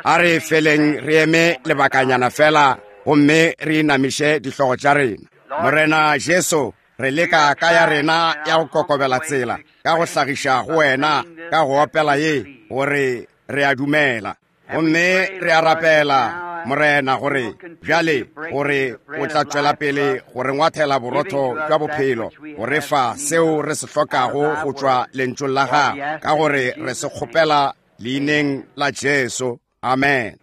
A re feleng re eme lebakanyana fela gomme re inamiše dihlogo tša rena. Morena Jesu, re leka ka ya rena ya go kokobela tsela ka go hlagiša go wena ka go opela ye gore re a dumela. Gomme re a rapela, Morena, gore bjale gore o tla tšwela pele go re ngwathela borotho bja bophelo, go re fa seo re se hlokago go tšwa Lentšung la Gago, ka gore re se kgopela Leineng la Jesu. Amen.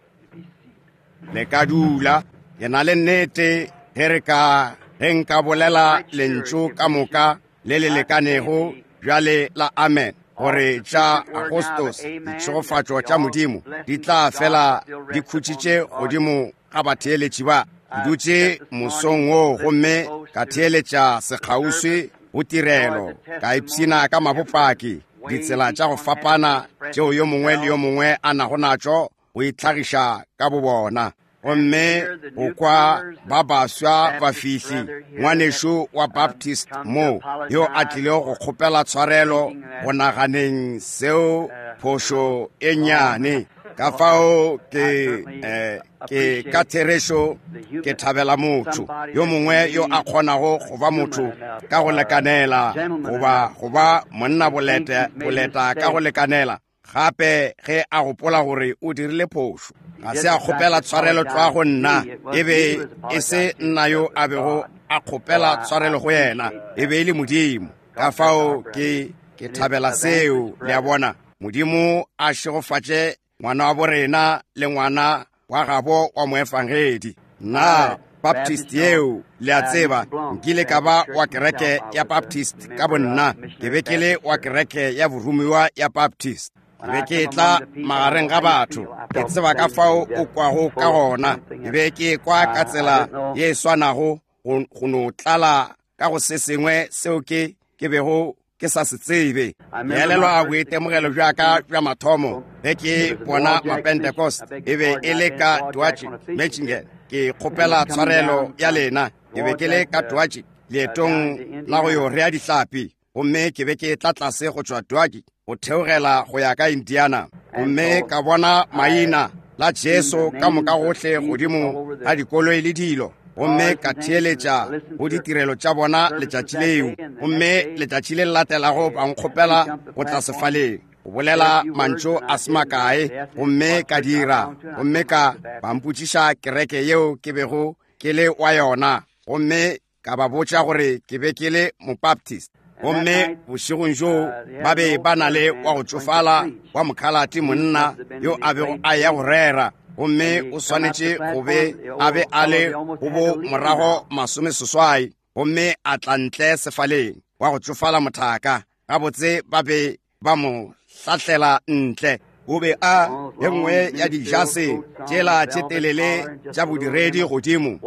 Le ka dula. Ke na le nnete ge re ka ge nka bolela lentšu ka moka le le lekanego bjale la amen gore tša Agostos ditšhegofatšo tša Modimo di tla fela di khutšitše godimo ga batheeletši ba. Ke dutše mosong wo gomme ka theeletša sekgauswi go tirelo, ka ipshina ka mabopaki, ditsela tša go fapana tšeo yo mongwe le yo mongwe a nago natšo go itlhagiša ka bobona. Gomme go kwa ba baswa bafihli, ngwanešu wa Baptist mo, yo a tlilego go kgopela tshwarelo go naganeng seo phošo e nnyane. Ka fao ke, eh, ke ka therešo ke thabela motho yo mongwe yo a kgonago go ba motho ka go lekanela, goba go ba monna boleta, boleta ka go lekanela. Gape ge a gopola gore o dirile phošo, ga se a kgopela tshwarelo tlwa go nna, e be e se nna yo a bego a kgopela tshwarelo go yena, e be e le Modimo. Ka fao ke, ke thabela seo, le a bona. Modimo a šegofatše ngwana wa borena le ngwana wa gabo wa moefangedi. Na Baptist yeo, le a tseba, nkile ka ba wa kereke ya Baptist ka bonna, ke be ke le wa kereke ya boromiwa ya Baptist. Ke be ke tla magareng ga batho, ke tseba ka fao o kwago ka gona. Ke be ke kwa ka tsela ye e swanago, go no tlala ka go se sengwe seo ke ke bego ke sa se tsebe. Ke elelwa boitemogelo bja ka bja mathomo ge ke bona Mapentecost, e be e le ka Dutch Michigan. Ke kgopela tshwarelo ya lena, ke be ke le ka Dutch leetong la go yo rea dihlapi, gomme ke be ke tla tlase go tšwa Dutch go theogela go ya ka Indiana, gomme ka bona maina la Jesu ka moka gohle godimo ga dikoloi le dilo, gomme ka theeletša go ditirelo tša bona letšatši leo. Gomme letšatši le le latelago ba nkgopela go tla sefaleng go bolela mantšu a se makae, gomme ka dira, gomme ka ba mpotšiša kereke yeo ke bego ke le wa yona, gomme ka ba botša gore ke be ke le Mobaptist. Gomme bošegong bjoo ba be ba na le wa go tšofala wa mokhalate monna yo a bego a ya go rera, gomme o swanetše go be a be a le go bo morago masomeseswai, gomme a tla ntle sefaleng wa go tšofala mothaka. Gabotse ba be ba mo hlahlela ntle. O be a ye nngwe ya dijase tšela tše telele tša bodiredi godimo,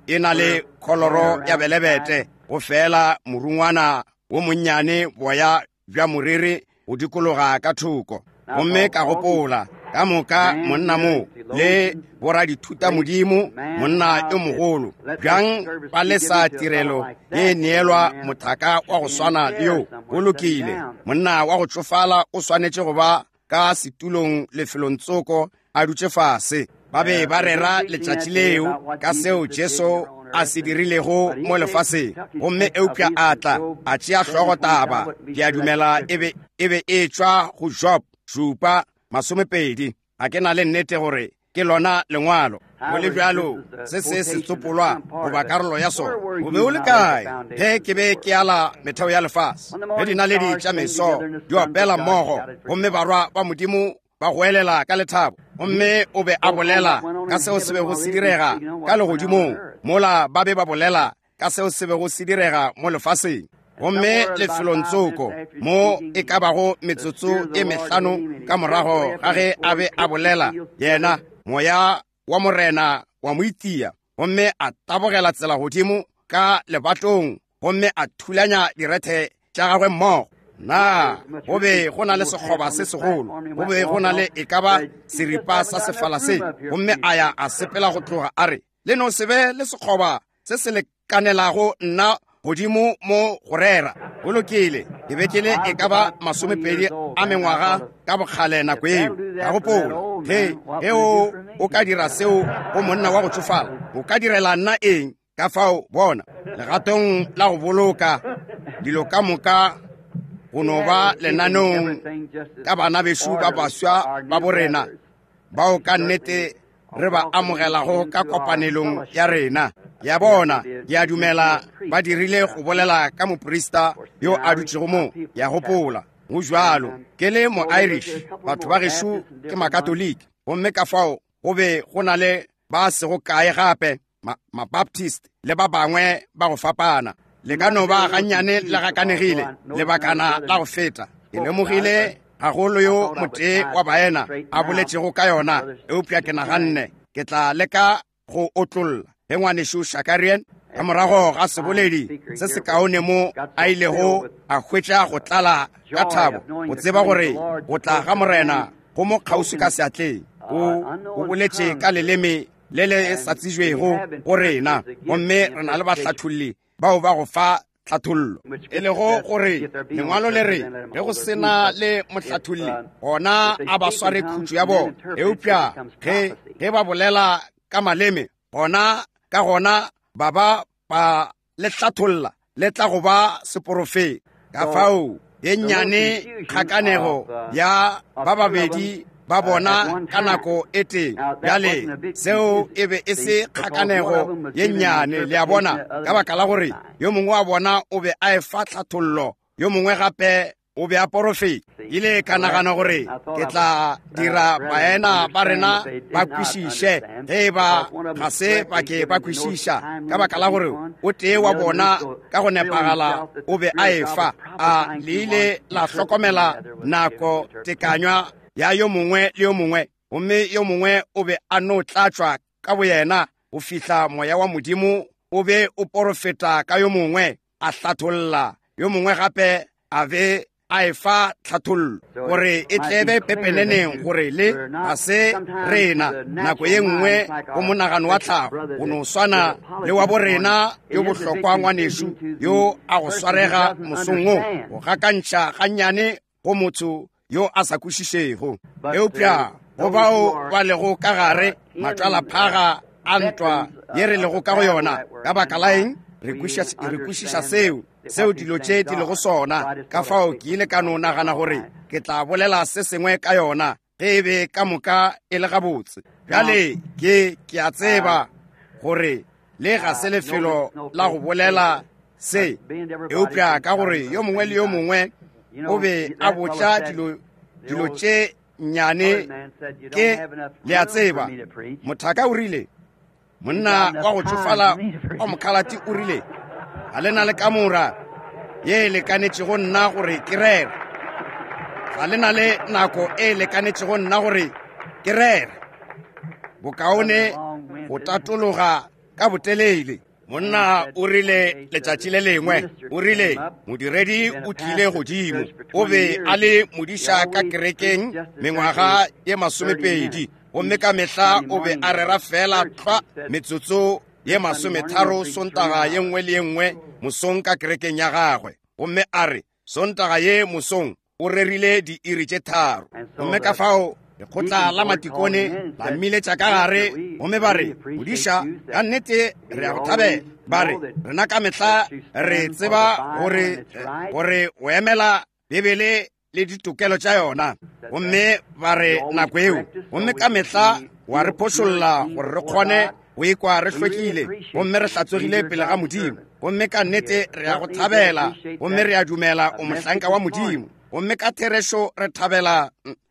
e na le kholoro ya belebete, go fela morungwana wo monnyane boya bja moriri go dikologa ka thoko. Gomme ka gopola, ka moka monna mo le boradithutamodimo, monna yo mogolo, bjang ba lesa tirelo ye neelwa mothaka wa go swana le yo? Go lokile, monna wa go tšofala o swanetše go ba ka setulong lefelong tsoko a dutše fase. Ba be ba rera letšatši leo ka seo Jesu a se dirilego mo lefaseng, gomme eupša a tla a tšea hlogo taba, ke a dumela e be e be e tšwa go Job 7:20. Ga ke na le nnete gore ke lona lengwalo. Go le bjalo, se se setsopolwa goba karolo ya sona. O be o le kae ge ke be ke ala metheo ya lefase, ge dinaledi tša meso di opela mmogo, gomme barwa ba Modimo ba goelela ka lethabo? Gomme o be a bolela ka seo se bego se direga ka legodimong, mola ba be ba bolela ka seo se bego se direga mo lefaseng. Gomme lefelong tsoko mo e ka bago metsotso e mehlano ka morago ga ge a be a bolela, yena moya wa Morena wa mo itia, gomme a tabogela tsela godimo ka lebatong gomme a thulanya direthe tša gagwe mmogo. Na go be go na le sekgoba se segolo, go be go na le e ka ba seripa sa sefala se, gomme a ya a sepela go tloga, a re, Le no se be le sekgoba se se lekanelago nna godimo mo go rera. Go lokile, ke be ke le e ka ba masomepedi a mengwaga ka bokgale nako eo. Ka gopola, Ge, ge o, o ka dira seo go monna wa go tšofala, o ka direla nna eng? Ka fao, bona, legatong la go boloka dilo ka moka go no ba lenaneong ka bana bešo ba baswa ba borena, bao ka nnete re ba amogelago ka kopanelong ya rena ya bona. Ke a dumela ba dirile go bolela ka moprista yo a dutšego mo, ya gopola go jwalo ke le mo-Irish, batho ba gešo ke Makatoliki, gomme ka fao go be go na le ba sego kae gape Mabaptist le ba bangwe ba go fapana. Le ka no ba gannyane le gakanegile lebakana la go feta. Ke lemogile gagolo yo motee wa baena a boletšego ka yona, eupša ke naganne ke tla leka go otlolla ge ngwanešu Shakarian ka morago ga seboledi se sekaone mo a ilego a hwetša go tlala ka thabo go tseba gore go tla ga Morena go mo kgauswi ka seatleng. O boletše ka leleme le le sa tsebjego go rena, gomme re na le bahlatholli bao ba go fa tlhathollo, e lego gore lengwalo le re ge go se na le mohlatholli gona a ba sware khutšo ya bona, eupša ge ba bolela ka maleme gona ka gona ba ba ba le hlatholla le tla go ba seporofeta. Ka fao ye nnyane kgakanego ya ba babedi ba bona ka nako e tee. Bjale seo e be e se kgakanego ye nnyane, le a bona, ka baka la gore yo mongwe wa bona o be a efa tlhathollo, yo mongwe gape o be a porofeta. Ile ka nagana gore ke tla dira baena ba rena ba kwešiše ge e ba ga se ba ke ba kwešiša, ka baka la gore o tee wa bona ka go nepagala o be a efa. A le ile la hlokomela nako tekanywa ya yo mongwe le yo mongwe, gomme yo mongwe o be a no tlatšwa ka boyena go fihla moya wa Modimo o be o porofeta ka yo mongwe, a hlatholla yo mongwe gape a be a efa tlhathollo, gore e tlebe pepeneneng gore le ga se rena. Nako ye nngwe go monagano wa tlhago go no swana le wa borena yo bohlokwa ngwanešu yo a go swarega mosong wo, go gakantšha gannyane go motho yo a sa kwešišego. Eupša go bao ba lego ka gare matšwalaphaga a ntwa ye re lego ka go yona, ka baka la eng re kwešiša seo dilo tše di lego sona. Ka fao ke ile ka no nagana gore ke tla bolela se sengwe ka yona ge e be ka moka e le gabotse. Bjale ke a tseba gore le ga se lefelo la go bolela se, eupša ka gore yo mongwe le yo mongwe o be a botša dilo tše nnyane, ke le a tseba, mothaka o rile, monna wa go tšofala wa mokhalati o rile, ga le na le kamora ye e lekanetšego nna gore ke rere, ga le na le nako e lekanetšego nna gore ke rere, bokaone go tatologa ka botelele. Monna o rile letšatši le lengwe, o rile modiredi o tlile godimo, o be a le modiša ka kerekeng mengwaga ye 20, gomme ka mehla o be a rera fela tlwa metsotso ye 30 Sontaga ye nngwe le ye nngwe mosong ka kerekeng ya gagwe. Gomme a re Sontaga ye mosong o rerile diiri tše 3. Gomme ka fao lekgotla la matikone la mmiletša ka gare, gomme ba re, modiša, ka nnete re a go thabela. Ba re, rena ka mehla re tseba gore o emela Bibele le ditokelo tša yona. Gomme ba re nako eo, gomme ka mehla wa re phošolla gore re kgone go ikwa re hlwekile gomme re hlatswegile pele ga Modimo. Gomme ka nnete re a go thabela, gomme re a dumela o mohlanka wa Modimo, gomme ka therešo re thabela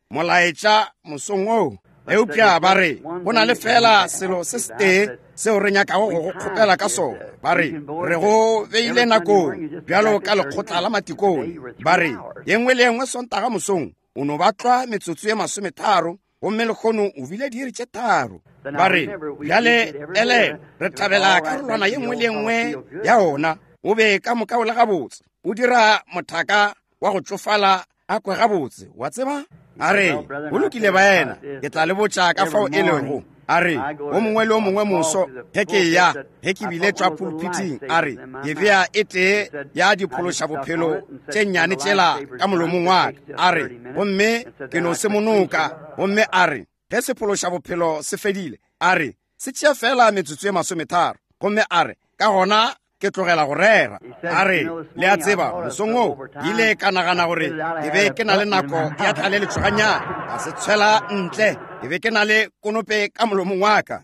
molaetša mosong wo. Eupša ba re go na le fela selo se setee seo re nyakago go go kgopela ka sona. Ba re re go beile nakong bjalo ka lekgotla la matikone. Ba re ye nngwe le ye nngwe Sontaga mosong o no ba tlwa metsotso ye 30, gomme lekgono o bile diiri tše 3. Ba re bjale ele re thabela karolwana ye nngwe le ye nngwe ya ona, o be ka moka o le gabotse, o dira mothaka wa go tšofala a kwe gabotse, wa tseba. A re go lokile baena, ke tla le botša ka fao e lego. A re o mongwe le o mongwe moso ge ke ya, ge ke bile tšwa pulpiting, a re ke bea e tee ya diphološa bophelo tše nnyane tšela ka molomong wa ka. A re gomme ke no se monoka. Gomme a re Ge sephološabophelo se fedile, a re, se tšea feela metsotso ye masometharo. Gomme a re, Ka gona ke tlogela go rera. A re, Le a tseba, mosong wo, ke ile ka nagana gore ke be ke na le nako ya tlaleletšo gannyane, ka se tshwela ntle. Ke be ke na le konope ka molomong wa ka.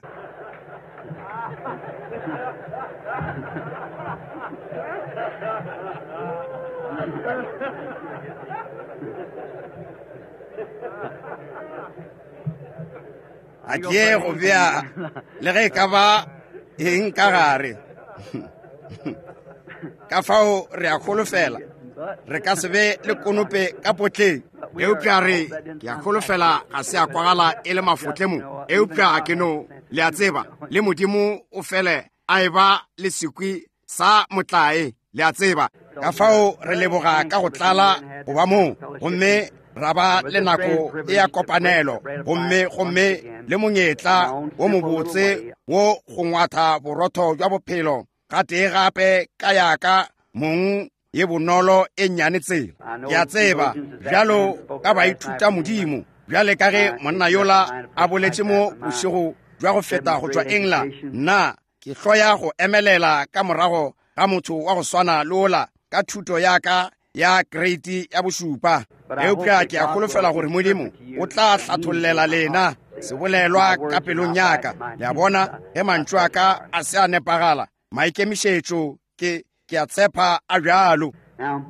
A ke ye go bea le ge e ka ba eng ka gare. Ka fao re a holofela re ka se be le konope ka potleng, eupša re ke a holofela ga se a kwagala e le mafotle mo, eupša ke no, le a tseba, le Modimo o fele a e ba le sekwi sa motlae, le a tseba. Ka fao re leboga ka go tlala go ba moo, gomme ra ba le nako e ya kopanelo, gomme, gomme le monyetla wo mobotse wo go ngwatha borotho bja bophelo gatee gape ka yaka mong ye bonolo e nnyane tsela. Ke a tseba, bjalo ka baithuta Modimo, bjale ka ge monna yola a boletše mo bošego bja go feta go tšwa England, nna ke hloya go emelela ka morago ga motho wa go swana le ola ka thuto ya ka ya kreiti ya bošupa, eupša ke a holofela gore Modimo o tla hlathollela lena sebolelwa ka pelong ya ka. Le a bona, ge mantšu a ka a se a nepagala, maikemišetšo ke ke a tshepa a bjalo.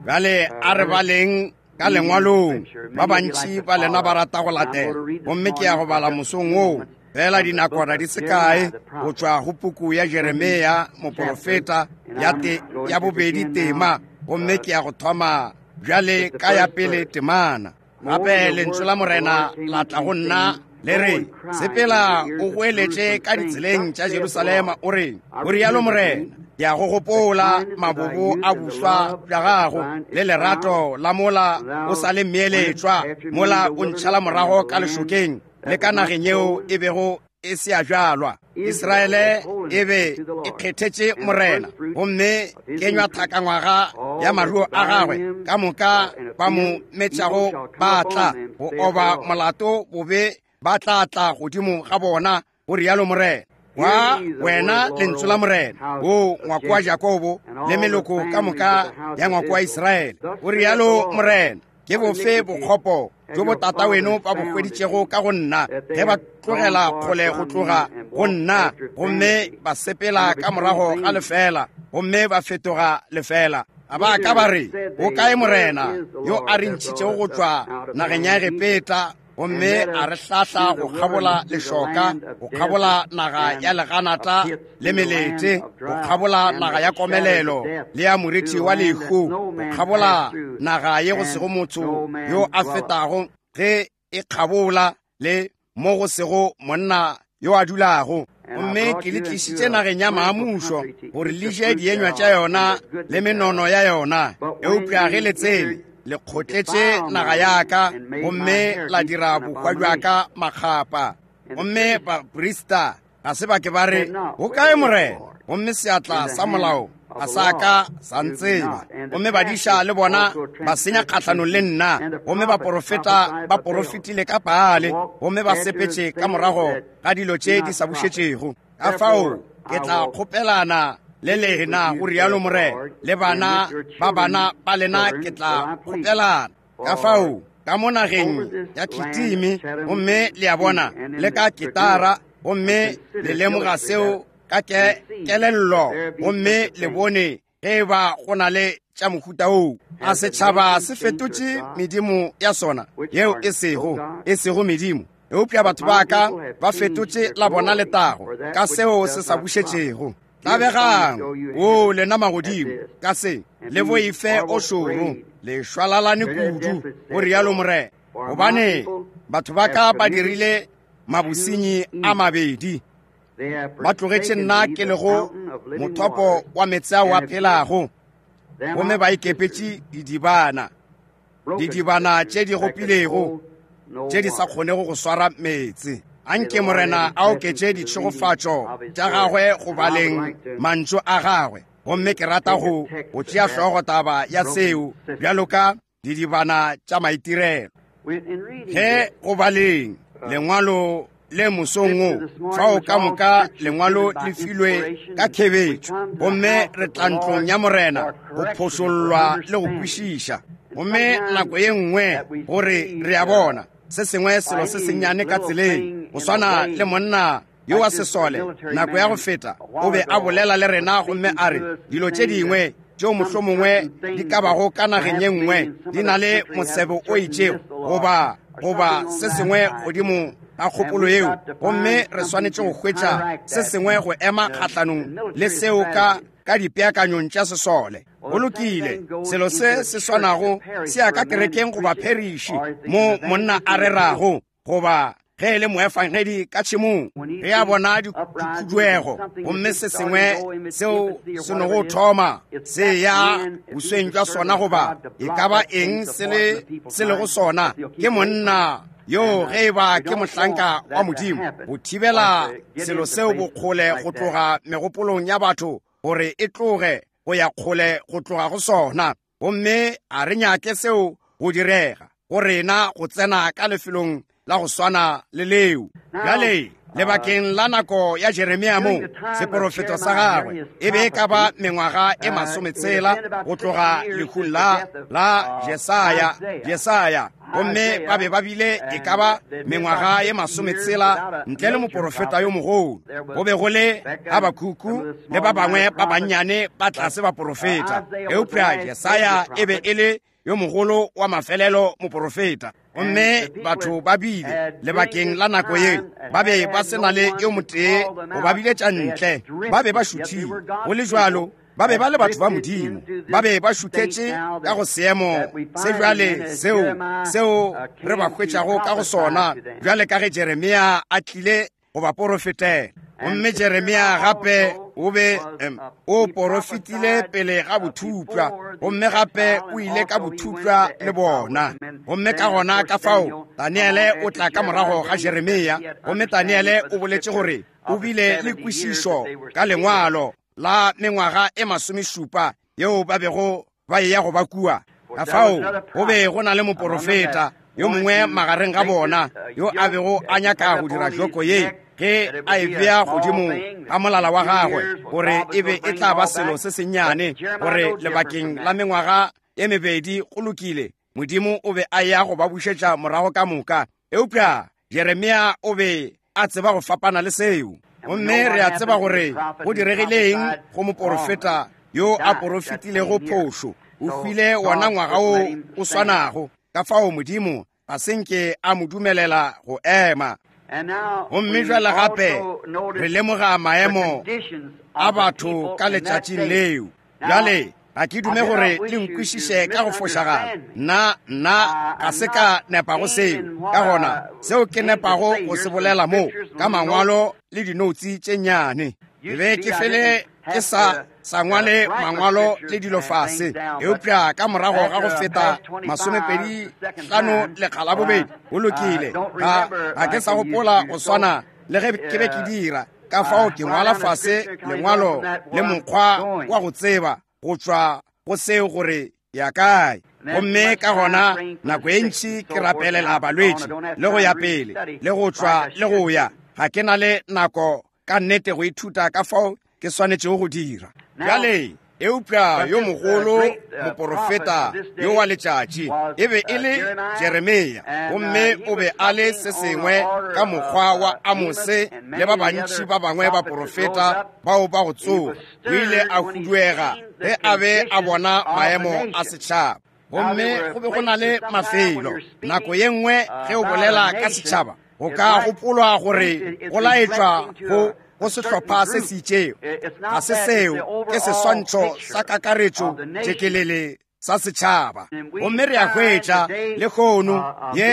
Bjale a re baleng ka lengwalong. Ba bantši ba lena ba rata go latela, gomme ke ya go bala mosong woo fela dinakwana di se kae go tšwa go puku ya Jeremia moporofeta ya, te, ya bobedi tema, gomme ke ya go thoma bjale ka ya pele temana. Gape lentšu la Morena la tla go nna le re, Sepela o goeletše ka ditseleng tša Jerusalema, o re, O rialo Morena, ke a go gopola mabobo a boswa bja gago le lerato la mola o sa le mmeeletšwa, mola o ntšhala morago ka lešokeng le ka nageng yeo e bego e se ya bjalwa. Israele e be e kgethetše Morena, gomme kenywa thakangwaga ya maruo a gagwe ka moka ba mo metšago ba tla go oba molato bobe ba tla tla godimo ga bona, go rialo Morena. Wa wena lentšu la Morena, o ngwako wa Jakobo le meloko ka moka ya ngwako wa Israele, go rialo Morena. Ke bofe bokgopo bjo botata weno ba bo hweditšego ka go nna, ge ba tlogela kgole go tloga go nna, gomme ba sepela ka morago ga lefeela, gomme ba fetoga lefeela? A ba ka ba re, O kae Morena yo a re ntšhitšego go tšwa nageng ya Egepeta, gomme a re hlahla go kgabola lešoka, go kgabola naga ya leganata le melete, go kgabola naga ya komelelo le ya morithi wa lehu, go kgabola naga ye go sego motho yo a fetago ge e kgabola, le mo go sego monna yo a dulago? Gomme ke le tlišitše nageng ya maamušo gore le je dienywa tša yona le menono ya yona. Eupša ge le tsene, le kgotletše naga ya ka, gomme la dira bohwa bja ka makgapa. Gomme baprista ga se ba ke ba re, Go kae Morena? Gomme seatla sa molao ga sa ka sa ntseba. Gomme badiša le bona ba senya kgahlanong le nna, gomme baporofeta ba porofetile ka Baale, gomme ba sepetše ka morago ga dilo tše di sa bušetšego. Ka fao ke tla kgopelana le lena, go rialo Morena, le bana ba bana ba lena ke tla kgopelana. Ka fao ka mo nageng ya Kitimi, gomme le a bona, le ka Ketara, gomme le lemoga seo ka ke kelello, gomme le bone ge e ba go na le tša mohuta woo. A setšhaba se fetotše medimo ya sona yeo e sego, e sego medimo, eupša batho ba ka ba fetotše la bona letago ka seo se sa bušetšego. Tlabegang, o lena magodimo, ka se le boife o šoro, le šwalalane kudu, go rialo Morena, gobane batho ba ka ba dirile mabosenyi a mabedi. Ba tlogetše nna ke lego mothopo wa meetse ao a phelago, gomme ba ikepetše didibana, didibana tše di gopilego, tše di sa kgonego go swara meetse. Anke Morena a oketše ditšhegofatšo tša gagwe go baleng mantšu a gagwe. Gomme ke rata go go tšea hlogo taba ya seo bjalo ka didibana tša maitirelo. Ge go baleng. Lengwalo le mosong wo, fao ka moka Lengwalo le filwe ka khebetšo, gomme re tla ntlong ya Morena go phošollwa le go kwešiša. Gomme nako ye nngwe gore re a bona se sengwe selo se sennyane ka tseleng, go swana le monna yo wa sesole nako ya go feta o be a bolela le rena gomme a re dilo tše dingwe tšeo mohlomongwe di ka bago ka nageng ye nngwe di na le mosebo o itšego goba se sengwe godimo ga kgopolo yeo, gomme re swanetše go hwetša se sengwe go ema kgahlanong le seo ka dipeakanyong tša sesole. Go lokile, selo se se swanago se ya ka kerekeng goba pheriši mo monna a rerago, goba ge e le moefangedi ka tšhemong, ge a bona dikhuduego gomme se sengwe seo se nogo thoma se ya bosweng jwa sona, goba e ka ba eng se lego sona, ke monna yo ge e ba ke mohlanka wa Modimo go thibela selo seo bokgole go tloga megopolong ya batho gore e tloge go ya kgole go tloga go sona. Gomme a re nyake seo go direga go rena go tsena ka lefelong la go swana le leo. Bjale lebakeng la nako ya Jeremia mo, seporofeto sa gagwe e be e ka ba mengwaga e 60 go tloga lehung la Jesaya, gomme ba be ba bile e ka ba mengwaga e 60 ntle le moporofeta yo mogolo. Go be go le Habakuku le ba bangwe ba bannyane ba tlase ba porofeta, eupša Jesaya e be e le yo mogolo wa mafelelo moporofeta. Gomme batho ba bile lebakeng la nako ye ba be ba se na le yo motee go ba biletša ntle, ba be ba šuthile. Go le jwalo, ba be ba le batho ba Modimo, ba be ba šuthetše ka go seemo se bjale seo re ba hwetšago ka go sona bjale ka ge Jeremia a tlile go ba porofetela. Gomme Jeremia gape o be o porofetile pele ga bothupša, gomme gape o ile ka bothupša le bona. Gomme ka gona ka fao Daniele o tla ka morago ga Jeremia, gomme Daniele o boletše gore o bile le kwešišo ka lengwalo la mengwaga e 70 yeo ba bego ba eya go ba kua. Ka fao go be go na le moporofeta yo mongwe magareng ga bona yo a bego a nyaka go dira joko ye ge a e bea godimo ga molala wa gagwe, gore e be e tla ba selo se sennyane, gore lebakeng la mengwaga e mebedi go lokile, Modimo o be a ya go ba bušetša morago ka moka. Eupša Jeremia o be a tseba go fapana le seo. Gomme re a tseba gore go diregileng go moporofeta yo a porofetilego phošo. O hwile wona ngwaga wo o swanago. Ka fao Modimo ga se nke a mo dumelela go ema. Gomme jwale gape re lemoga maemo a batho ka letšatšing leo. Bjale ga ke dume gore le nkwešiše ka go fošagala. Nna ga se ka nepago seo. Ka gona seo ke nepago go se bolela mo ka mangwalo le dinoutse tše nnyane. Ke be ke fele ke sa ngwale mangwalo le dilo fase, eupša ka morago ga go feta 25 lekga la bobedi, go lokile, ga ke sa gopola go swana le ge ke be ke dira. Ka fao ke ngwala fase lengwalo le mokgwa wa go tseba go tšwa go seo gore ya kae. Gomme ka gona nako e ntši ke rapelela balwetši le go ya pele le go tšwa le go ya. Ga ke na le nako ka nnete go ithuta ka fao ke swanetšego go dira. Bjale eupša yo mogolo moporofeta yo wa letšatši e be e le Jeremia, gomme o be a le se sengwe ka mokgwa wa Amose le ba bantši ba bangwe baporofeta bao ba go tsoga. O ile a huduega ge a be a bona maemo a setšhaba. Gomme go be go na le mafelo nako ye nngwe ge o bolela ka setšhaba, go ka gopolwa gore go laetšwa go sehlopha se se itšego. Ga se seo, ke seswantšho sa kakaretšo tšekelele sa setšhaba. Gomme re a hwetša lehono ye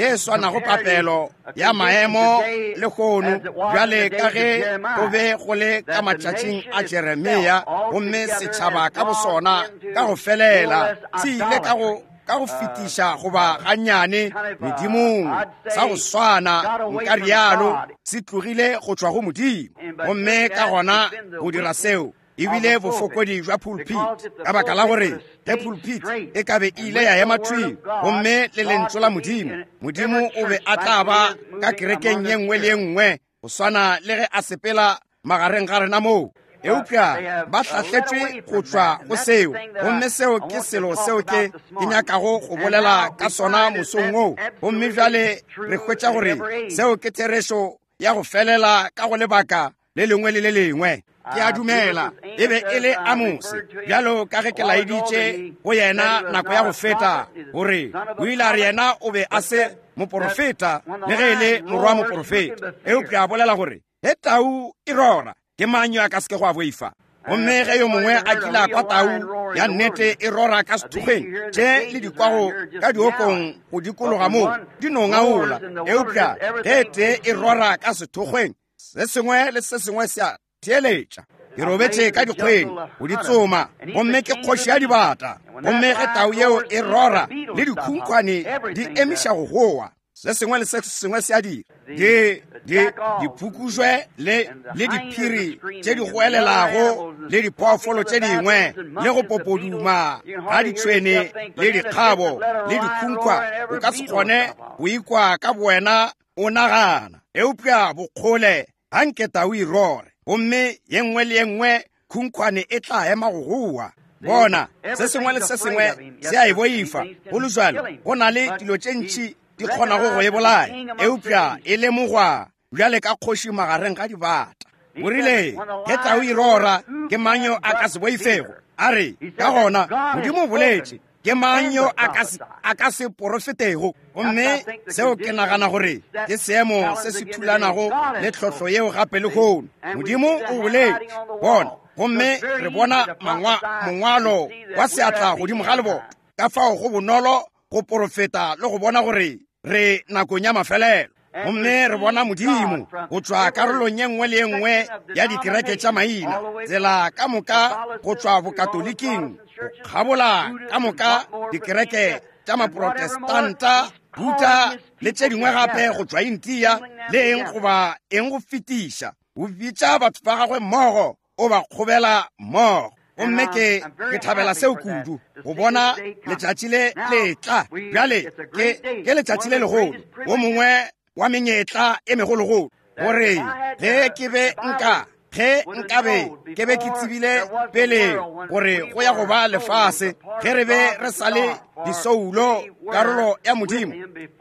e swanago papelo ya maemo lehono bjale ka ge go be go le ka matšatšing a Jeremia, gomme setšhaba ka bosona ka go felela se ile ka go fetiša goba gannyane medimong sa go swana, nka rialo, se tlogile go tšwa go Modimo. Gomme ka gona go dira seo E bile bofokodi bja pulpit, ka baka la gore ge pulpit e ka be e ile ya ema thwi gomme le Lentšu la Modimo, Modimo o be a tla ba ka kerekeng ye nngwe le ye nngwe go swana le ge a sepela magareng ga rena moo. Eupša ba hlahletšwe go tšwa go seo, gomme seo ke selo seo ke ke nyakago go bolela ka sona mosong wo. Gomme bjale re hwetša gore seo ke therešo ya go felela ka go lebaka le lengwe le le lengwe. Ke a dumela e be e le Amose, bjalo ka ge ke laeditše go yena nako ya go feta, gore o ile a re yena o be a se moporofeta le ge e le morwa moporofeta, eupša a bolela gore ge tau e rora, ke mang yo a ka se ke go a boifa? Gomme ge yo mongwe a kile a kwa tau ya nnete e rora ka sethokgweng, tše le di kwago ka diokong go dikologa moo di no ngaola, eupša ge tee e rora ka sethokgweng, se sengwe le se sengwe se a theeletša. Ke robetše ka dikgweng go di tsoma, gomme ke kgoši ya dibata. Gomme ge tau yeo e rora, le dikhunkhwane di emiša go goa, se sengwe le se sengwe se a dira. Di, di, diphukujwe le, le diphiri tše di goelelago le diphoofolo tše dingwe, le go popoduma ga ditšhwene le dikgabo le dikhunkhwa, o ka se kgone go ikwa ka bowena o nagana. Eupša bokgole ga nke tau e rore, gomme ye nngwe le ye nngwe khunkhwane e tla ema go goa. Bona, se sengwe le se sengwe se a e boifa. Go le bjalo, go na le dilo tše ntši di kgonago go e bolaya, eupša e lemogwa bjale ka kgoši magareng ga dibata. O rile, ge tau e rora, ke mang yo a ka se boifego? A re, ka gona, Modimo o boletše, ke mang yo a ka se porofetego? Gomme seo ke nagana gore ke seemo se se thulanago le tlhohlo yeo gape lehono. Modimo o boletše, bona, gomme re bona mongwalo wa seatla godimo ga leboto. Ka fao go bonolo go porofeta le go bona gore re nakong ya mafelelo. Gomme re bona Modimo go tšwa karolong ye nngwe le ye nngwe ya dikereke tša maina, tsela ka moka go tšwa Bokatoliking go kgabola ka moka dikereke tša Maprotestanta, Buddha le tše dingwe gape go tšwa India le eng goba eng go fetiša. O bitša batho ba gagwe mmogo, o ba kgobela mmogo. Gomme ke, ke thabela seo kudu, go bona letšatši le le tla. Bjale, ke, ke letšatši le legolo, wo mongwe wa menyetla e megologolo, gore ge ke be nka, ge nkabe ke be ke tsebile pele gore go ya go ba lefase, ge re be re sa le disoulo, karolo ya Modimo,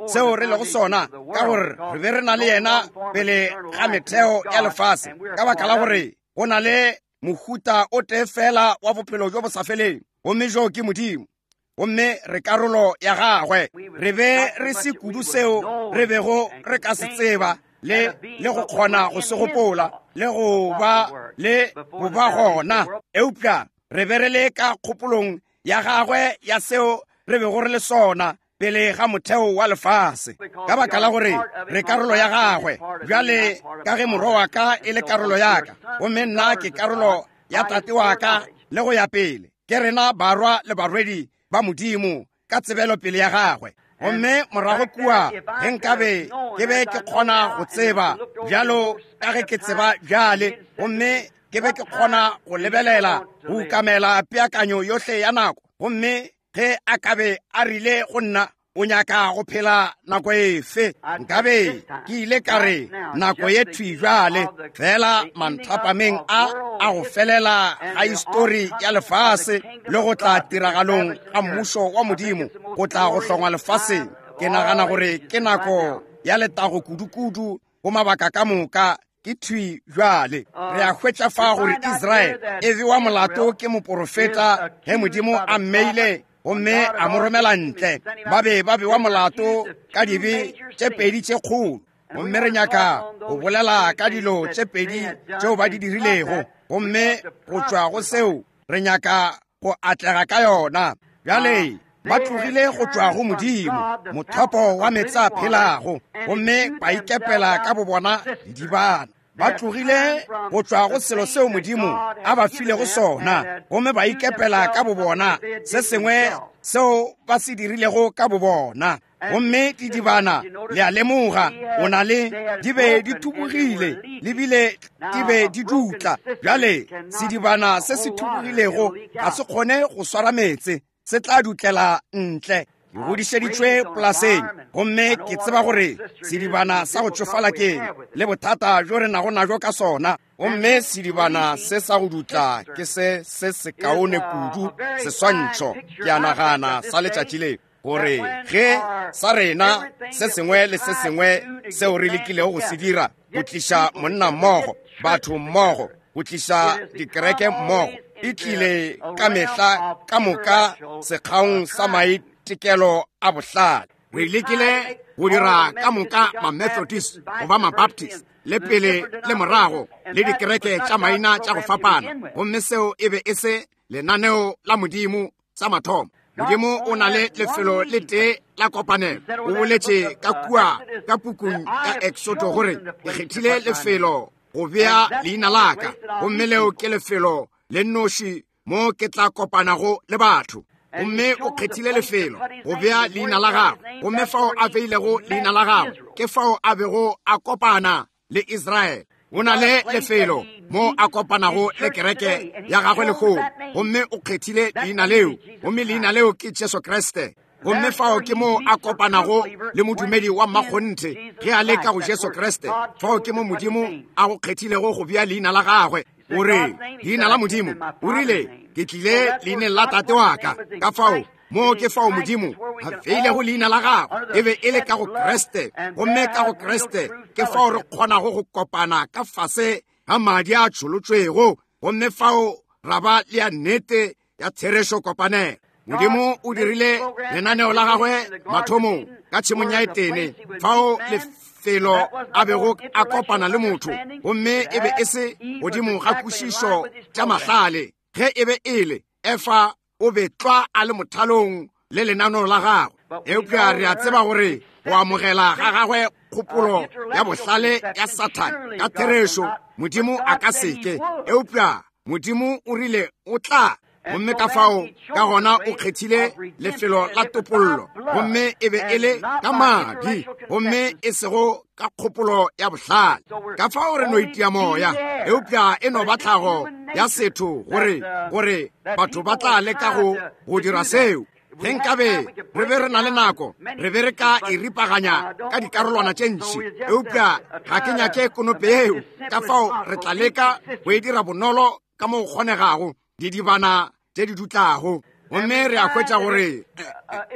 seo re lego sona, ka gore re be re na le yena pele ga metheo ya lefase, ka baka la gore go na le mohuta o tee fela wa bophelo bjo bo sa feleng, gomme jo ke Modimo, gomme re karolo ya gagwe. Re be re se kudu seo re bego re ka se tseba le, le go kgona go se gopola le go ba le go ba gona, eupša re be re le ka kgopolong ya gagwe ya seo re bego re le sona pele ga motheo wa lefase, ka baka la gore re karolo ya gagwe. Bjale ka ge morwa wa ka e le karolo ya ka, gomme nna ke karolo ya tate wa ka, le go ya pele, ke rena barwa le barwedi ba Modimo ka tsebelopele ya gagwe. Gomme morago kua, ge nkabe ke be ke kgona go tseba bjalo ka ge ke tseba bjale, gomme ke be ke kgona go lebelela go ukamela peakanyo yohle ya nako, gomme ge a ka be a rile go nna, o nyaka go phela nako efe, nkabe ke ile ka re nako ye thwi bjale, fela manthapameng a a go felela ga histori ya lefase le go tla tiragalong ga mmušo wa Modimo go tla go hlongwa lefaseng. Ke nagana gore ke nako ya letago kudu-kudu go mabaka ka moka ke thwi bjale. Re a hwetša fa gore Israele e bewa molato ke moporofeta ge Modimo a mmeile gomme a mo romela ntle. Ba be ba bewa molato ka dibe tše pedi tše kgolo, gomme re nyaka go bolela ka dilo tše pedi tšeo ba di dirilego, gomme go tšwa go seo re nyaka go atlega ka yona. Bjale ba tlogile go tšwa go Modimo, mothopo wa meetse a phelago, gomme ba ikepela ka bobona didibana. Ba tlogile go tšwa go selo seo Modimo a ba filego sona, gomme ba ikepela ka bobona se sengwe seo ba se dirilego ka bobona. Gomme didibana, le a lemoga, o na le, di be di thubugile Le bile di be di dutla. Bjale sedibana se se thubogilego ga se kgone go swara meetse, se tla dutlela ntle. Ke godišeditšwe polaseng, gomme ke tseba gore sedibana sa go tšofala keng le bothata bjo re nago najo ka sona. Gomme sedibana se sa go dutla ke se se sekaone kudu seswantšho, ke a nagana, sa letšatši le, gore ge sa rena se sengwe le se sengwe seo re lekilego go se dira go tliša monna mmogo, batho mmogo, go tliša dikereke mmogo, e tlile ka mehla ka moka sekgaong sa maitekelo a bohlale. Re lekile go dira ka moka ma-Methodist goba ma-Baptist, le pele le morago, le dikereke tša maina tša go fapana, gomme seo e be e se lenaneo la Modimo sa mathomo. Modimo o na le lefelo le tee la kopanelo. O boletše ka kua ka pukung ya Exodo gore, Ke kgethile lefelo go bea leina la ka, gomme leo ke lefelo le nnoši mo ke tla kopanago le batho. Gomme o kgethile lefelo go bea leina la gagwe, gomme fao a beilego leina la gagwe ke fao a bego a kopana le Israele. O na le lefelo mo a kopanago le kereke ya gagwe lehono, gomme o kgethile leina leo, gomme leina leo ke Jesu Kriste. Gomme fao ke mo a kopanago le modumedi wa mmakgonthe ge a le ka go Jesu Kriste. Fao ke mo Modimo a go kgethilego go bea leina la gagwe. O re, leina la Modimo, o rile, ke tlile leineng la Tate wa ka. Ka fao, moo ke fao Modimo a beilego leina la gagwe, e be e le ka go Kriste. Gomme ka go Kriste ke fao re kgonago go kopana ka fase ga madi a tšholotšwego, gomme fao ra ba le ya nnete ya therešo kopanelo. Modimo o dirile lenaneo la gagwe mathomong ka tšhemong ya Etene, fao lefelo a bego a kopana le motho, gomme e be e se godimo ga kwešišo tša mahlale. Ge e be e le Efa, o be tlwa a le mothalong le lenaneo la gagwe. Eupša re a tseba gore go amogela ga gagwe kgopolo ya bohlale ya Sathane ka therešo, Modimo a ka seke, eupša Modimo o rile o tla. Gomme ka fao ka gona o kgethile lefelo la topollo, gomme e be e le ka madi, gomme e sego ka kgopolo ya bohlale. Ka fao re no itia moya, eupša e no ba tlhago ya setho gore, gore batho ba tla leka go, go dira seo. Ge nkabe re be re na le nako, re be re ka e ripaganya ka dikarolwana tše ntši, eupša ga ke nyake konope yeo. Ka fao re tla leka go e dira bonolo ka mo go kgonegago, didibana tše di dutlago. Gomme re a hwetša gore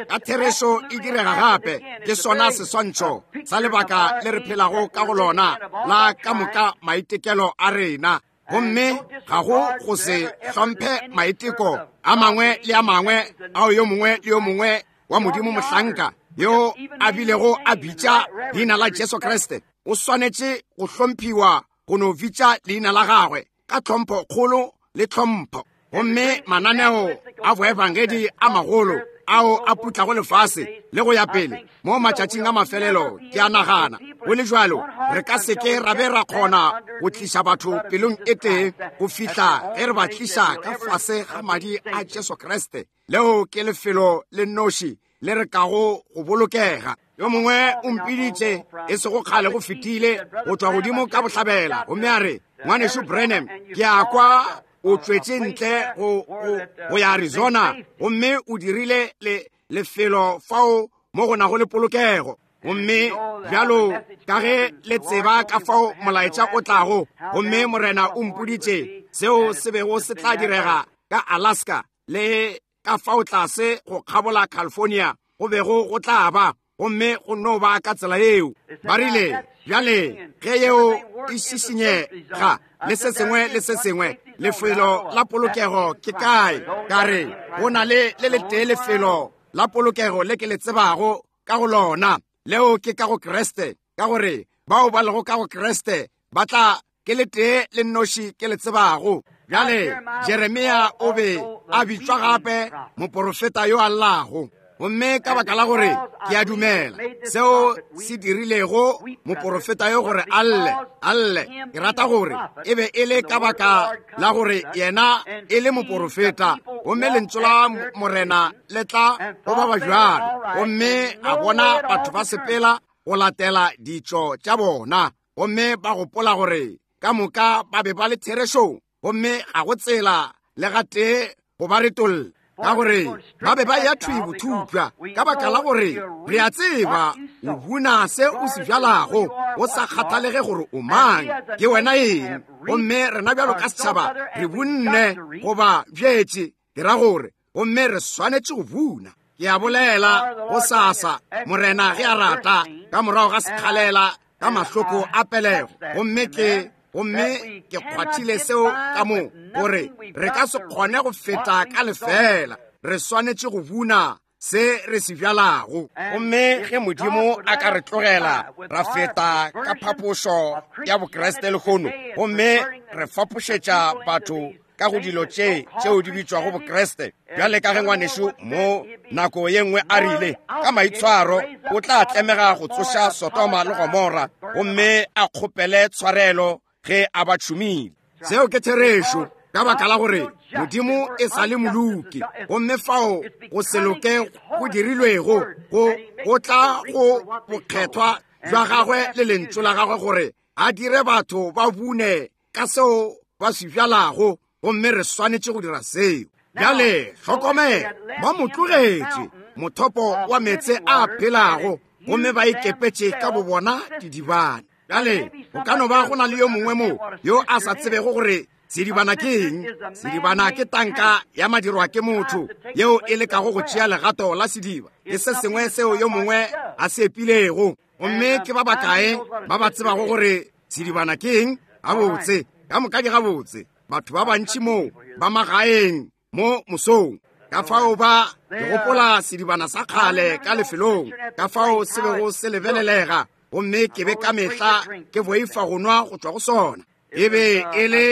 ka therešo e direga gape. Ke sona seswantšho sa lebaka le re phelago ka go lona la ka moka maitekelo a rena. Gomme ga go go se hlomphe maiteko a mangwe le a mangwe ao yo mongwe le yo mongwe wa Modimo mohlanka yo a bilego a bitša leina la Jesu Kriste, o swanetše go hlomphiwa go no bitša leina la gagwe ka tlhompho kgolo le tlhompho. Gomme mananeo a boebangedi a magolo ao a putlago lefase le go ya pele mo matšatšing a mafelelo, ke a nagana go le bjalo re ka se ke ra be ra kgona go tliša batho pelong e tee go fihla ge re ba tliša ka fase ga madi a Jesu Kriste. Leo ke lefelo le nnoši le re kago go bolokega. Yo mongwe o mpiditše e sego kgale go fetile go tšwa godimo ka bohlabela, gomme a re, Ngwanešu Branham, ke a kwa o tšwetše ntle go, go, go ya Arizona, gomme o dirile le, lefelo fao mo go nago le polokego. Gomme bjalo ka ge le tseba ka fao molaetša o tlago, gomme Morena o mpoditše seo se bego se tla direga ka Alaska le ka fao tlase go kgabola California go bego go tla ba, gomme go no ba ka tsela yeo. Ba rile, bjale, ge yeo e šišinyega le se sengwe le se sengwe, lefelo la polokego ke kae? Ka re, go na le le letee lefelo la polokego le ke le tsebago ka go lona, leo ke ka go Kriste, ka gore bao ba lego ka go Kriste ba tla ke le tee le nnoši ke le tsebago. Bjale Jeremia o be a bitšwa gape moporofeta yo a llago, gomme ka baka la gore ke a dumela seo se dirilego moporofeta yo gore a lle, a lle, ke rata gore e be e le ka baka la gore yena e le moporofeta, gomme lentšu la Morena le tla go ba ba bjalo, gomme a bona batho ba sepela go latela ditšo tša bona. Gomme ba gopola gore ka moka ba be ba le therešong, gomme ga go tsela le gatee go ba retolla, ka gore ba be ba ya thwi bothupša, ka baka la gore re a tseba o buna se o se bjalago, go sa kgathalege gore o mang, ke wena eng. Gomme rena bjalo ka setšhaba re bunne goba bjetše, ke ra gore, gomme re swanetše go buna. Ke a bolela go sasa, Morena ge a rata, ka morago ga sekgalela ka mahloko a pelego, gomme ke gomme ke kgwathile seo ka mo gore re ka se kgone go feta ka lefela, re swanetše go buna se re se bjalago. Gomme ge Modimo a ka re tlogela ra feta ka phapošo ya Bokriste lehono, gomme re fapošetša batho ka go dilo tše tšeo di bitšwago Bokriste, bjale ka ge ngwanešu mo nako ye nngwe a rile, ka maitshwaro o tla tlemega go tsoša Sodoma le Gomora gomme a kgopele tshwarelo ge a ba tšhumile. Seo ke therešo, ka baka la gore Modimo e sa le moloki, gomme fao go se loke go dirilwego go tla go bokgethwa bja gagwe le lentšu la gagwe gore a dire batho ba bune ka seo ba se bjalago, gomme re swanetše go dira seo. Bjale hlokomela, ba mo tlogetše mothopo wa meetse a phelago, gomme ba ikepetše ka bobona didibana. Bjale go ka no ba go na le yo mongwe mo yo a sa tsebego gore sedibana ke eng. Sedibana ke tanka ya madirwa ke motho yeo e lekago go tšea legato la sediba. Ke se sengwe seo yo mongwe a se epilego. Gomme ke ba bakae ba ba tsebago gore sedibana ke eng? Gabotse, ka moka ke gabotse. Batho ba bantši mo ba magaeng mo mosong, ka fao ba ke gopola sedibana sa kgale ka lefelong, ka fao se bego se lebelelega, gomme ke be ka mehla ke boifa go nwa go tšwa go sona. E be e le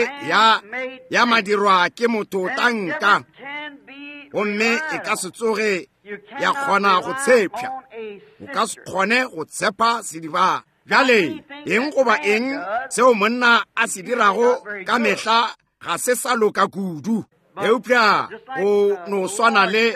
ya madirwa ke motho tanka, gomme e ka se tsoge ya kgona go tshepša. O ka se kgone go tshepa sedibana. Bjale eng goba eng seo monna a se dirago ka mehla ga se sa loka kudu, eupša go no swana le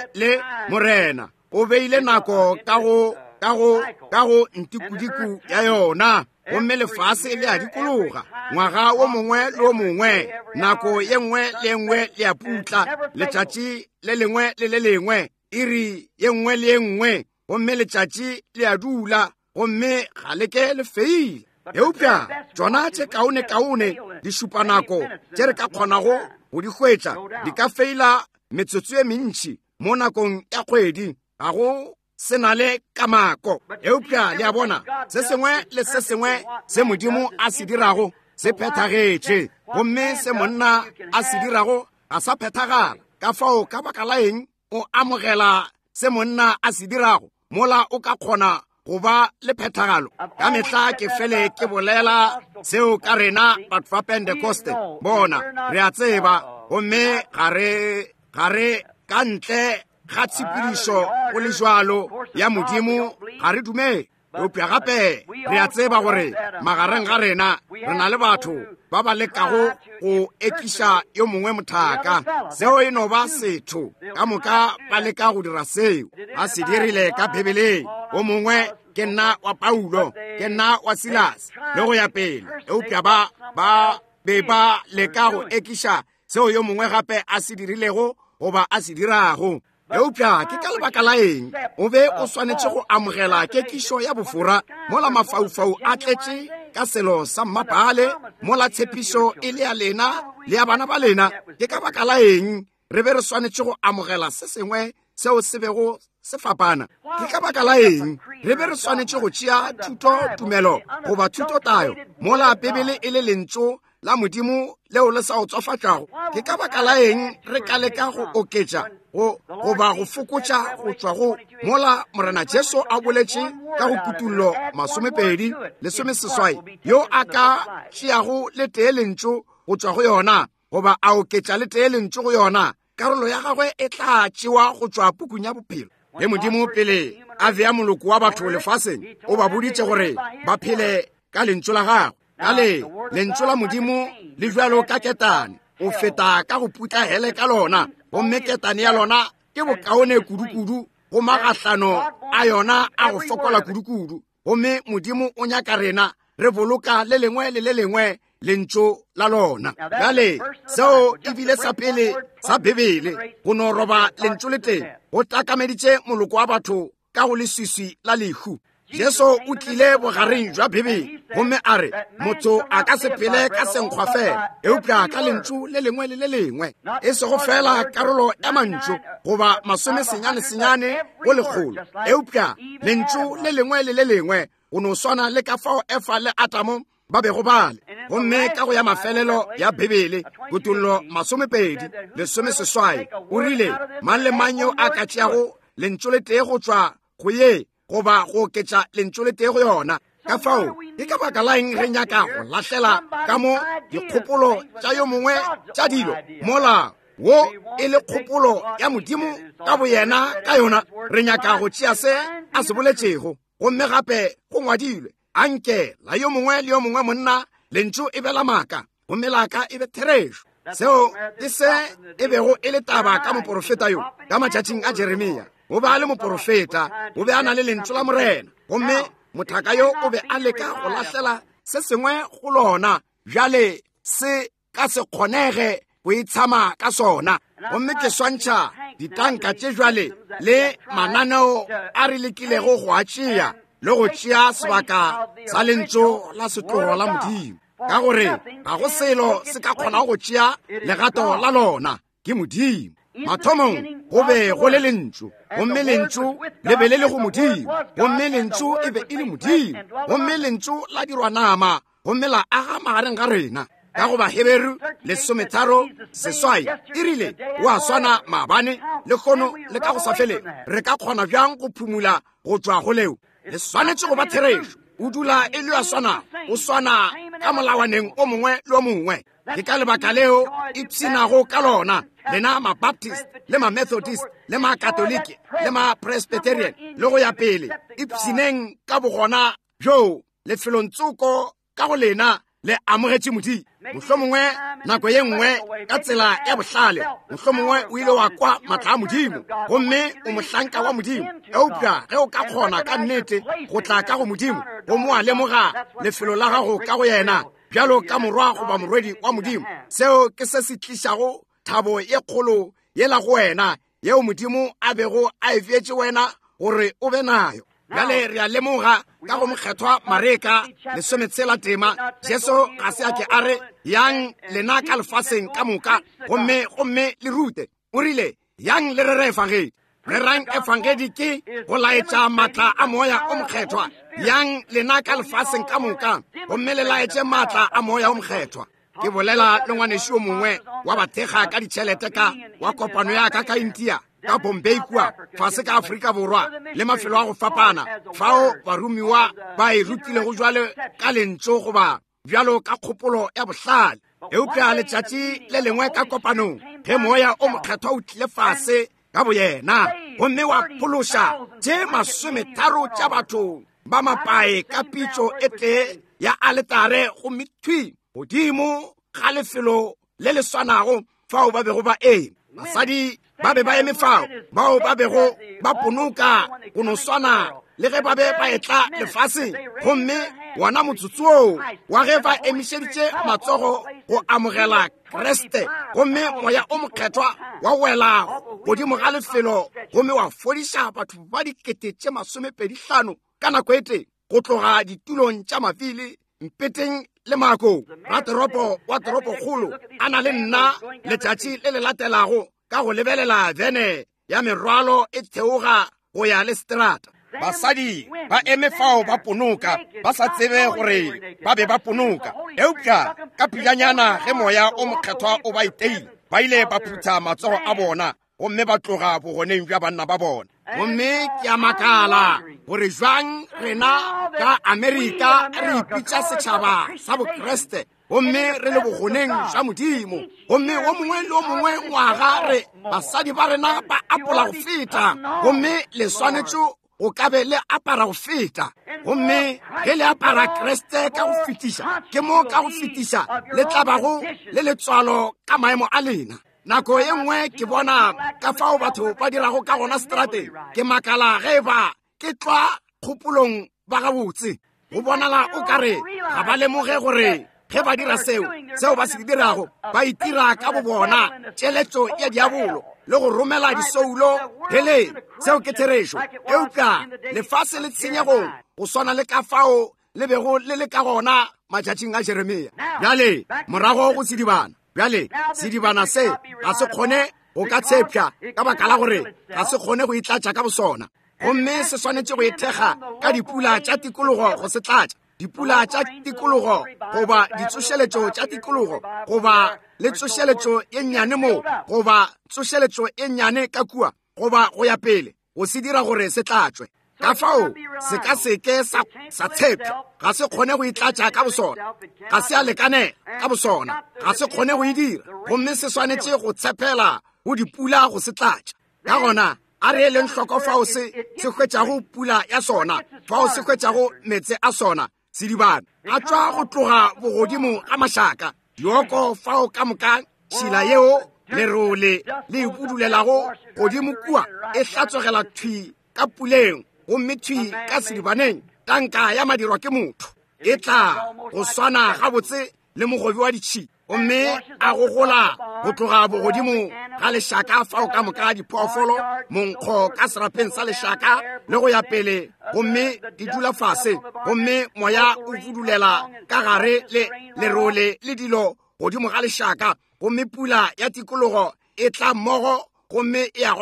Morena o beile nako ka go ntikudiku ya yona, gomme lefase le a dikologa ngwaga wo mongwe le wo mongwe, nako ye nngwe le ye nngwe le a putla, letšatši le lengwe le le lengwe, iri ye nngwe le ye nngwe, gomme letšatši le a dula, gomme ga le ke le feile. Eupša tšona tše kaone-kaone dišupanako tše re ka kgonago go di hwetša di ka feila metsotso ye mentši mo nakong ya kgwedi, ga go se na le kamako. Eupša le a bona, se sengwe le se sengwe se Modimo a se dirago se phethagetše, gomme se monna a se dirago ga sa phethagala. Ka fao ka baka la eng o amogela se monna a se dirago mola o ka kgona go ba le phethagalo? Ka mehla ke fele ke bolela seo ka rena batho ba Pentecoste. Bona, re a tseba, gomme ga re ka ntle ga tshepedišo go le jwalo ya Modimo, ga re dumele. Eupša gape re a tseba gore magareng ga rena re na le batho ba ba lekago go ekiša yo mongwe mothaka. Seo e no ba setho ka moka ba leka go dira seo. Ba se dirile ka Bibeleng. O mongwe ke nna wa Paulo, ke nna wa Silas, le go ya pele. Eupša ba be ba leka go ekiša seo yo mongwe gape a se dirilego goba a se dirago. Eupša ke ka lebaka la eng o be o swanetše go amogela kekišo ya bofora mola mafaufau a tletše ka selo sa mmapale, mola tshepišo e le ya lena le ya bana ba lena? Ke ka baka la eng re be re swanetše go amogela se sengwe seo se bego se fapana? Ke ka baka la eng re be re swanetše go tšea thuto tumelo goba thuto tayo mola Bibele e le lentšu la Modimo leo le sa o tswafatšago? Ke ka baka la eng re ka leka go oketša goba go fokotša go tšwa go mola Morena Jesu a boletše ka go Kutullo 20:18, yo a ka tšeago le tee lentšu go tšwa go yona goba a oketša le tee lentšu go yona, karolo ya gagwe e tla tšewa go tšwa pukung ya bophelo. Ge Modimo pele a bea moloko wa batho lefaseng, o ba boditše gore ba phele ka lentšu la gagwe. Ka le lentšu la Modimo le bjalo ka ketane, o feta ka go putla hele ka lona, gomme ketane ya lona ke bokaone kudu-kudu go magahlano a yona a go fokola kudu-kudu. Gomme Modimo o nyaka rena Re boloka le lengwe le le lengwe lentšu la lona. Bjale, seo e bile sa pele sa Bibele, go no roba lentšu le tee, go takameditše moloko wa batho ka go leswiswi la lehu. Jesu o tlile bogareng jwa Bibele gomme a re, motho a ka se phele ka senkgwa fela, eupša ka lentšu le lengwe le le lengwe, e sego fela karolo ya mantšu goba masomesenyane-senyane go lekgolo, eupša lentšu le lengwe le le lengwe, go no swana le ka fao Efa le Adamo ba bego ba le. Gomme ka go ya mafelelo ya Bibele, Kutollo 20, 18, o rile, mang le mang yo a ka tšeago lentšu le tee go tšwa go ye, goba go oketša lentšu le tee go yona. Ka fao, ke ka baka la eng re nyaka go lahlela ka mo dikgopolo tša yo mongwe tša dilo, mola wo e le kgopolo ya Modimo ka boyena ka yona? Re nyaka go tšea se a se boletšego, gomme gape go ngwadilwe, anke la yo mongwe le yo mongwe monna lentšu e be la maaka, gomme la ka e be therešo. Seo ke se e bego e le taba ka moporofeta yo ka matšatšing a Jeremia. O be a le moporofeta, o be a na le lentšu la Morena, gomme mothaka yo o be a leka go lahlela se sengwe go lona. Bjale se ka se kgonege go itshama ka sona. Gomme ke swantšha ditanka tše jwale le mananeo a re lekilego go a tšea le go tšea sebaka sa lentšu la setlogo la Modimo, ka gore ga go selo se ka kgonago go tšea legato la lona, ke Modimo. Mathomong go be go le lentšu, gomme lentšu le be le le go Modimo, gomme lentšu e be e le Modimo, gomme lentšu la dirwa nama gomme la aga magareng ga rena. Ka go Baheberu 13:8 e rile, o a swana maabane, lehono le ka go sa felego. Re ka kgona bjang go phumula go tšwa go leo? Le swanetše go ba therešo. O dula e le a swanago, o swana ka molawaneng o mongwe le o mongwe. Ke ka lebaka leo ipshinago ka lona, lena Mabaptist le Mamethodist le Makatoliki le Mapresbyterian le go ya pele. Ipshineng ka bogona bjoo lefelong tsoko ka go lena le amogetše Modimo. Mohlomongwe nako ye nngwe ka tsela ya bohlale, mohlomongwe o ile wa kwa matla a Modimo gomme o mohlanka wa Modimo, eupša ge o ka kgona ka nnete go tla ka go Modimo gomme wa lemoga lefelo la gago ka go yena bjalo ka morwa goba morwedi wa Modimo, seo ke se se tlišago thabo ye kgolo yela go wena yeo Modimo a bego a e feetše wena gore o be nayo. Bjale re a lemoga ka go mokgethwa Mareka 16 tema, Jesu ga se a ke a re, yang lena ka lefaseng ka moka gomme gomme le rute. O rile, yang le rere efangedi. Rerang efangedi ke go laetša matla a Moya o Mokgethwa. Yang lena ka lefaseng ka moka gomme le laetše matla a Moya o Mokgethwa. Ke bolela le ngwanešu yo mongwe wa bathekga ka ditšhelete ka wa kopano ya ka ka India, ka Bombay kua fase ka Afrika Borwa le mafelo a go fapana, fao baromiwa ba e rutilego jwale ka lentšu goba bjalo ka kgopolo ya bohlale. Eupša letšatši le lengwe ka kopanong, ge Moya o Mokgethwa o tlile fase ka boyena gomme wa phološa tše 30 tša batho ba mapae ka pitšo e tee ya aletare, gomme thwi godimo ga lefelo le le swanago fao ba bego ba eme, basadi ba be ba eme fao bao ba bego ba ponoka go no swana le ge ba be ba etla lefaseng. Gomme wona motsotso woo wa ge ba emišeditše matsogo go amogela Kriste, gomme Moya o Mokgethwa wa wela godimo ga lefelo gomme wa fodiša batho ba 25,000 ka nako e tee, go tloga ditulong tša mafili, mpeteng le maakong. Ratoropo wa toropokgolo a na le nna letšatši le le latelago ka go lebelela vene ya merwalo e theoga go ya le seterata. Basadi ba eme fao ba ponoka, ba sa tsebe gore ba be ba ponoka. Eupša ka pejanyana ge Moya o Mokgethwa o ba iteile, ba ile ba phutha matsogo a bona gomme ba tloga bogoneng bja banna ba bona. Gomme ke a makala gore jwang rena ka Amerika re ipitša setšhaba sa Bokriste gomme re le bogoneng bja Modimo, gomme wo mongwe le wo mongwe ngwaga re basadi ba rena ba apola go feta, gomme le swanetše go ka be le apara go feta. Gomme ge le apara Kriste ka go fetiša, ke mo ka go fetiša le tla bago le letswalo ka maemo a lena. Nako ye nngwe ke bona ka fao batho ba dirago ka gona seterateng, ke makala ge e ba ke tlwa kgopolong ba gabotse. Go bonala o ka re ga ba lemoge gore ge ba dira seo, seo ba se dirago, ba itira ka bobona tšeletšo ya diabolo le go romela disoulo heleng. Seo ke therešo. Eupša lefase le tshenyegong go swana le ka fao le bego le le ka gona matšatšing a Jeremia. Bjale morago go sedibana. Bjale sedibana se ga se kgone go ka tshepša ka baka la gore ga se kgone go itlatša ka bosona, gomme se swanetše go ithekga ka dipula tša tikologo go se tlatša. Dipula tša tikologo goba ditsošeletšo tša tikologo goba le tsošeletšo ye nnyane mo goba tsošeletšo ye nnyane ka kua goba go ya pele go se dira gore se tlatšwe. Ka fao se ka seke sa tshepša, ga se kgone go itlatša ka bosona, ga se a lekanela ka bosona, ga se kgone go e dira, gomme se swanetše go tshepela go dipula go se tlatša. Ka gona a re eleng hloko fao se se hwetšago pula ya sona, fao se hwetšago meetse a sona. Sedibana a tšwa go tloga bogodimo ga mašaka, dioko fao ka moka tšhila yeo lerole le ipudulelago godimo kua e hlatswegela thwi ka puleng gomme thwi ka sedibaneng. Tanka ya madirwa ke motho e tla go swana gabotse le mogobi wa ditšhila, gomme a gogola go tloga bogodimo ga lešaka fao ka moka diphoofolo, monkgo ka serapeng sa lešaka le go ya pele, gomme di dula fase, gomme moya o fudulela ka gare le lerole le dilo godimo ga lešaka, gomme pula ya tikologo e tla mmogo gomme e a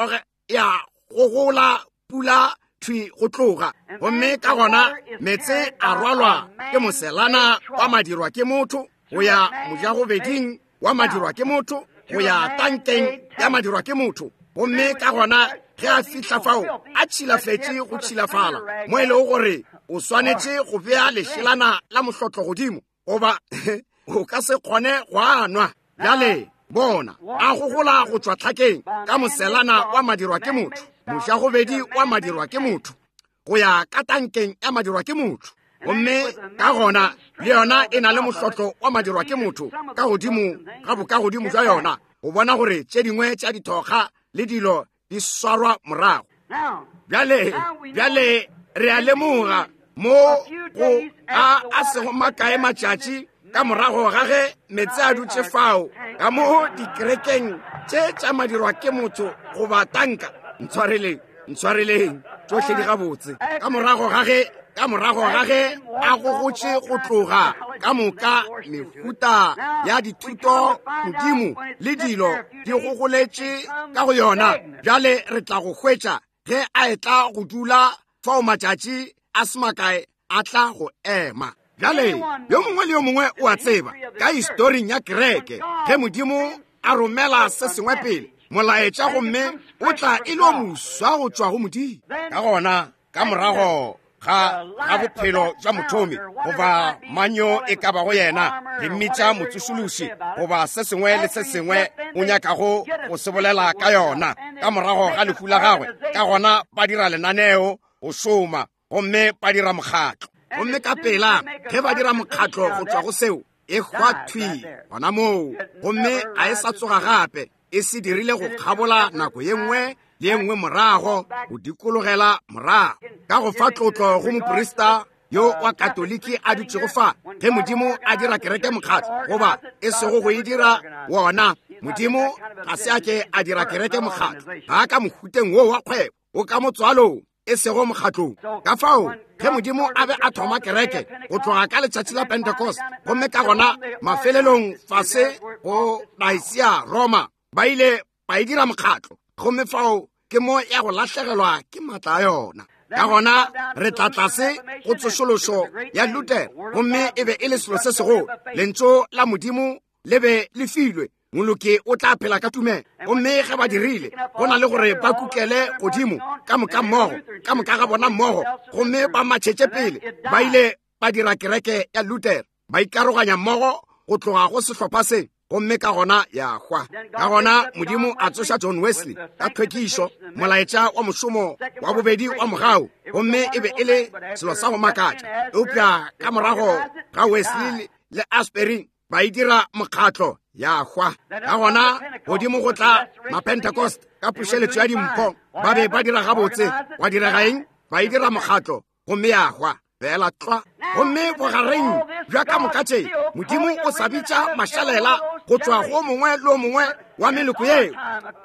gogola pula thwi go tloga. Gomme ka gona meetse a rwalwa ke moselana wa madirwa ke motho go ya mojagobeding wa madirwa ke motho go ya tankeng ya madirwa ke motho. Gomme ka gona ge a fihla fao a tšhilafetše go tšhilafala mo e lego gore o swanetše go bea lešelana la mohlotlo godimo goba o ka se kgone go a nwa. Bjale bona a gogola go tšwa tlhakeng ka moselana wa madirwa ke motho, mojagobedi wa madirwa ke motho, go ya ka tankeng ya madirwa ke motho. Gomme ka gona le yona e na le mohlotlo wa madirwa ke motho ka godimo ga bokagodimo jwa yona, go bona gore tše dingwe tša dithokga le dilo di swarwa morago. Bjale, bjale re a lemoga mo go a sego makae matšatši ka morago ga ge meetse a dutše fao ka mo dikerekeng tše tša madirwa ke motho goba tanka. Ntshwareleng, ntshwareleng, tšohle di gabotse. Ka morago ga ge, ka morago ga ge a gogotše go tloga ka moka mehuta ya dithuto modimo le dilo di gogoletše ka go yona, bjale re tla go hwetša ge a etla go dula fao matšatši a se makae a tla go ema. Bjale yo mongwe le yo mongwe o a tseba ka historing ya kereke, ge Modimo a romela se sengwe pele molaetša gomme o tla e le o moswa go tšwa go Modimo. Ka gona ka morago ga bophelo jwa mothomi goba manyo e ka bago yena, re mmitša motsošološi goba se sengwe le se sengwe o nyakago go se bolela ka yona, ka morago ga lehu la gagwe, ka gona ba dira lenaneo go šoma gomme ba dira mokgatlo. Gomme ka pela ge ba dira mokgatlo go tšwa go seo, e hwa thwi gona moo, gomme a e sa tsoga gape. E se dirile go kgabola nako ye nngwe le ye nngwe morago, go dikologela morago. Ka go fa tlotlo go moprista yo wa Katoliki a dutšego fa, ge Modimo a dira kereke mokgatlo, goba e sego go e dira wona, Modimo ga se a ke a dira kereke mokgatlo, ga a ka mohuteng wo wa kgwebo, o ka motswalong, e sego mokgatlong. Ka fao ge Modimo a be a thoma kereke go tloga ka letšatši la Pentecost, gomme ka gona mafelelong fase go Nicaea Roma, ba ile ba e dira mokgatlo, gomme fao ke mo ya go lahlegelwa ke matla a yona. Ka gona re tla tlase go tsošološo ya Luther, gomme e be e le selo se segolo. Lentšu la Modimo le be le filwe, moloki o tla phela ka tumelo. Gomme ge ba dirile, go na le gore ba kukele godimo ka moka mmogo, ka moka ga bona mmogo, gomme ba matšhetše pele, ba ile ba dira kereke ya Luther, ba ikaroganya mmogo go tloga go sehlopha se, gomme ka gona ya hwa. Ka gona Modimo a tsoša John Wesley ka tlhwekišo, molaetša wa mošomo wa bobedi wa mogau, gomme e be e le selo sa go makatša. Eupša ka morago ga Wesley le Asbury ba e dira mokgatlo, ya hwa. Ka gona godimo go tla Mapentecost ka pušeletšo ya dimpho, ba be ba dira gabotse. Wa direga eng? Ba e dira mokgatlo gomme ya hwa. Feela tlwa. Gomme bogareng bja ka moka tše, Modimo o sa bitša mašalela go tšwa go mongwe le o mongwe wa meloko yeo.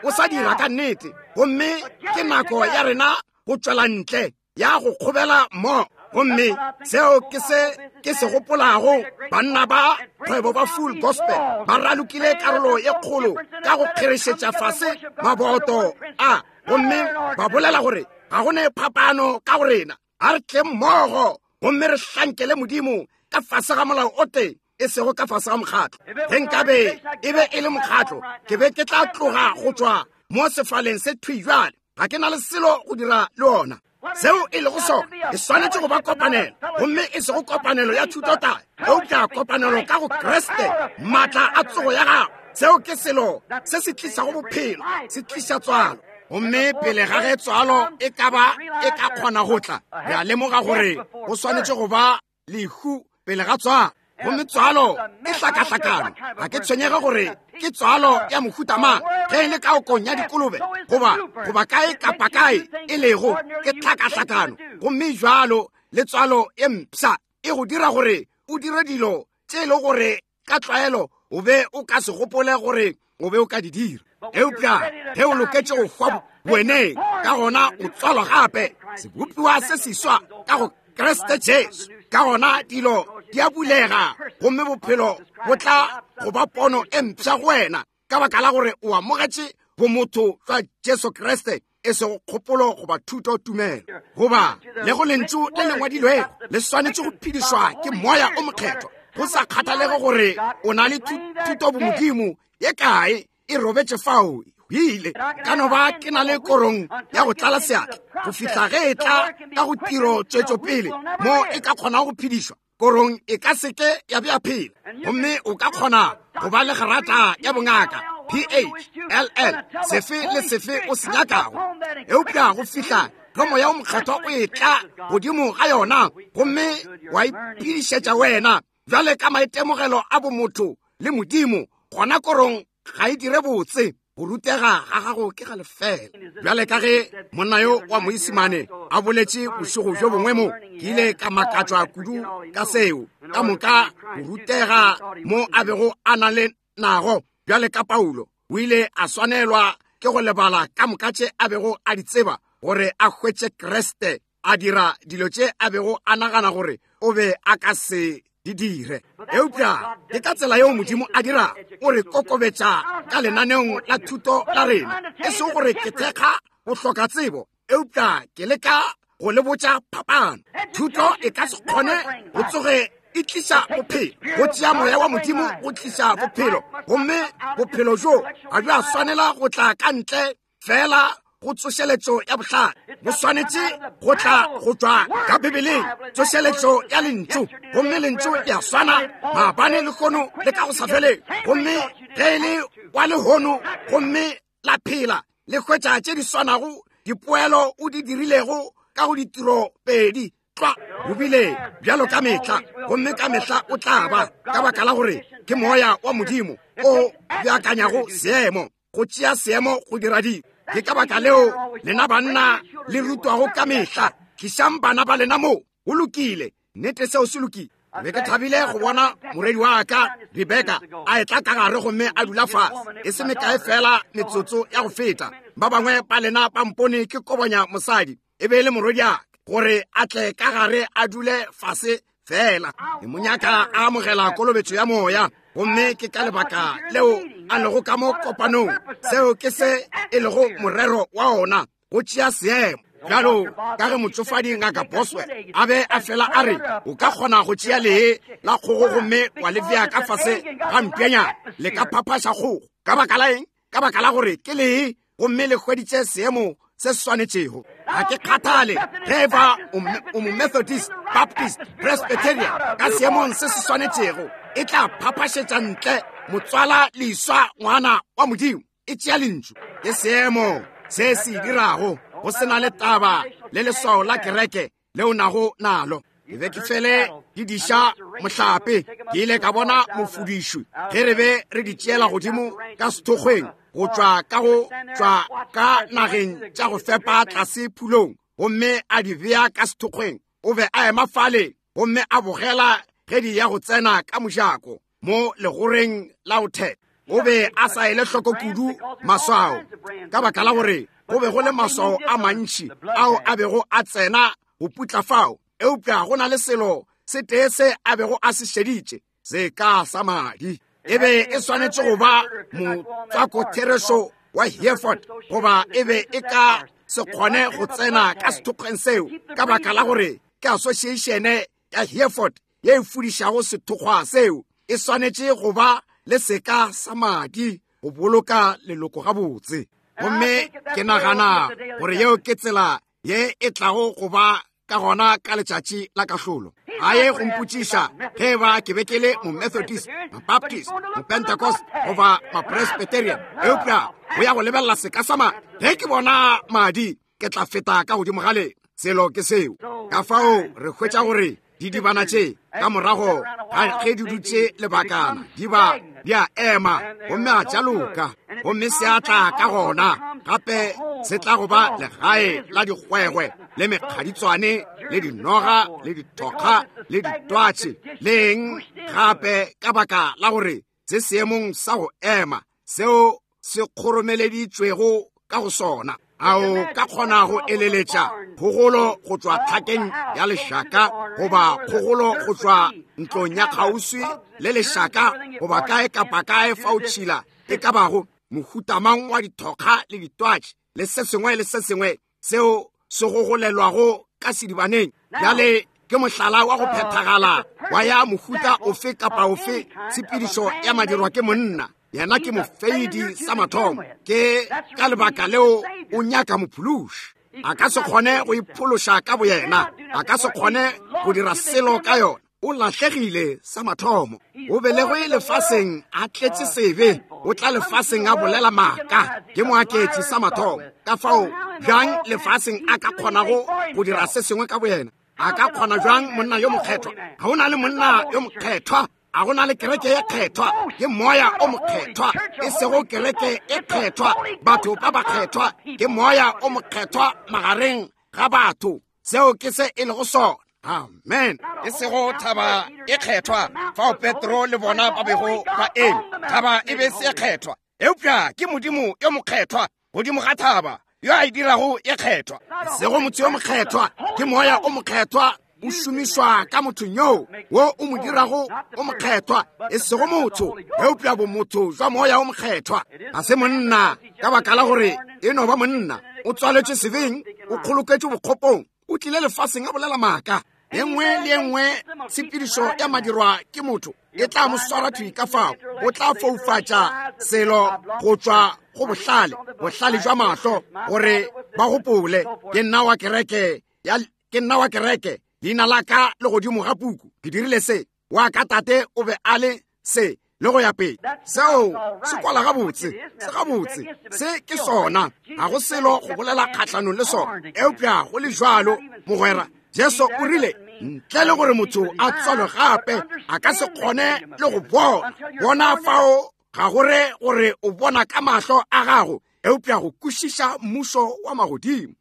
O sa dira ka nnete. Gomme ke nako ya rena go tšwela ntle, ya go kgobela mo. Gomme seo ke se ke se gopolago. Banna ba kgwebo ba Full Gospel ba ralokile karolo ye kgolo ka go kgerešetša fase maboto a, gomme ba bolela gore ga go ne phapano ka go rena. A re tle mmogo gomme re hlankele Modimo ka fase ga molao o tee, e sego ka fase ga mokgatlo. Ge nkabe e be e le mokgatlo, ke be ke tla tloga go tšwa mo sefaleng se thwi bjale. Ga ke na le selo go dira le ona. Seo e lego sona e swanetše go ba kopanelo, gomme e sego kopanelo ya thutotaya, eupša kopanelo ka go Kriste, maatla a tsogo ya gago. Seo ke selo se se tlišago bophelo, se tliša tswalo. Gomme pele ga ge tswalo e ka ba e ka kgona go tla, re a lemoga gore go swanetše go ba lehu pele ga tswalo. Gomme tswalo e hlakahlakano. Ga ke tshwenyege gore ke tswalo ya mohuta mang, ge e le ka okong ya dikolobe goba goba kae kapa kae e lego, ke hlakahlakano. Gomme jwalo le tswalo e mpsha e go dira gore o dire dilo tše e le gore ka tlwaelo o be o ka se gopole gore o be o ka di dira. Eupša ge o loketše go hwa boweneng, ka gona o tswalwa gape, sebopiwa se seswa ka go Kriste Jesu. Ka gona dilo di a bulega gomme bophelo bo tla go ba pono e mpsha go wena, ka baka la gore o amogetše bomotho jwa Jesu Kriste, e sego kgopolo goba thuto tumelo goba le go lentšu le le ngwadilwego. Le swanetše go phedišwa ke Moya o Mokgethwa, go sa kgathalege gore o na le thuto bomodimo ye kae e robetše fao hwile. Ka no ba ke na le korong ya go tlala seatla go fihla ge e tla ka go tiro tšwetšopele mo e ka kgonago go phedišwa. Korong e ka seke ya bea phela, gomme o ka kgona go ba le grata ya bongaka PHLL sefe le sefe o se nyakago, eupša go fihla ge Moya o Mokgethwa o etla godimo ga yona gomme wa iphedišetša wena bjale ka maitemogelo a bomotho le Modimo, gona korong ga e dire botse. Go rutega ga gago ke ga lefela. Bjale ka ge monna yo wa Moisimane a boletše bošego bjo bongwe mo, ke ile ka makatšwa kudu ka seo. Ka moka go rutega mo a bego a na le nago bjale ka Paulo, o ile a swanelwa ke go lebala ka moka tše a bego a di tseba gore a hwetše Kriste, a dira dilo tše a bego a nagana gore o be a ka se di dire. Eupša ke ka tsela yeo Modimo a dira, o re kokobetša ka lenaneong la thuto la rena, e sego gore ke thekga go hloka tsebo, eupša ke leka go le botša phapano. Thuto e ka se kgone go tsoge e tliša bophelo. Go tšea Moya wa Modimo go tliša bophelo, gomme bophelo bjo ga bja swanela go tla ka ntle fela go tsošeletšo ya bohlale. Bo swanetše go tla go tšwa ka Bibeleng, tsošeletšo ya lentšu. Gomme lentšu le a swana maabane, lehono le ka go sa feleng. Gomme ge e le wa lehono gomme la phela, le hwetša tše di swanago dipoelo o di dirilego ka go ditiro pedi tlwa. O bile bjalo ka mehla, gomme ka mehla o tla ba, ka baka la gore ke Moya wa Modimo o beakanyago seemo, go tšea seemo go dira dilo. Ke ka baka leo lena banna le rutwago ka mehla, tlišang bana ba lena mo. Go lokile, nnete seo se lokile. Be ke thabile go bona morwedi wa ka Rebeka a etla ka gare gomme a dula fase e se mekae fela metsotso ya go feta. Ba bangwe ba lena ba mpone ke kobonya mosadi, e be e le morwedi wa ka, gore a tle ka gare a dule fase fela. Ke mo nyaka a amogela kolobetšo ya Moya, gomme ke ka lebaka leo a lego ka mo kopanong. Seo ke se e lego morero wa ona, go tšea seemo. Bjalo ka ge motšofadi Ngaka Boswell a be a fela a re, o ka kgona go tšea lee la kgogo gomme wa le bea ka fase ga mpjanyana, le ka phaphaša kgogo. Ka baka la eng? Ka baka la gore ke lee gomme le hweditše seemo se swanetšego. Ga ke kgathale ge e ba o mo Methodist, Baptist, Presbyterian, ka seemong se se swanetšego e tla phaphašetša ntle motswala leswa ngwana wa Modimo. E tšea lentšu. Ke seemo se se dirago go se na le taba le leswao la kereke leo nago nalo. Ke be ke fele ke diša mohlape, ke ile ka bona mofudišwi ge re be re di tšeela godimo ka sethokgweng go tšwa ka go tšwa ka nageng tša go fepa tlase phulong, gomme a di bea ka sethokgweng. O be a ema fale gomme a bogela ge di ya go tsena ka mojako mo legoreng la go theta. O be a sa ele hloko kudu maswao ka baka la gore go be go le maswao a mantši ao a bego a tsena go putla fao, eupša go na le selo se tee se a bego a se šeditše, seka sa madi. E be e swanetše go ba motswakotherešo wa Hereford, goba e be e ka se kgone go tsena ka sethokgweng seo ka baka la gore ke associatione ya Hereford ye e fudišago sethokgwa seo. E swanetše go ba le seka sa madi go boloka leloko gabotse. Gomme ke nagana gore yeo ke tsela ye e tlago go ba ka gona ka letšatši la kahlolo. Ga ye go mpotšiša ge e ba ke be ke le Momethodist, Mabaptist, Mopentecost goba Mapresbyterian, eupša go ya go lebelela seka sa madi. Ge ke bona madi, ke tla feta ka godimo ga lena. Selo ke seo. Ka fao re hwetša gore didibana tše ka morago ga ge di dutše lebakana di ba di a ema gomme a tša loka, gomme se a tla ka gona gape se tla go ba legae la dikgwegwe le mekgaditswane le dinoga le dithokga le ditwatše le eng gape, ka baka la gore se seemong sa go ema seo se kgoromeleditšwego ka go sona. A o ka kgona go eleletša kgogolo go tšwa tlhakeng ya lešaka, goba kgogolo go tšwa ntlong ya kgauswi le lešaka, goba kae kapa kae fao tšhila e ka bago, mohutamang wa dithokga le ditwatši le se sengwe le se sengwe seo se gogolelwago ka sedibaneng? Bjale ke mohlala wa go phethagala wa ya mohuta ofe kapa ofe tshepedišo ya madirwa ke monna. Yena ke mofeidi sa mathomo. Ke ka lebaka leo o nyaka mophološi. A ka se kgone go iphološa ka boyena, a ka se kgone go dira selo ka yona. O lahlegile sa mathomo. O belegwe lefaseng a tletše sebe, o tla lefaseng a bolela maaka. Ke moaketši sa mathomo. Ka fao bjang lefaseng a ka kgonago go dira se sengwe ka boyena? A ka kgona bjang monna yo mokgethwa? Ga o na le monna yo mokgethwa, a go na le kereke ye kgethwa. Ke moya o mokgethwa, e sego kereke e kgethwa, batho ba bakgethwa. Ke moya o mokgethwa magareng ga batho. Seo ke se e lego sona. Amen. E sego thaba e kgethwa fao Petro le bona ba bego ba eme. Thaba e be se kgethwa, eupša ke Modimo yo mokgethwa godimo ga thaba yo a e dirago e kgethwa. Sego motho yo mokgethwa, ke moya o mokgethwa o šomišwa ka mothong yoo wo o mo dirago o mokgethwa, e sego motho, eupša bomotho jwa moya o mokgethwa. Ga se monna, ka baka la gore e no ba monna, o tswaletšwe sebeng, o kgoloketšwe bokgopong, o tlile lefaseng a bolela maaka. E nngwe le e nngwe tshepedišo ya madirwa ke motho e tla mo swara thwi ka fao. O tla foufatša selo go tšwa go bohlale, bohlale jwa mahlo, gore ba gopole ke nna wa kereke ya, ke nna wa kereke, leina la ka le godimo ga puku, ke dirile se, wa ka tate o be a le se, le go ya pele. Seo se kwala gabotse, se gabotse, se ke sona. Ga go selo go bolela kgahlanong le sona, eupša go le jwalo, mogwera, Jesu o rile, ntle le gore motho a tswalwe gape, a ka se kgone le go bona. Bona fao ga go re gore o bona ka mahlo a gago, eupša go kwešiša mmušo wa magodimo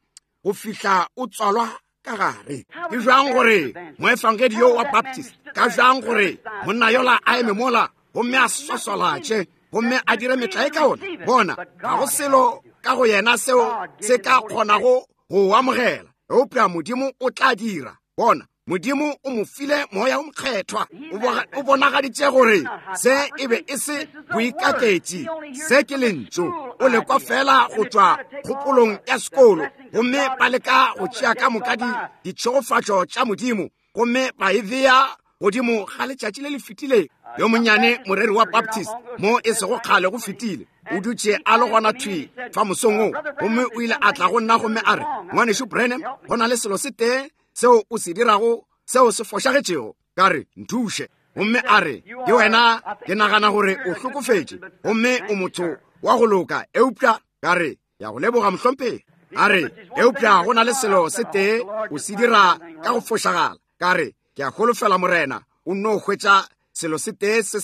go fihla o tswalwa ka gare. Ke bjang gore moefangedi yo wa Baptist, ka bjang gore monna yola a eme mola gomme a swaswalatše gomme a dire metlae ka ona? Bona, ga go selo ka go yena seo se ka kgonago go o amogela, eupša Modimo o tla dira. Bona, Modimo o mo file moya o mokgethwa, o bonagaditše gore se e be e se boikaketši, se ke lentšu. O lekwa fela go tšwa kgopolong ya sekolo, gomme ba leka go tšea ka moka ditšhegofatšo tša Modimo gomme ba e bea godimo ga letšatši le le fetileng. Yo monnyane moreri wa Baptist mo e sego kgale go fetile, o dutše a le gona thwi fa mosong wo, gomme o ile a tla go nna gomme a re, Ngwanešu Branham, go na le selo se tee seo o se dirago seo se fošagetšego. Ka re, nthuše. Gomme a re, ke wena, ke nagana gore o hlokofetše gomme o motho wa go loka, eupša ka re, ya go leboga mohlomphegi. A re, eupša go na le selo se tee o se dira ka go fošagala. Ka re, ke a holofela Morena o nno hwetša selo se tee se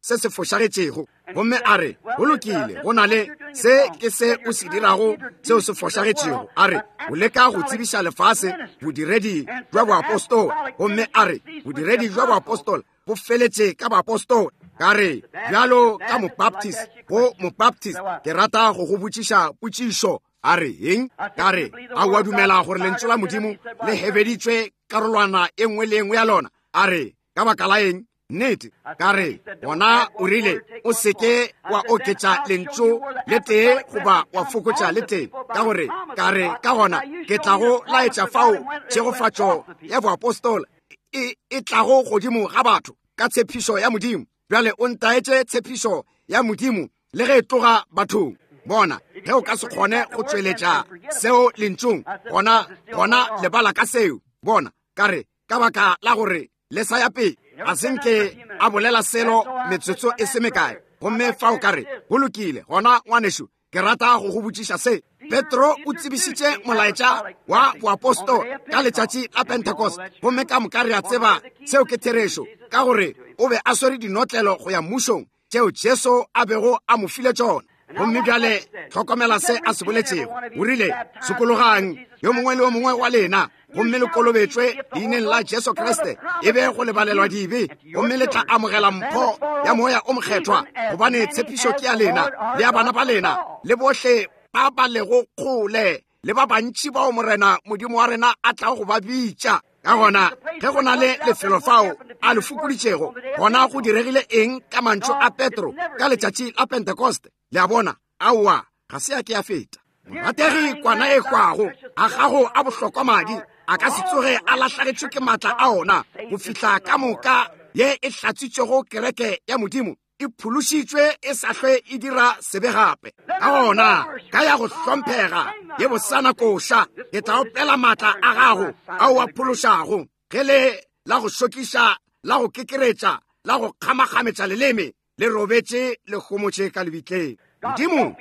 se fošagetšego. Gomme a re, go lokile, go na le Se ke se o se dirago seo se fošagetšego. A re, O leka go tsebiša lefase bodiredi bja boapostola. Gomme a re, Bodiredi bja boapostola bo feletše ka baapostola. Ka re, Bjalo ka Mobaptist, go Mobaptist, ke rata go go botšiša potšišo. A re, Eng? Ka re, A o a dumela gore Lentšu la Modimo le hebeditšwe karolwana e nngwe le e nngwe ya lona? A re, Ka baka la eng? Nnete. Ka re, Gona o rile, o se ke wa oketša lentšu le tee goba wa fokotša le tee. Ka gore, ka re, ka gona ke tla go laetša fao tšhegofatšo ya boapostola e, e tlago godimo ga batho ka tshepišo ya Modimo. Bjale o ntaetše tshepišo ya Modimo le ge e tloga bathong. Bona, ge o ka se kgone go tšweletša seo lentšung, gona, gona lebala ka seo. Bona, ka re, ka baka la gore le sa ya pele ga se nke a bolela selo metsotso e se mekae. Gomme fao ka re, go lokile, gona ngwanešu, ke rata go go botšiša se. Petro o tsebišitše molaetša wa boapostola ka letšatši la Pentecost, gomme ka moka re a tseba seo ke therešo, ka gore o be a swere dinotlelo go ya mmušong tšeo Jesu a bego a mo file tšona. Gomme bjale hlokomela se a se boletšego. O rile, Sokologang, yo mongwe le yo mongwe wa lena, gomme le kolobetšwe leineng la Jesu Kriste, e be go lebalelwa dibe, gomme le tla amogela mpho ya Moya o Mokgethwa, gobane tshepišo ke ya lena le ya bana ba lena le bohle ba ba lego kgole, le ba bantši bao Morena Modimo wa rena a tlago go ba bitša. Ka gona, ge go na le lefelo fao a le fokoditšego, gona go diregile eng ka mantšu a Petro ka letšatši la Pentekoste? Le a bona? Aowa, ga se ya ke ya feta. Morategi kwana e hwago a gago a bohlokwa madi a ka se tsoge a lahlagetšwe ke maatla a ona go fihla ka moka ye e hlatswitšego kereke ya Modimo e phološitšwe e sa hlwe e dira sebe gape. Ka gona ka ya go hlomphega ye bosana koša, ke tla opela maatla a gago ao a phološago, ge le la go šokiša, la go kekeretša, la go kgamakgametša leleme le robetše le homotše ka lebitleng. Modimo,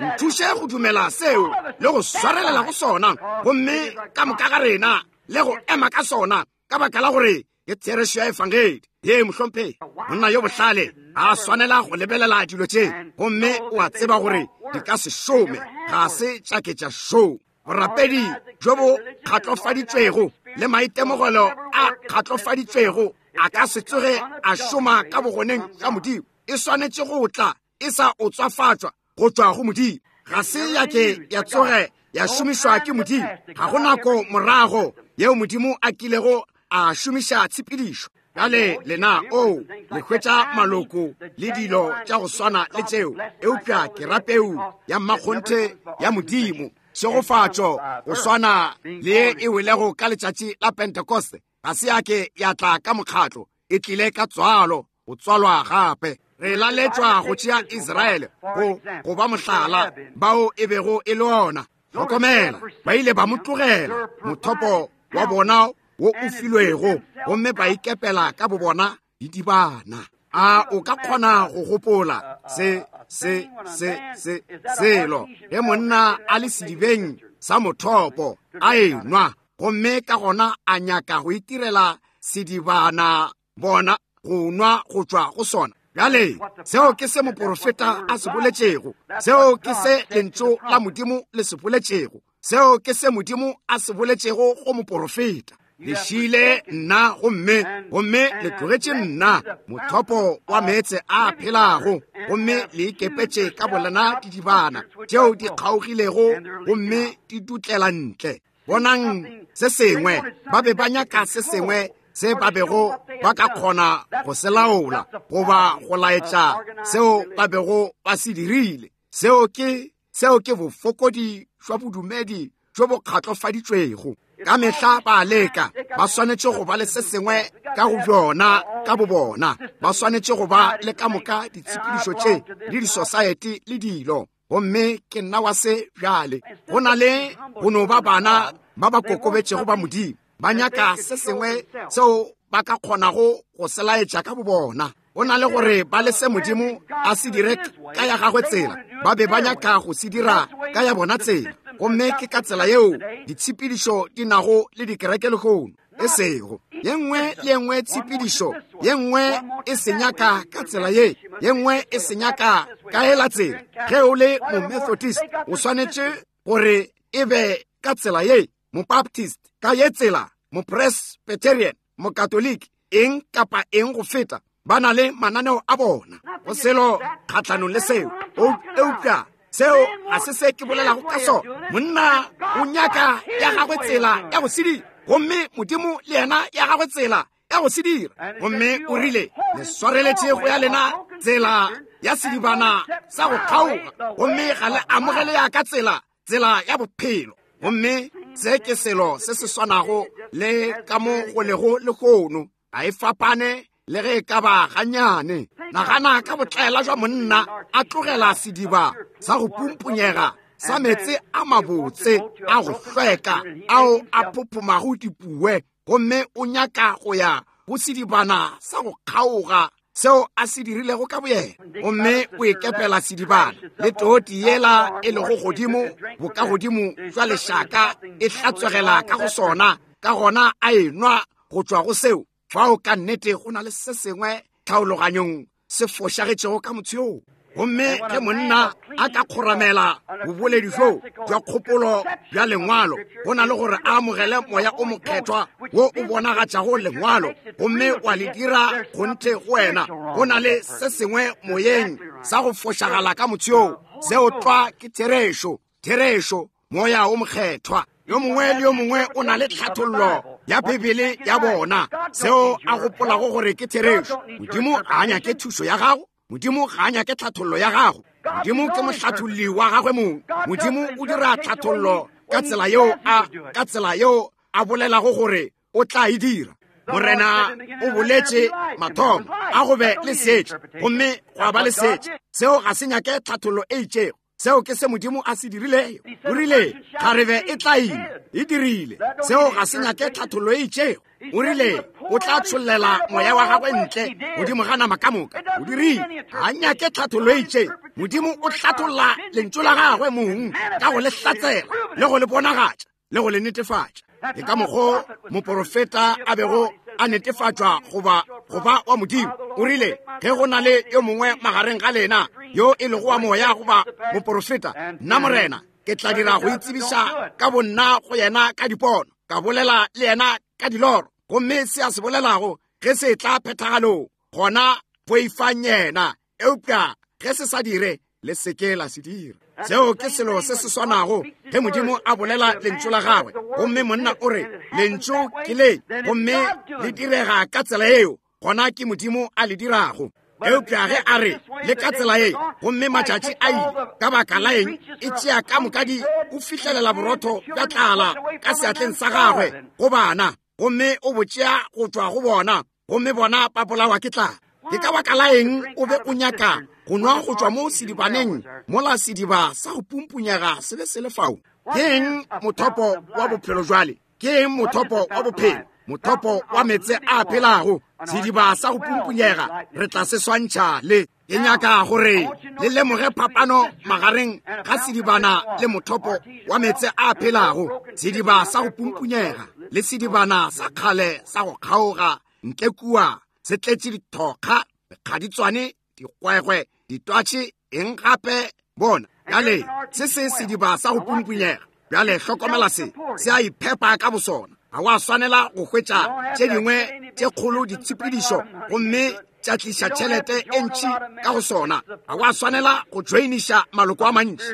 nthuše go dumela seo le go swarelela go sona, gomme ka moka ga rena le go ema ka sona, ka baka la gore ke therešo ya efangedi. Ye mohlomphegi, monna yo bohlale a swanela go lebelela dilo tše, gomme o a tseba gore di ka se šome, ga se tša ke tša šoma. Borapedi bjo bo kgatlofaditšwego le maitemogelo a kgatlofaditšwego a ka se tsoge a šoma ka bogoneng bja Modimo. E swanetše go tla e sa otswafatšwa go tšwa go Modimo. Ga se ya ke ya tsoge ya šomišwa ke Modimo. Ga go nako morago yeo Modimo a kilego a šomiša tshepedišo. Bjale lena, oo, le hwetša maloko le dilo tša go swana le tšeo, eupša ke ra peu ya mmakgonthe ya Modimo, tšhegofatšo go swana le ye e welego ka letšatši la Pentekoste. Ga se ya ke ya tla ka mokgatlo, e tlile ka tswalo, go tswalwa gape. Re laletšwa go tšea Israele go, go ba mohlala, bao e bego e le ona. Hlokomela, ba ile ba mo tlogela, mothopo wa bona wo o filwego, gomme ba ikepela ka bobona didibana. A o ka kgona go gopola se, se, se, se, selo ge monna a le sedibeng sa mothopo a enwa, gomme ka gona a nyaka go itirela sedibana bona go nwa go tšwa go sona? Bjale seo ke se moporofeta a se boletšego, seo ke se lentšu la Modimo le se boletšego, seo ke se Modimo a se boletšego go moporofeta. Le šile nna gomme, gomme le tlogetše nna mothopo wa meetse a phelago, gomme le ikepetše ka bolena didibana tšeo di kgaogilego gomme di dutlela ntle. Bonang se sengwe, ba be ba nyaka se sengwe se ba bego ba ka kgona go se laola goba go laetša seo ba bego ba se dirile. Seo ke, seo ke bofokodi jwa bodumedi bjo bo kgatlofaditšwego. Ka mehla ba a leka, ba swanetše go ba le se sengwe ka go bjona ka bobona, ba swanetše go ba le ka moka ditshepedišo tše le disosaete le dilo. Gomme ke nna wa se bjale. Go na le go no ba bana ba ba kokobetšego ba Modimo, ba nyaka se sengwe seo ba ka kgonago go se laetša ka bobona. Go na le gore ba le se Modimo a se dire ka ya gagwe tsela, ba be ba nyaka go se dira ka ya bona tsela. Gomme ke ka tsela yeo ditshepedišo di nago le dikereke lehono. E sego ye nngwe le ye nngwe tshepedišo, ye nngwe e se nyaka ka tsela ye, ye nngwe e se nyaka ka ela tsela. Ge o le Momethodist, o swanetše gore e be ka tsela ye, Mobaptist ka ye tsela, Mopresbyterian, Mokatoliki, eng kapa eng go feta. Ba na le mananeo a bona go selo kgahlanong le seo, eupša seo ga se se ke bolelago ka sona. Monna o nyaka ya gagwe tsela ya go se dira, gomme Modimo le yena ya gagwe tsela ya go se dira. Gomme o rile, le swareletše go ya lena tsela ya sedibana sa go kgaoga, gomme ga le amogele ya ka tsela, tsela ya bophelo. Gomme se ke selo se se swanago le ka mo go lego lehono. Ga e fapane le ge e ka ba gannyane. Nagana ka botlaela jwa monna a tlogela sediba sa go pumpunyega sa meetse a mabotse a go hlweka ao a phophomago dipuwe, gomme o nyaka go ya go sedibana sa go kgaoga seo a se dirilego ka boyena, gomme o ikepela sedibana le toti yela e lego godimo bokagodimo jwa lešaka e hlatswegela ka go sona, ka gona a enwa go tšwa go seo. Fao ka nnete go na le se sengwe tlhaologanyong se fošagetšego ka motho yoo. Gomme ge monna a ka kgoramela boboledi bjo bja kgopolo bja lengwalo, go na le gore a amogele moya o mokgethwa wo o bonagatšago lengwalo gomme wa le dira kgonthe go wena, go na le se sengwe moyeng sa go fošagala ka motho yoo. Seo tlwa ke therešo. Therešo, moya o mokgethwa. Yo mongwe le yo mongwe o na le tlhathollo ya Bibele ya bona, seo a gopolago gore ke therešo. Modimo ga a nyake thušo ya gago. Modimo ga a nyake tlhathollo ya gago. Modimo ke mohlatholli wa gagwe mong. Modimo o dira tlhathollo ka tsela yeo a, ka tsela yeo a bolelago gore o tla e dira. Morena o boletše mathomo a go be le seetša, gomme gwa ba le seetša. Seo ga se nyake tlhathollo e itšego. Seo ke se Modimo a se dirilego. O rile, kgarebe e tla ima. E dirile. Seo ga se nyake tlhathollo e itšego. O rile, o tla tšhollela moya wa gagwe ntle godimo ga nama ka moka. O dirile. Ga nyake tlhathollo e itšego. Modimo o hlatholla lentšu la gagwe mong ka go le hlatsela le go le bonagatša le go le netefatša. Ke ka mokgo moporofeta a bego a netefatšwa goba go ba wa Modimo. O rile, ge go na le yo mongwe magareng ga lena yo e lego wa moya goba moporofeta, nna Morena ke tla dira go itsebiša ka bonna go yena ka dipono, ka bolela le yena ka diloro. Gomme se a se bolelago ge se tla phethagalong, gona boifang yena. Eupša ge se sa dire, le se ke la se dira. Seo ke selo se se swanago ge Modimo a bolela lentšu la gagwe, gomme monna o re, lentšu ke le, gomme le direga ka tsela eo, gona ke Modimo a le dirago. Eupša ge a re, le ka tsela ye, gomme matšatši a ile, ka baka la eng, e tšea ka moka di, o fihlelela borotho bja tlala ka seatleng sa gagwe go bana, gomme o bo tšea go tšwa go bona, gomme bona ba bolawa ke tlala. Ke ka baka la eng o be o nyaka go nwa go tšwa mo sedibaneng mola sediba sa go pumpunyega se be se le fao? Ke eng mothopo wa bophelo jwale? Ke eng mothopo wa bophelo? Mothopo wa meetse a phelago, sediba sa go pumpunyega, re tla se swantšha le. Ke nyaka gore le lemoge phapano magareng ga sedibana le mothopo wa meetse a phelago, sediba sa go pumpunyega le sedibana sa kgale sa go kgaoga ntle kua se tletše dithokga, mekgaditswane, digwegwe, ditwatši, eng gape. Bona bjale, se se sediba sa go pumpunyega. Bjale hlokomela se, se a iphepa ka bosona. Ga wa swanela go hwetša tše dingwe tše kgolo ditshepedišo gomme tša tliša tšhelete e ntši ka go sona. Ga wa swanela go joiniša maloko a mantši.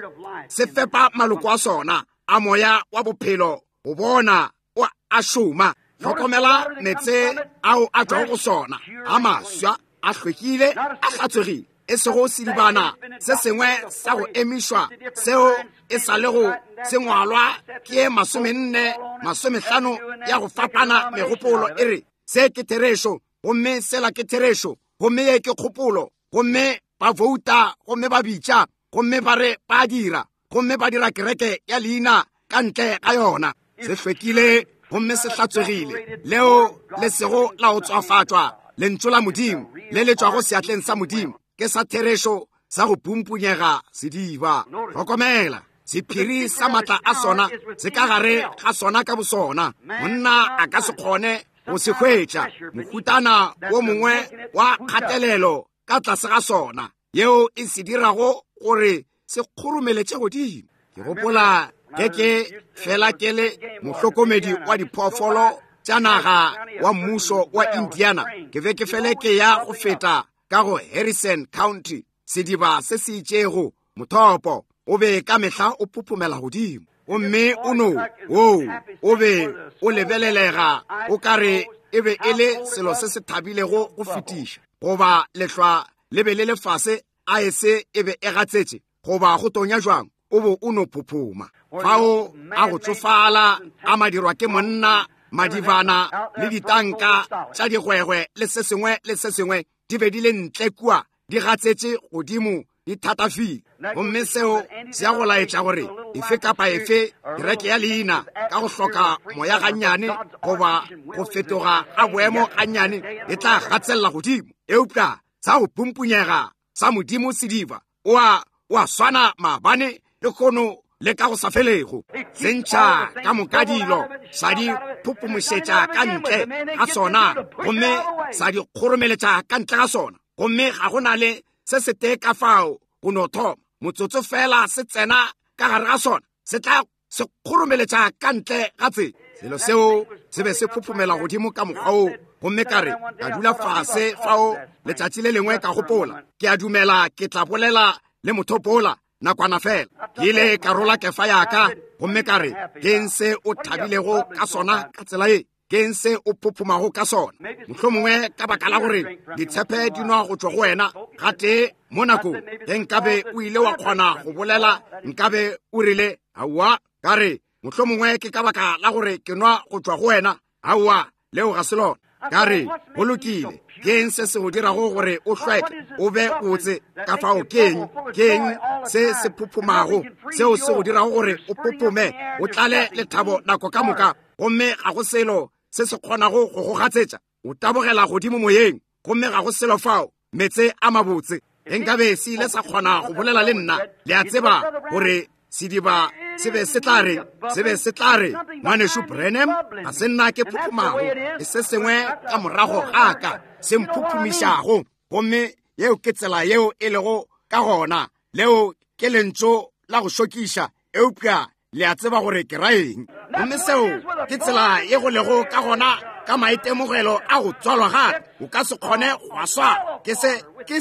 Se fepa maloko a sona a moya wa bophelo go bona o a šoma. Hlokomela meetse ao a tšwago go sona, a maswa, a hlwekile, a hlatswegile, e sego sedibana se sengwe sa go emišwa seo e sa le go se ngwalwa ke 40, 50 ya go fapana megopolo e re se ke therešo gomme sela ke therešo gomme ye ke kgopolo, gomme ba vouta gomme ba bitša gomme ba re ba dira gomme ba dira kereke ya leina ka ntle ga yona. Se hlwekile gomme se hlatswegile, leo le sego la go tswafatšwa lentšu la Modimo le le tšwago seatleng sa Modimo ke sa therešo sa go pumpunyega sediba. Hlokomela, sephiri sa matla a sona se ka gare ga sona ka bosona. Monna a ka se kgone go se hwetša, mohutana wo mongwe wa kgatelelo ka tlase ga sona. yeo e se dirago gore se kgoromeletše godimo. Ke gopola ge ke fela ke le mohlokomedi wa diphoofolo tša naga wa mmušo wa Indiana, ke be ke fele ke ya go feta ka go Harrison County, sediba se se itšego, mothopo o be ka mehla o phophomela godimo, gomme o no woo o be o lebelelega o ka re e be e le selo se se thabilego go fetiša, goba lehlwa le be le le fase, aese e be e gatsetše, goba go tonya jwang, o bo o no phophoma. Fao a go tsofala a madirwa ke monna, madibana le ditanka tša digwegwe le se sengwe le se sengwe di be di le ntle kua, di gatsetše godimo, di thatafile. Gomme seo se ya go laetša gore efe kapa efe kereke ya leina ka go hloka moya gannyane goba go fetoga ga boemo gannyane e tla gatselela godimo. Eupša sa go pumpunyega sa Modimo sediba o a o a swana maabane le kono le ka go sa felego. Se ntšha ka moka dilo, sa di phophomošetša ka ntle ga sona, gomme sa di kgoromeletša ka ntle ga sona, gomme ga go na le se setee ka fao go no thoma. Motsotso fela se tsena ka gare ga sona, se tla se kgoromeletša ka ntle ga tsela. Selo seo se be se phophomela godimo ka mokgwa woo, gomme ka re, ka dula fase fao letšatši le lengwe, ka gopola, ke a dumela ke tla bolela le mothopo ola nakwana fela. Ke ile ka rola kefa ya ka, gomme ka re, Ke'ng se o thabilego ka sona ka tsela ye? Ke'ng se o phophomago ka sona? Mohlomongwe ka baka la gore ditshepe di nwa go tšwa go wena gatee mo nakong. Ge nkabe o ile wa kgona go bolela, nkabe o rile, Aowa. Ka re, mohlomongwe ke ka baka la gore ke nwa go tšwa go wena. Aowa, leo ga se lona. Ka re, go lokile, ke'ng se se go dirago gore o hlweke, o be botse? Ka fao ke'ng, ke'ng se se phophomago seo se go dirago gore o phophome, o tlale lethabo nako ka moka, gomme ga go selo se se kgonago go go gatsetša? O tabogela godimo moyeng, gomme ga go selo fao, meetse a mabotse. Ge nkabe se ile sa kgona go bolela le nna, le a tseba gore sediba se be se tla re, se be se tla re, Ngwanešu Branham, ga se nna ke phophomago, ke se sengwe ka morago ga ka se mphophomišago. Gomme yeo ke tsela yeo e lego ka gona. Leo ke lentšu la go šokiša, eupša le a tseba gore ke ra eng. Gomme seo ke tsela ye go lego ka gona ka maitemogelo a go tswalwa gape. O ka se kgone go a swara. Ke se, ke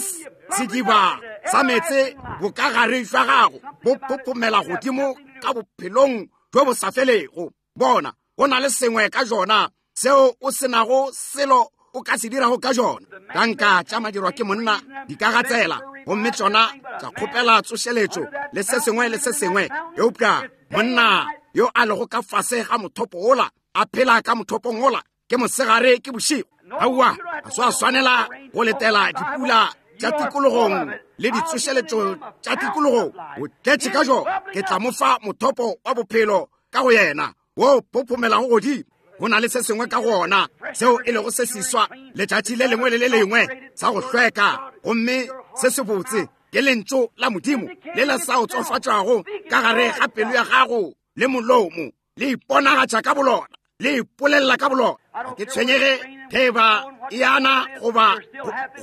sediba sa meetse bokagare jwa gago bo phophomela godimo ka bophelong bjo bo sa felego. Bona, go na le sengwe ka jona seo o se nago selo o ka se dirago ka jona. Tanka tša madirwa ke monna di ka gatsela, gomme tšona tša kgopela tsošeletšo le se sengwe le se sengwe, eupša monna yo a lego ka fase ga mothopo wola, a phela ka mothopong wola, ke mosegare ke bošego. Aowa, ga se wa swanela go letela dipula tša tikologong le ditsošeletšo tša tikologong. O tletše ka jona. Ke tla mo fa mothopo wa bophelo ka go yena, wo phophomelago godimo. Go na le se sengwe ka go ona seo e lego se seswa letšatši le lengwe le le lengwe, sa go hlweka gomme se sebotse. Ke lentšu la Modimo le le sa otsofatšwago ka gare ga pelo ya gago le molomo, le iponagatša ka bolona, le ipolelela ka bolona. Ga ke tshwenyege ge e ba e ana goba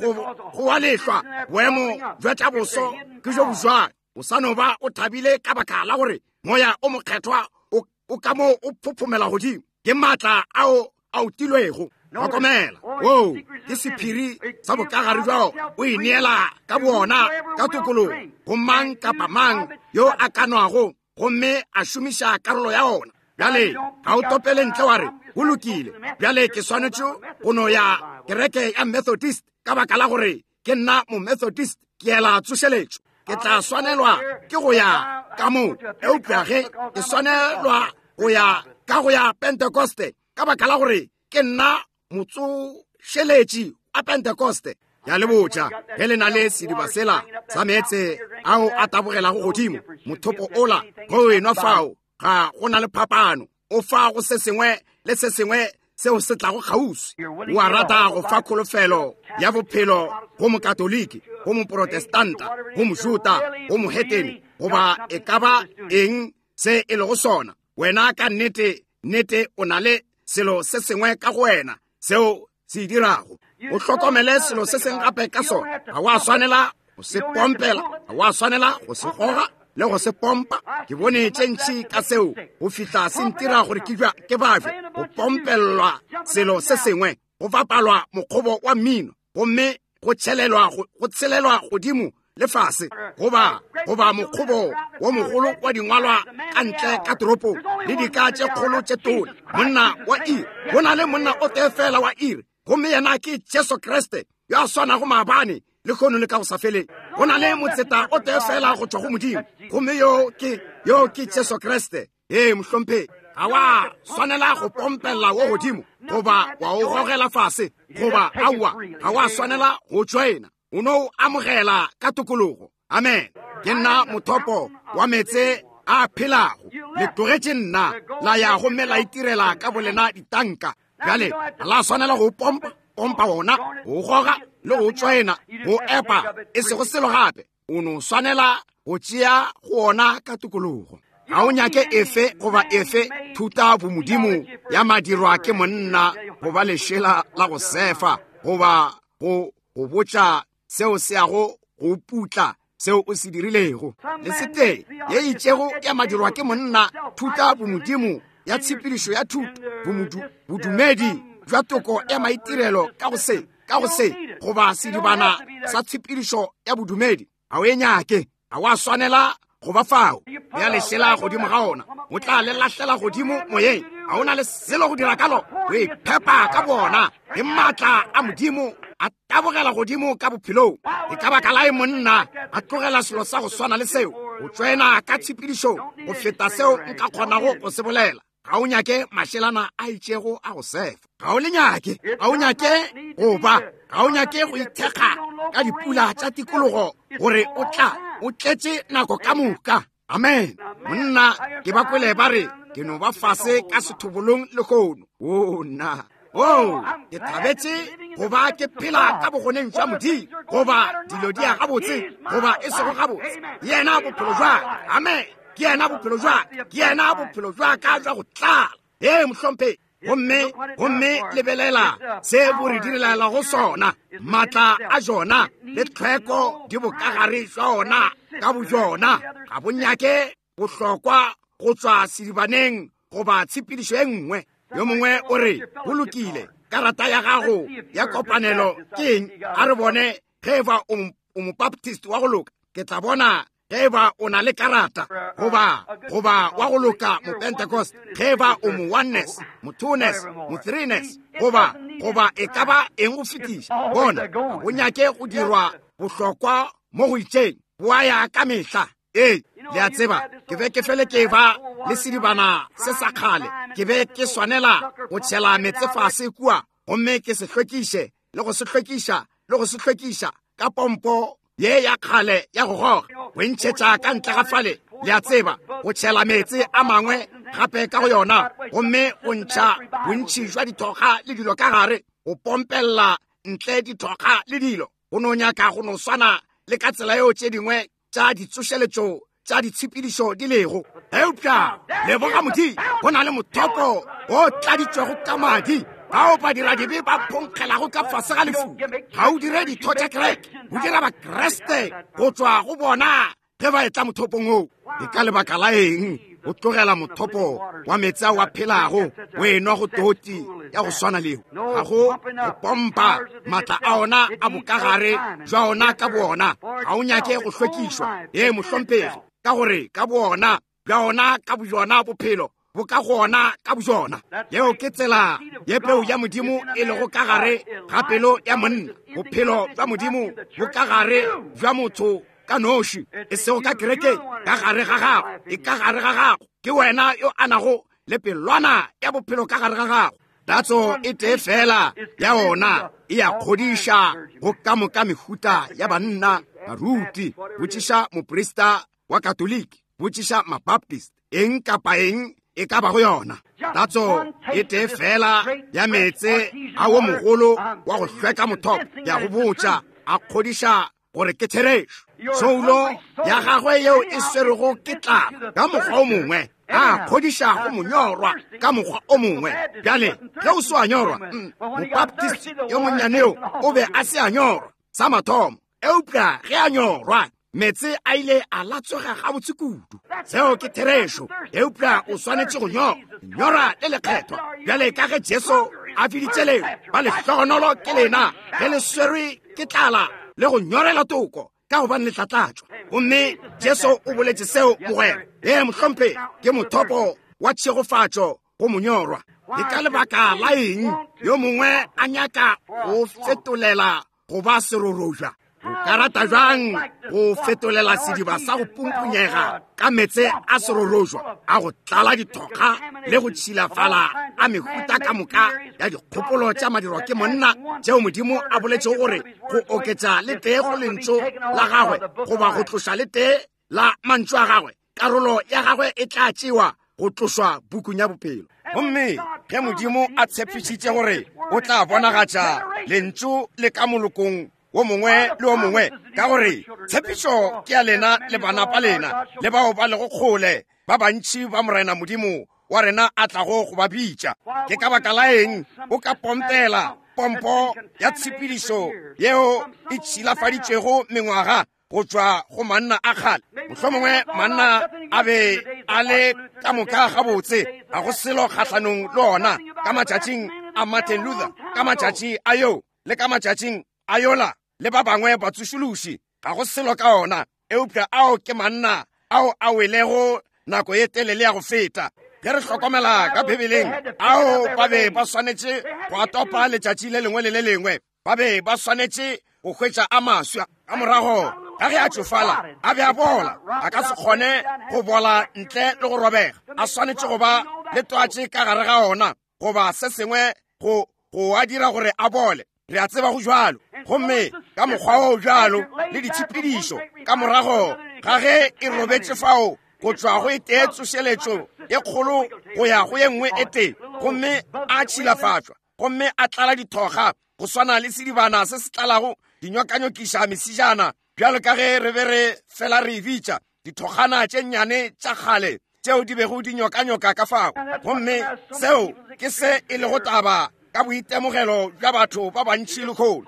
go wa lehlwa, boemo bja tša boso ke jo bojwang. O sa no ba o thabile ka baka la gore moya o mokgethwa o ka mo o phophomela godimo. Ke maatla ao a utilwego. Hlokomela, woo ke sephiri sa bokagare bjao. O ineela ka bowona ka tokologo go mang kapa mang yo a ka nwago gomme a šomiša karolo ya ona. Bjale ga o topele ntle wa re, go lokile, bjale ke swanetše go no ya kereke ya Methodist ka baka la gore ke nna Momethodist, ke ela tsošeletšo, ke tla swanelwa ke go ya ka mo. Eupša ge ke swanelwa go ya ka go ya Pentekoste ka baka la gore ke nna motsošeletši wa Pentekoste, ya le botša, ge le na le sediba sela sa meetse ao a tabogelago godimo, mothopo ola, ge o enwa fao, ga go na le phapano. O fa go se sengwe le se sengwe seo se tlago kgauswi. O a rata go fa kholofelo ya bophelo go Mokatoliki, go Moprotestanta, go Mojuta, go mohetene, goba e ka ba eng se e lego sona. Wena ka nnete, nnete o na le selo se sengwe ka go wena seo se dirago. O hlokomele selo se sengwe gape ka sona. Ga wa swanela go se pompela, ga wa swanela go se goga le go se pompa. Ke bone tše ntši ka seo go fihla se ntira gore ke jwa ke babje, go pompellwa selo se sengwe, go bapalwa mokgobo wa mmino, gomme go tšhelelwa go tshelelwa godimo le fase, goba goba mokgobo wo mogolo wa dingwalwa ka ntle ka toropong, le dika tše kgolo tše tona. Monna wa iri, go na le monna o tee fela wa iri, gomme yena ke Jesu Kriste, yo a swanago maabane, lehono le ka go sa feleng. Go na le motseta o tee fela go tšwa go Modimo, gomme yo ke yo ke Jesu Kriste. Ee, mohlomphegi, ga wa swanela go pompella wo godimo goba wa o gogela fase, goba aowa, ga wa swanela go tšoena. O no o amogela ka tokologo. Amen. Ke nna mothopo wa meetse a phelago. Le tlogetše nna, la ya gomme la itirela ka bolena ditanka. Bjale ga la swanela go pompa, pompa wona, go goga le go tšoena, go epa, e sego selo gape. O no swanela go tšea go ona ka tokologo. Ga o nyake efe goba efe thuta bomodimo ya madirwa ke monna goba lešela la go sefa goba go go botša seo se yago go putla seo o se dirilego. Le setee ye itšego ya madirwa ke monna, thuta bomodimo ya tshepedišo ya thuto, bodumedi bja toko ya maitirelo ka go se, ka go se, goba sedibana sa tshepedišo ya bodumedi. Ga o e nyake, ga wa swanela go ba fao. Bea lešela godimo ga ona, o tla le lahlela godimo moyeng. Ga o na le selo go dira ka lona, o iphepa ka bona. Ke maatla a Modimo a tabogela godimo ka bophelong. E ka baka la e monna a tlogela selo sa go swana le seo, o tšwena ka tshepedišong go feta seo nka kgonago go se bolela. Ga o nyake mašelana a itšego a go sefa, ga o le nyake, ga o nyake go ba, ga o nyake go ithekga ka dipula tša tikologo gore o tla o tletše nako ka moka. Amen. Monna, ke ba kwele ba re ke no ba fase ka sethobolong lehono. O nna, o ke thabetše go ba ke phela ka bogoneng jwa Modimo, goba dilo di ya gabotse goba e sego gabotse. Yena bophelo jwa ka. Amen. Ke yena bophelo jwa ka. Ke yena bophelo jwa ka jwa go tlala. Ee, mohlomphegi. Gomme, gomme lebelela se bo re direlago sona. Maatla a jona le tlhweko di bokagare jwa ona ka bojona. Ga bo nyake bohlokwa go tšwa sedibaneng goba tshepedišo e nngwe. Yo mongwe o re, go lokile, karata ya gago ya kopanelo ke eng? A re bone ge e ba o Mobaptist wa go loka. Ke tla bona ge e ba o na le karata, goba, goba wa go loka Mopentecost, ge e ba o mo oneness, mo twoness, mo threeness, goba, goba e ka ba eng go fetiša. Bona, ga bo nyake go dirwa bohlokwa mo go itšeng, bo a ya ka mehla. Ee, le a tseba, ke be ke fele ke ba le sedibana se sa kgale, ke be ke swanela go tšhela meetse fase kua gomme ke se hlwekiše le go se hlwekiša le go se hlwekiša ka pompo ye ya kgale ya go goga, go ntšhetša ka ntle ga fale, le a tseba, go tšhela meetse a mangwe gape ka go yona, gomme go ntšha bontši jwa dithokga le dilo ka gare, go pompella ntle dithokga le dilo, go no nyaka go no swana le ka tsela yeo tše dingwe tša ditsošeletšo tša ditshepedišo di lego. Eupša leboga Modimo, go na le mothopo o tladitšwego ka madi, bao badiradibe ba phonkgelago ka fase ga lefu. Ga o dire ditho tša kereke, o dira Bakriste go tšwa go bona ge ba etla mothopong woo. E ka lebaka la eng o tlogela mothopo wa meetse ao a phelago o enwa go toti ya go swana leo? Ga go go pompa maatla a ona a bokagare jwa ona ka boona. Ga o nyake go hlwekišwa. Ee, mohlomphegi, ka gore ka boona bja ona ka bojona bophelo bo ka go ona ka bojona. Yeo ke tsela ye peu ya Modimo e lego ka gare ga pelo ya monna. Bophelo bja Modimo bo ka gare bja motho ka noši, e sego ka kerekeng, ka gare ga gago. E ka gare ga gago. Ke wena yo a nago le pelwana ya bophelo ka gare ga gago. Tatso e tee fela ya ona e a kgodiša go ka moka mehuta ya banna, baruti. Botšiša moprista wa Katoliki, botšiša Mabaptist, eng kapa eng e ka bago yona. Tatso e tee fela ya meetse a wo mogolo wa go hlweka mothopo, ya go botša, a kgodiša gore ke therešo. Soulo ya gagwe yeo e swerego ke tlala ka mokgwa o mongwe, a kgodiša go monyorwa ka mokgwa o mongwe. Bjale ge o se wa nyorwa, Mobaptist yo monnyane yo o be a se a nyorwa sa mathomo. Eupša ge a nyorwa, meetse a ile a latswega gabotse kudu. Seo ke therešo, eupša o swanetše go nyora le lekgethwa. Bjale ka ge Jesu a biditše leo, ba lehlogonolo ke lena ge le swerwe ke tlala le go nyorela toko, ka gobane le tla tlatšwa. Gomme Jesu o boletše seo, mogwera. Ee, mohlomphegi, ke mothopo wa tšhegofatšo go monyorwa. Ke ka lebaka la eng yo mongwe a nyaka go fetolela go ba serorobja? O ka rata bjang go fetolela sediba sa go pumpunyega ka meetse a serorobja a go tlala dithokga le go tšhilafala a mehuta ka moka ya dikgopolo tša madirwa ke monna, tšeo Modimo a boletšego gore go oketša le tee go lentšu la gagwe goba go tloša le tee la mantšu a gagwe, karolo ya gagwe e tla tšewa go tlošwa pukung ya bophelo. Gomme ge Modimo a tshepišitše gore o tla bonagatša lentšu le ka molokong wo mongwe le wo mongwe, ka gore tshepišo ke ya lena le bana ba lena le bao ba lego kgole, ba bantši ba Morena Modimo wa rena a tlago go ba bitša. Ke ka baka la eng o ka pompela pompo ya tshepedišo yeo e tšhilafaditšwego mengwaga go tšwa go manna a kgale? Mohlomongwe manna a be a le ka moka gabotse, ga go selo kgahlanong le ona ka matšatšing a Martin Luther, ka matšatši a yo le ka matšatšing a yola le ba bangwe batsošološi, ga go selo ka ona. Eupša ao ke manna ao a welego nako ye telele ya go feta. Ge re hlokomela ka Bibeleng, ao ba be ba swanetše go a topa letšatši le lengwe le le lengwe. Ba be ba swanetše go hwetša a maswa. Ka morago ga ge a tšofala, a be a bola, a ka se kgone go bola ntle le go robega. A swanetše go ba le twatše ka gare ga ona goba se sengwe go go a dira gore a bole. Re a tseba go bjalo. Gomme ka mokgwa o bjalo le ditshepedišo, ka morago ga ge e robetše fao go tšwa go e tee tsošeletšo e kgolo go ya go ye nngwe e tee, gomme a tšhilafatšwa gomme a tlala dithoga go swana le sedibana se se tlalago dinyokanyokiša mesijana, bjalo ka ge re be re fela re e bitša dithokgana tše nnyane tša kgale tšeo di bego di nyokanyoka ka fao. Gomme seo ke se e lego taba ka boitemogelo bja batho ba bantši lehono.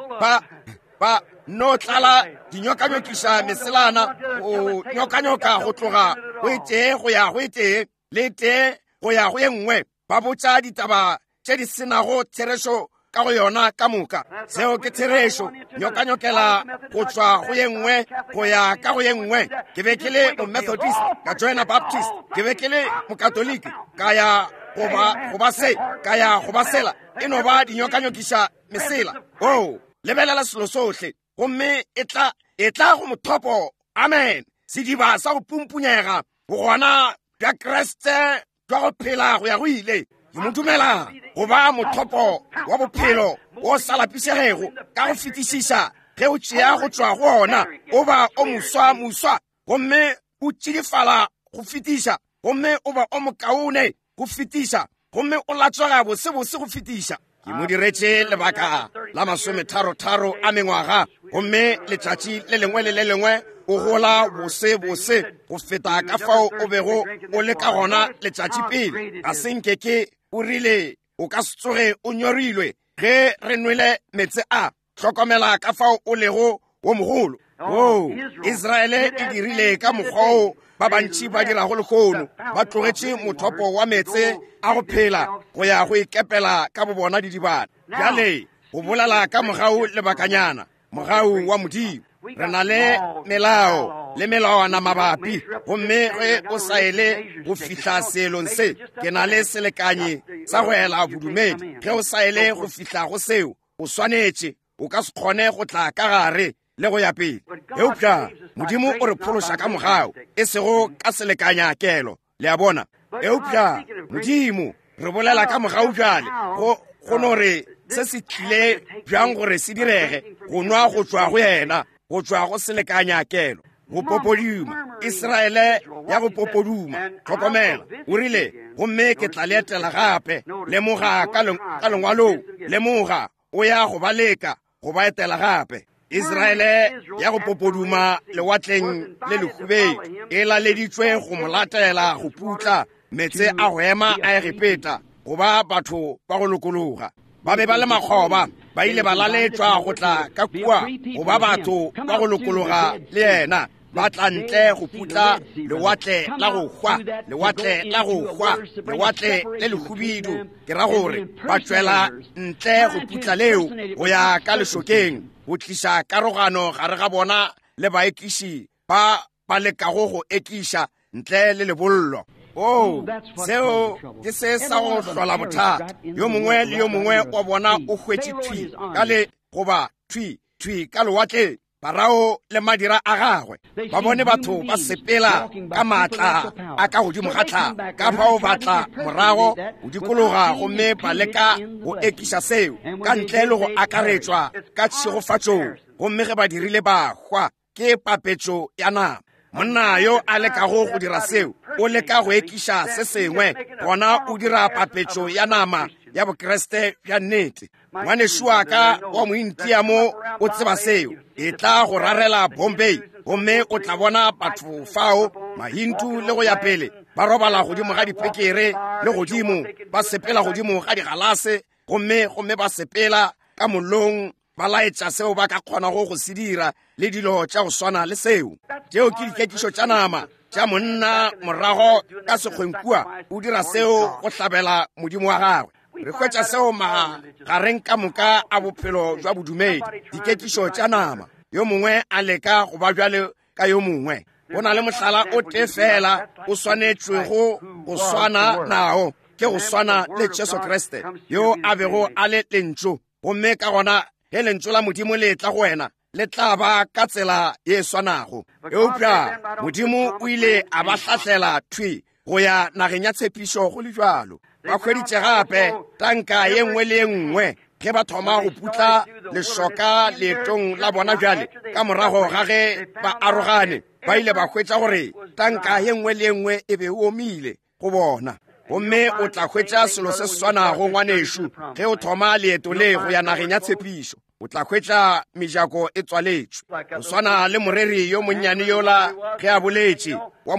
Ba no tlala dinyokanyokiša meselana, go nyokanyoka go tloga go e tee go ya go e tee, le tee go ya go ye nngwe, ba botša ditaba tše di senago therešo ka go yona ka moka. Seo ke therešo. Nyokanyokela go tšwa go ye nngwe go ya ka go ye nngwe. Ke be ke le Momethodist, ka joina Baptist. Ke be ke le Mokatoliki, ka ya go ba se, ka ya go ba sela. E no ba dinyokanyokiša mesela. Oo, lebelela selo sohle, gomme e tla, e tla go mothopo. Amen. Sediba sa go pumpunyega, bogona bja Kriste jwa go phela go ya go ile. Ke mo dumela go ba mothopo wa bophelo wo sa lapišegego ka go fetišiša. Ge o tšea go tšwa go ona, o ba o moswa moswa, gomme o tšidifala go fetiša, gomme o ba o mokaone go fetiša, gomme o latswega bosebose go fetiša. Ke mo diretše lebaka la masometharotharo a mengwaga, gomme letšatši le lengwe le le lengwe o gola bosebose go feta ka fao o bego o le ka gona letšatši pele. Ga se nke ke o rile o ka se tsoge o nyorilwe ge re nwele meetse a. Hlokomela ka fao o lego wo mogolo. Oo, Israele e dirile ka mokgwa wo ba bantši ba dirago lehono, ba tlogetše mothopo wa meetse a go phela go ya go ikepela ka bobona didibana. Bjale go bolela ka mogau lebakanyana, mogau wa Modimo. Re na le melao le melawana mabapi, gomme ge o sa ele go fihla seelong se, ke na le selekanyi sa go ela bodumedi. Ge o sa ele go fihla go seo, o swanetše, o ka se kgone go tla ka gare le go ya pele. Eupša Modimo o re phološa ka mogau, e sego ka selekanya kelo, le a bona. Eupša Modimo, re bolela ka mogau bjale, go no re se se tlile bjang gore se direge, go nwa go tšwa go yena, go tšwa go selekanya kelo, go popoduma, Israele ya go popoduma. Hlokomela, o rile, gomme ke tla le etela gape. Lemoga ka lengwalong, lemoga, o ya go ba leka, go ba etela gape. Israele ya go popoduma lewatleng le lehubedu e laleditšwe go mo latela go putla meetse a go ema a Egepeta, go ba batho ba go lokologa. Ba be ba le makgoba, ba ile ba laletšwa go tla ka kua go ba batho ba go lokologa le yena. Ba tla ntle go putla lewatle la go hwa, lewatle la go hwa, lewatle le lehubidu, ke ra gore ba tšwela ntle go putla leo go ya ka lešokeng, go tliša karogano gare ga bona le baekiši ba ba lekago go ekiša ntle le lebollo. Oo, seo ke se sa go hlola bothata. Yo mongwe le yo mongwe wa bona o hwetše thwi ka le goba thwi thwi ka lewatleng. Farao le madira a gagwe ba bone batho ba sepela ka maatla a ka godimo ga tlhago, ka fao ba tla morago go dikologa gomme ba leka go ekiša seo ka ntle le go akaretšwa ka tšhegofatšong, gomme ge ba dirile ba hwa. Ke papetšo ya nama. Monna yo a lekago go dira seo o leka go ekiša se sengwe, gona o dira papetšo ya nama ya Bokriste bja nnete. Ngwanešu wa ka wa Mointia mo o tseba seo. E tla go rarela Bombay gomme o tla bona batho fao, Mahindu le go ya pele, ba robala godimo ga dipekere le godimo, ba sepela godimo ga digalase, gomme gomme ba sepela ka mollong, ba laetša seo ba ka kgonago go se dira le dilo tša go swana le seo. Tšeo ke dikekišo tša nama tša monna morago ka sekgweng kua, o dira seo go hlabela modimo wa gagwe. Re hwetša seo magareng ka moka a bophelo jwa bodumedi, dikekišo tša nama, yo mongwe a leka go ba bjale ka yo mongwe. Go na le mohlala o tee fela o swanetšwego go swana nao, ke go swana le Jesu Kriste, yo a bego a le Lentšu. Gomme ka gona ge Lentšu la Modimo le etla go wena, le tla ba ka tsela ye swanago. Eupša Modimo o ile a ba hlahlela thwi go ya nageng ya tshepišo go le bjalo. Ba hweditše gape tanka ye nngwe le ye nngwe ge ba thoma go putla lešoka leetong la bona bjale. Ka morago ga ge ba arogane, ba ile ba hwetša gore tanka ye nngwe le ye nngwe e be e omile go bona. Gomme o tla hwetša selo se swanago, ngwanešu, ge o thoma leeto le go ya nageng ya tshepišo. O tla hwetša mejako e tswaletšwe. Go swana le moreri yo monnyane yola ge a boletše wa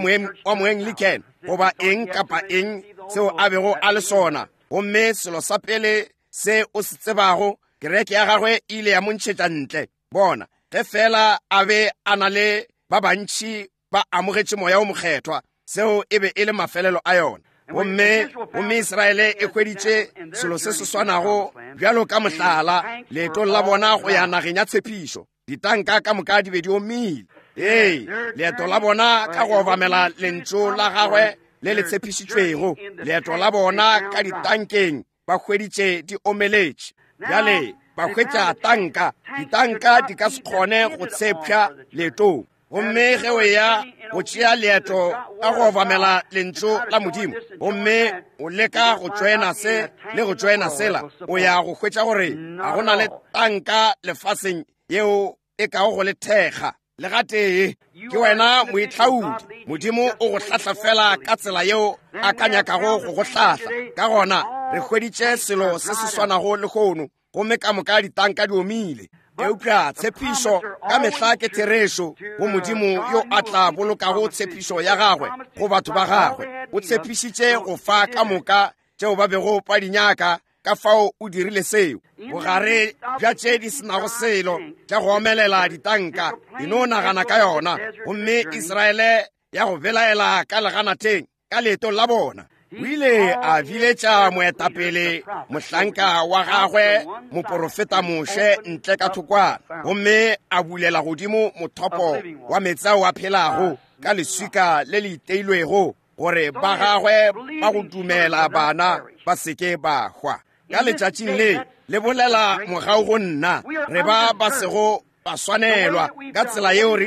Moanglican goba eng kapa eng seo a bego a le sona. Gomme selo sa pele se o se tsebago, kereke ya gagwe e ile ya mo ntšhetša ntle. Bona, ge fela a be a na le ba bantši ba amogetše Moya o Mokgethwa, seo e be e le mafelelo a yona. Gomme gomme Israele e hweditše selo se se swanago bjalo ka mohlala leetong la bona go ya nageng ya tshepišo. Ditanka ka moka di be di omile. Ee, leeto la bona ka go obamela lentšu la gagwe le le tshepišitšwego, leeto la bona ka ditankeng ba hweditše di omeletše. Bjale ba hwetša tanka, ditanka di ka se kgone go tshepša leetong. Gomme ge o ya go tšea leeto ka go obamela lentšu la Modimo, gomme o leka go tšoena se le go tšoena sela, o ya go hwetša gore ga go na le tanka lefaseng yeo e kago go le thekga le gatee. Ke wena moitlhaodi. Modimo o go hlahla fela ka tsela yeo a ka nyakago go go hlahla. Ka gona re hweditše selo se se swanago lehono, gomme ka moka ditanka di omile. Eupša tshepišo ka mehla ke therešo go Modimo yo a tla bolokago tshepišo ya gagwe go batho ba gagwe. O tshepišitše go fa ka moka tšeo ba bego ba di nyaka, ka fao o dirile seo. Bogare bja tše di senago selo tša go omelela ditanka, e no nagana ka yona. Gomme Israele ya go belaela ka leganateng ka leetong la bona, o ile a biletša moetapele mohlanka wa gagwe moporofeta Moshe ntle ka thokwana, gomme a bulela godimo mothopo wa meetse ao a phelago ka leswika le le iteilwego, gore ba gagwe ba go dumela bana ba seke ba hwa. Ka letšatšing le le bolela mogau go nna, re ba ba sego ba swanelwa ka tsela yeo re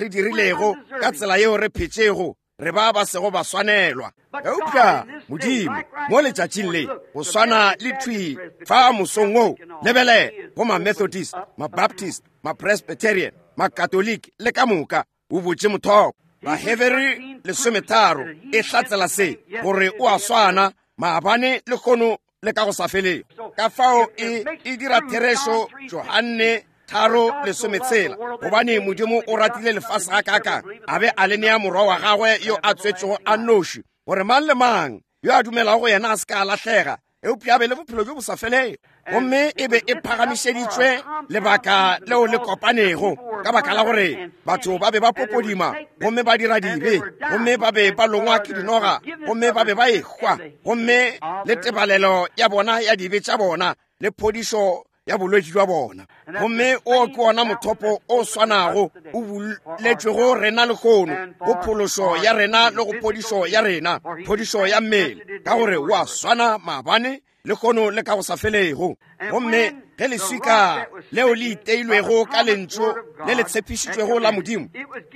dirilego, ka tsela yeo re phetšego, re ba ba sego ba swanelwa. Eupša Modimo mo letšatšing le, go swana le thwi fa mosong wo, lebele go ma-Methodist, ma-Baptist, ma-Presbyterian, ma-Catholic le ka moka, o botše mothopo. Bahebere 13 e hlatsela se, gore o a swana maabane le kgono le ka go sa felego. Ka fao e dira therešo Johanne 3:16, gobane Modimo o ratile lefase ga kaakang, a be a le nea morwa wa gagwe yo a tswetšego a nnoši, gore mang le mang yo a dumelago go yena a se ka a lahlega, eupša a be le bophelo bjo bo sa felego. Gomme e be e phagamišeditšwe lebaka leo le kopanego, ka baka la gore batho ba be ba popodima gomme ba dira dibe, gomme ba be ba longwa ke dinoga, gomme ba be ba ehwa, gomme le tebalelo ya bona ya dibe tša bona le phodišo ya bolwetši jwa bona. Gomme o ke wona mothopo o swanago o buletšwego rena lehono go phološo ya rena le go phodišo ya rena, phodišo ya mmele, ka gore o a swana maabane, lehono le ka go sa felego. Gomme ge leswika leo le iteilwego ka lentšu le le tshepišitšwego la Modimo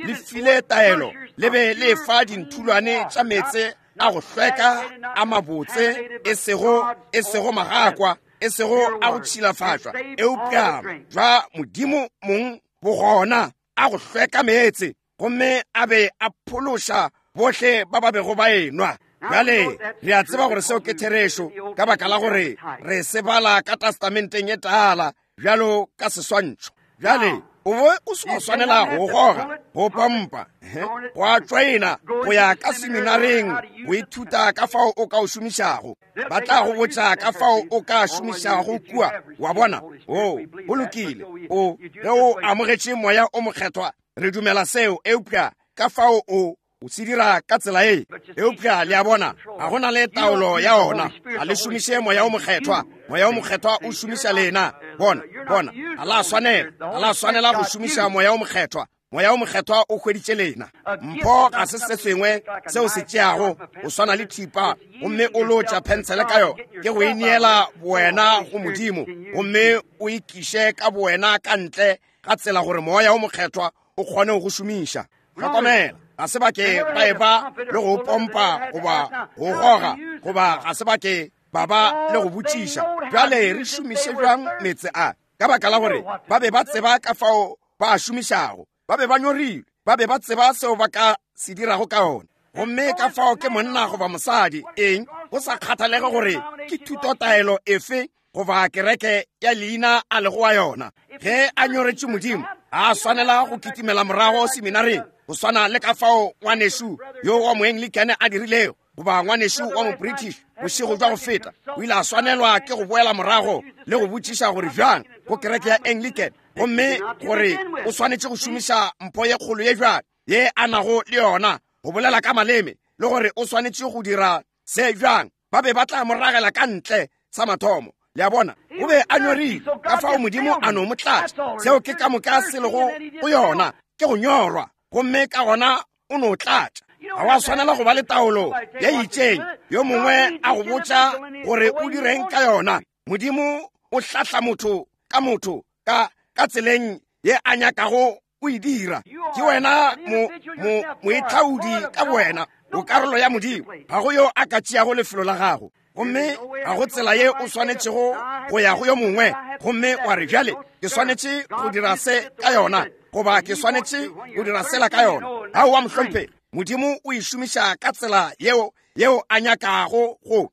le file taelo, le be le fa dinthulwane tša meetse a go hlweka a mabotse, e sego magakwa, e sego a go tšhilafatšwa, eupša jwa Modimo mong bogona a go hlweka meetse, gomme a be a phološa bohle ba ba bego ba enwa. Bjale re a tseba gore seo ke therešo, ka baka la gore re se bala ka Testamenteng e Tala bjalo ka seswantšho. Bjale o be o se wa swanela go goga, go pompa, go a tšwaena, go ya ka seminareng go ithuta ka fao o ka o šomišago. Ba tla go botša ka fao o ka šomišago kua, wa bona. O, go lokile, o, ge o amogetše Moya o Mokgethwa, re dumela seo, eupša ka fao o o se dira ka tsela e. Eupša le a bona, ga go na le taolo ya ona. Ga le šomiše Moya o Mokgethwa. Moya o Mokgethwa o šomiša lena. Bona, bona, ga la swanela, ga la swanela go šomiša Moya o Mokgethwa. Moya o Mokgethwa o hweditše lena. Mpho ga se se sengwe seo se tšeago go swana le thipa gomme o lotša phensele ka yona, ke go ineela bowena go Modimo gomme o ikiše ka bowena ka ntle ga tsela gore Moya o Mokgethwa o kgone go šomiša. Hlokomela, ga se ba ke ba eba le go pompa goba go goga, goba ga se ba ke ba ba le go botšiša, bjale re šomiše bjang meetse a? Ka baka la gore ba be ba tseba ka fao ba a šomišago, ba be ba nyorilwe, ba be ba tseba seo ba ka se dirago ka ona. Gomme ka fao ke monna goba mosadi, eng, go sa kgathalege gore ke thutotaelo efe goba kereke ya leina a lego wa yona, ge a nyoretše Modimo, a swanela go kitimela morago seminareng, go swana le ka fao ngwanešu yo wa Moanglikane a dirilego, goba ngwanešu wa Mobritish bošego bja go feta, o ile a swanelwa ke go boela morago le go botšiša gore bjang go kereke ya Anglican, gomme gore o swanetše go šomiša mpho ye kgolo ye bjang ye a nago le yona go bolela ka maleme, le gore o swanetše go dira se bjang. Ba be ba tla mo ragela ka ntle sa mathomo. Le a bona, o be a nyorile, ka fao Modimo a no mo tlatša. Seo ke ka moka se lego go yona, ke go nyorwa, gomme ka gona o no tlatša. Ga wa swanela go ba le taolo ye itšeng, yo mongwe a go botša gore o direng ka yona. Modimo o hlahla motho ka motho ka tseleng ye a nyakago o e dira. Ke wena moitlhaodi ka bowena, o karolo ya Modimo. Ga go yo a ka tšeago lefelo la gago, gomme ga go tsela ye o swanetšego go ya go yo mongwe gomme wa re, bjale ke swanetše go dira se ka yona, goba ke swanetše go dira sela ka yona. Aowa, mohlomphegi, Modimo o e šomiša ka tsela yeo a nyakago go.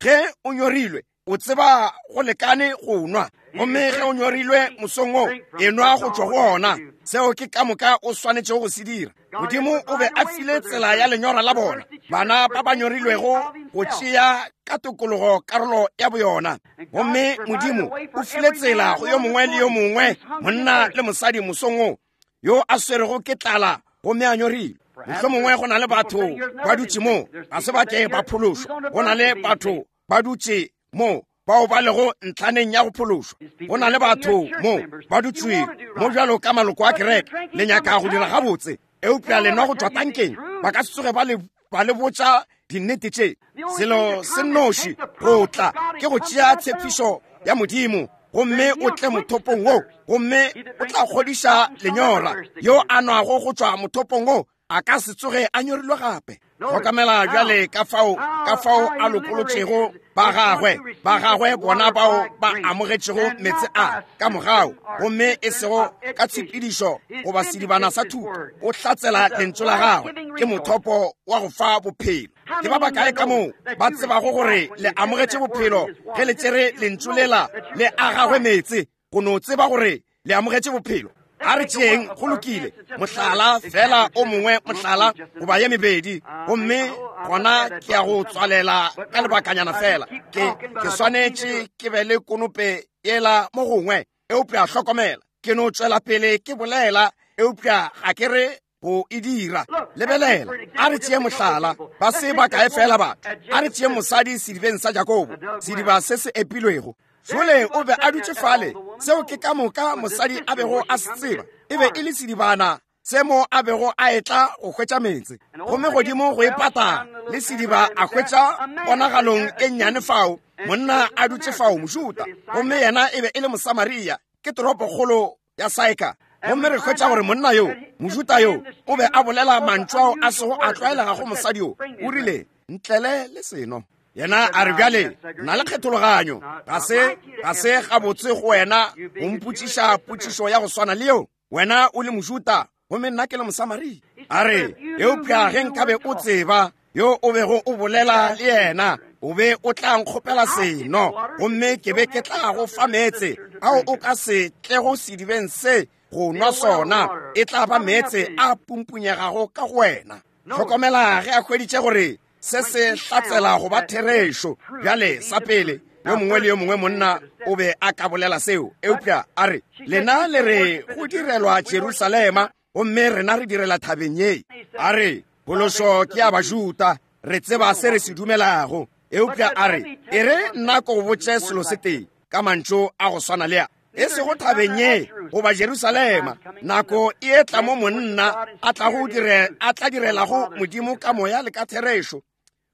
Ge o nyorilwe, o tseba go lekane go nwa, gomme ge o nyorilwe mosong wo, enwa go tšwa go ona. Seo ke ka moka o swanetšego go se dira. Modimo o be a file tsela ya lenyora la bona, bana ba ba nyorilwego go tšea ka tokologo karolo ya boyona. Gomme Modimo o file tsela go yo mongwe le yo mongwe, monna le mosadi mosong wo, yo a swerego ke tlala gomme a nyorilwe. Mohlomongwe go na le batho ba dutše mo, ga se ba ke ba phološwa. Go na le batho ba dutše mo bao ba lego ntlhaneng ya go phološwa. Go na le batho mo ba dutše mo bjalo ka maloko a kereke, le nyaka go dira gabotse, eupša le nwa go tšwa tankeng. Ba ka se tsoge ba le botša dinnete tše. Selo se nnoši go tla ke go tšea tshepišo ya Modimo, gomme o tle mothopong wo, gomme o tla kgodiša lenyora. Yo a nwago go tšwa mothopong wo a ka se tsoge a nyorilwe gape. Hlokamela bjale ka fao a lokolotšego ba gagwe, ba gagwe bona bao ba amogetšego meetse a ka mogau, gomme e sego ka tshepedišo goba sedibana sa thuto. O hlatsela lentšu la gagwe, ke mothopo wa go fa bophelo. Ke ba bakae ka moo ba tsebago gore le amogetše bophelo ge le tšere lentšu lela le a gagwe meetse, go no tseba gore le amogetše bophelo? A re tšeeng, go lokile, mohlala fela o mongwe, mohlala goba ye mebedi, gomme gona ke ya go tswalela ka lebakanyana fela. Ke, ke swanetše ke be le konope yela mo gongwe, eupša hlokomela, ke no tšwela pele ke bolela, eupša ga ke re go e dira. Lebelela, a re tšee mohlala, ba se ba kae fela batho. A re tšee mosadi sedibeng sa Jakobo, sediba se se epilwego. Jole o be a dutše fale, seo ke ka moka mosadi a bego a se tseba. E be e le sedibana se mo a bego a etla go hwetša meetse. Gomme godimo go e pata le sediba a hwetša ponagalong e nnyane fao, monna a dutše fao, Mojuda, gomme yena e be e le Mosamaria, ke toropokgolo ya Saika. Gomme re hwetša gore monna yo, Mojuda yo, o be a bolela mantšu ao a sego a tlwaelega go mosadi yo. O rile, Ntlele le seno. Yena a re, Bjale, na le kgethologanyo. Ga se, ga se gabotse go wena go mpotšiša potšišo ya go swana le yeo. Wena o le Mojuda, gomme nna ke le Mosamaria. A re, Eupša ge nkabe o tseba yo o bego o bolela le yena, o be o tla nkgopela seno, gomme ke be ke tla go fa meetse ao o ka se tlego sedibeng se go nwa sona, e tla ba meetse a pumpunyegago ka go wena. Hlokomela ge a hweditše gore se se hlatsela go ba therešo. Bjale, sa pele, yo mongwe le yo mongwe monna o be a ka bolela seo, eupša a re, lena le re go direlwa Jerusalema, gomme rena re direla thabeng ye. A re, phološo ke ya Bajuda, re tseba se re se dumelago. Eupša a re, e re nna ko go botše selo se tee, ka mantšu a go swana le a, e sego thabeng ye goba Jerusalema, nako e etla mo monna a tla direlago Modimo ka moya le ka therešo,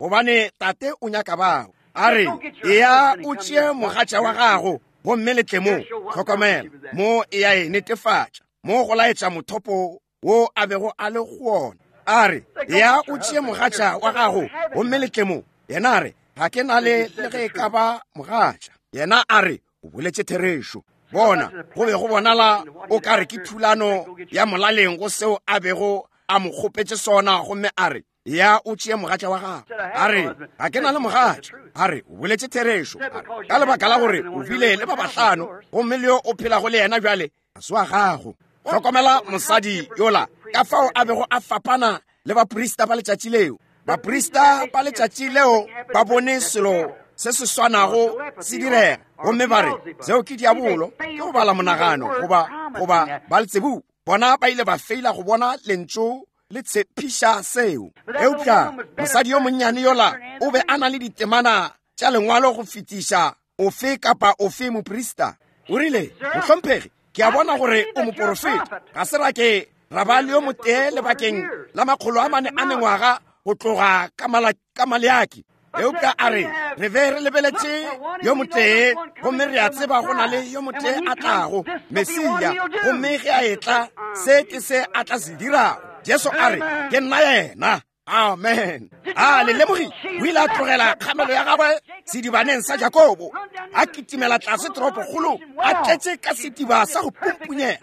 gobane Tate o nyaka bao. A re, eya o tšee mogatša wa gago gomme le tle mo. Hlokomela mo e ya e netefatša, mo go laetša mothopo wo a bego a le go wona. A re, ya o tšee mogatša wa gago gomme le tle mo. Yena a re, ga ke na le le ge e ka ba mogatša. Yena a re, o boletše therešo. Bona, go be go bonala o ka re ke thulano ya molaleng go seo a bego a mo kgopetše sona, gomme a re, ya o tšee mogatša wa gago. A re, ga ke na le mogatša. A re, o boletše therešo. A re, ka lebaka la gore o bile le ba bahlano, gomme le yo o phelago le yena bjale ga se wa gago. Hlokomela mosadi yola, ka fao a bego a fapana le baprista ba letšatši leo. Baprista ba letšatši leo ba bone selo se se swanago se direga, gomme ba re, seo ke diabolo, ke go bala monagano, goba Beelzebub. Bona ba ile ba feila go bona lentšu le tshepiša seo. Eupša mosadi yo monnyane yola o be a na le ditemana tša lengwalo go fetiša ofe kapa ofe moprista. O rile, mohlomphegi, ke a bona gore o moporofeta. Ga se ra ke ra ba le yo motee lebakeng la 400 a mengwaga go tloga ka Maleaki. Eupša a re, re be re lebeletše yo motee, gomme re a tseba go na le yo motee a tlago, Mesia, gomme ge a etla, se ke se a tla se dirago. Jesu a re, ke nna yena. Amen. A le lemogile? O ile a tlogela kgamelo ya gagwe sedibaneng sa Jakobo, a kitimela tlase toropokgolo, a tletše ka sediba sa go pumpunyega.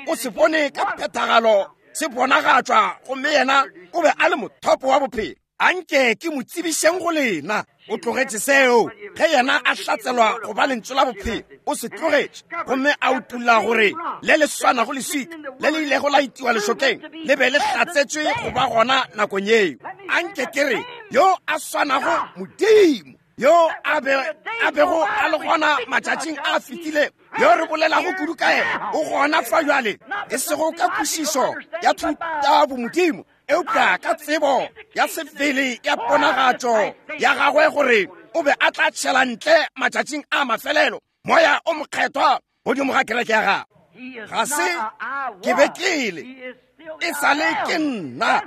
O se bone ka phethagalo se bonagatšwa, gomme yena o be a le mothopo wa bophelo. Anke ke mo tsebišeng go lena. O tlogetše seo ge yena a hlatselwa go ba lentšu la bophelo. O se tlogetše gomme a utolla gore le le swanago leswika le le ilego la itiwa lešokeng le be le hlatsetšwe go ba gona nakong yeo. Anke ke re, yo a swanago Modimo yo a bego a le gona matšatšing a fetilego, yo re bolelago kudu ka yena, o gona fa bjale, e sego ka kwešišo ya thutabomodimo, eupša ka tsebo ya sebele ya ponagatšo ya gagwe gore o be a tla tšhela ntle matšatšing a mafelelo moya o mokgethwa godimo ga kereke ya gagwe. Ga se ke be ke le, e sa le ke nna,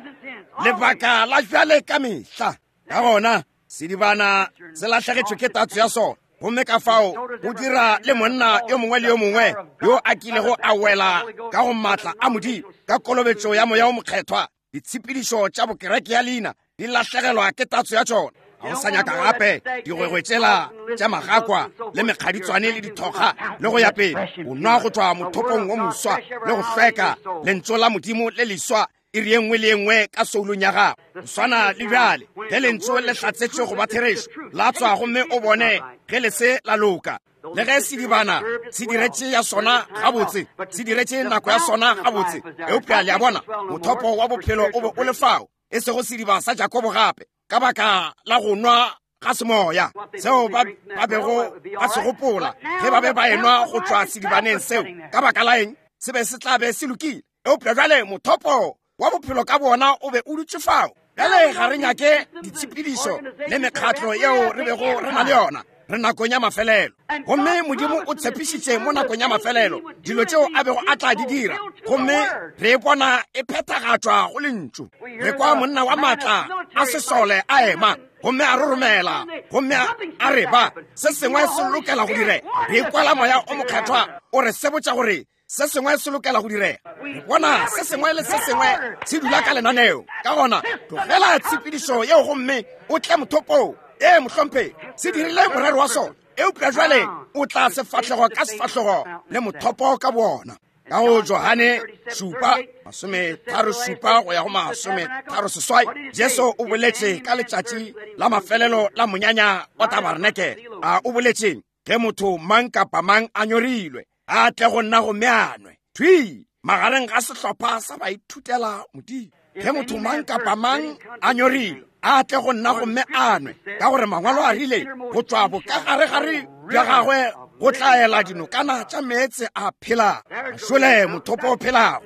lebaka la bjale ka mehla. Ka gona sedibana se lahlegetšwe ke tatso ya sona, gomme ka fao go dira le monna yo mongwe le yo mongwe yo a kilego a wela ka go maatla a Modimo ka kolobetšo ya moya o mokgethwa. Ditshepedišo tša bokereke ya leina di lahlegelwa ke tatso ya tšona. Ga o sa nyaka gape digwegwe tšela tša magakwa le mekgaditswane le dithokga le go ya pele. O nwa go tšwa mothopong wo moswa le go hlweka, lentšu la Modimo le leswa. Iri ye nngwe le ye nngwe ka soulong ya gago. Go swana le bjale, ge Lentšu le hlatsetšwe go ba therešo, la tswa gomme o bone ge le se la loka. Le ge sedibana se diretše ya sona gabotse, se diretše nako ya sona gabotse, eupša le a bona, mothopo wa bophelo o be o le fao, e sego sediba sa Jakobo gape, ka baka la go nwa ga semoya seo ba bego ba se gopola ge ba be ba enwa go tšwa sedibaneng seo. Ka baka la eng? Se be se tla be se lokile. Eupša bjale mothopo wa bophelo ka bona o be o dutše fao. Bjale ga re nyake ditshepedišo le mekgatlo yeo re bego re na le yona. Re nakong ya mafelelo. Gomme Modimo o tshepišitše mo nakong ya mafelelo dilo tšeo a bego a tla di dira, gomme re e bona e phethagatšwa go Lentšu. Re kwa monna wa maatla a sesole a ema gomme a roromela gomme a re ba se sengwe se lokela go direga. Re ikwela Moya o Mokgethwa o re sebotša gore se sengwe se lokela go direga. Re bona se sengwe le se sengwe se dula ka lenaneo. Ka gona tlogela tshepedišo yeo gomme o tle mothopong. Ee, mohlomphegi, se dirile morero wa sona, eupša jwale o tla sefahlego ka sefahlogo le mothopo ka bona. Ka go Johane 7:37 go ya go 38, Jesu o boletše ka letšatši la mafelelo la monyanya wa tabarenekele. A o boletšeng? Ge motho mang kapa mang a nyorilwe, a tle go nna gomme a nwe. Thwi magareng ga sehlopha sa baithutela Modimo. Ge motho mang kapa mang a nyorilwe, a tle go nna gomme a nwe, ka gore Mangwalo a rile, go tšwa bokagaregare bja gagwe go tla ela dinokana tša meetse a phelago. Šole mothopo o phelago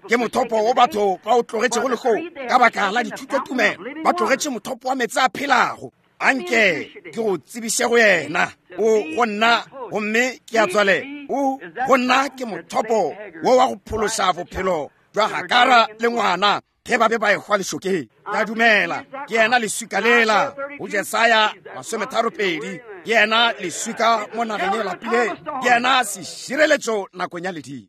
ke mothopo wo batho ba o tlogetšego lehono ka baka la dithutotumelo. Ba tlogetše mothopo wa meetse a phelago. Anke ke go tsebiše go yena. O go nna gomme ke a tswalela. O go nna ke mothopo wo wa go phološa bophelo jwa Hagara le ngwana ge ba be ba ehwa lešokeng. Ke a dumela ke yena leswika lela go Jesaya 32. Ke yena leswika mo nageng e lapileng. Ke yena sešireletšo nakong ya ledimo.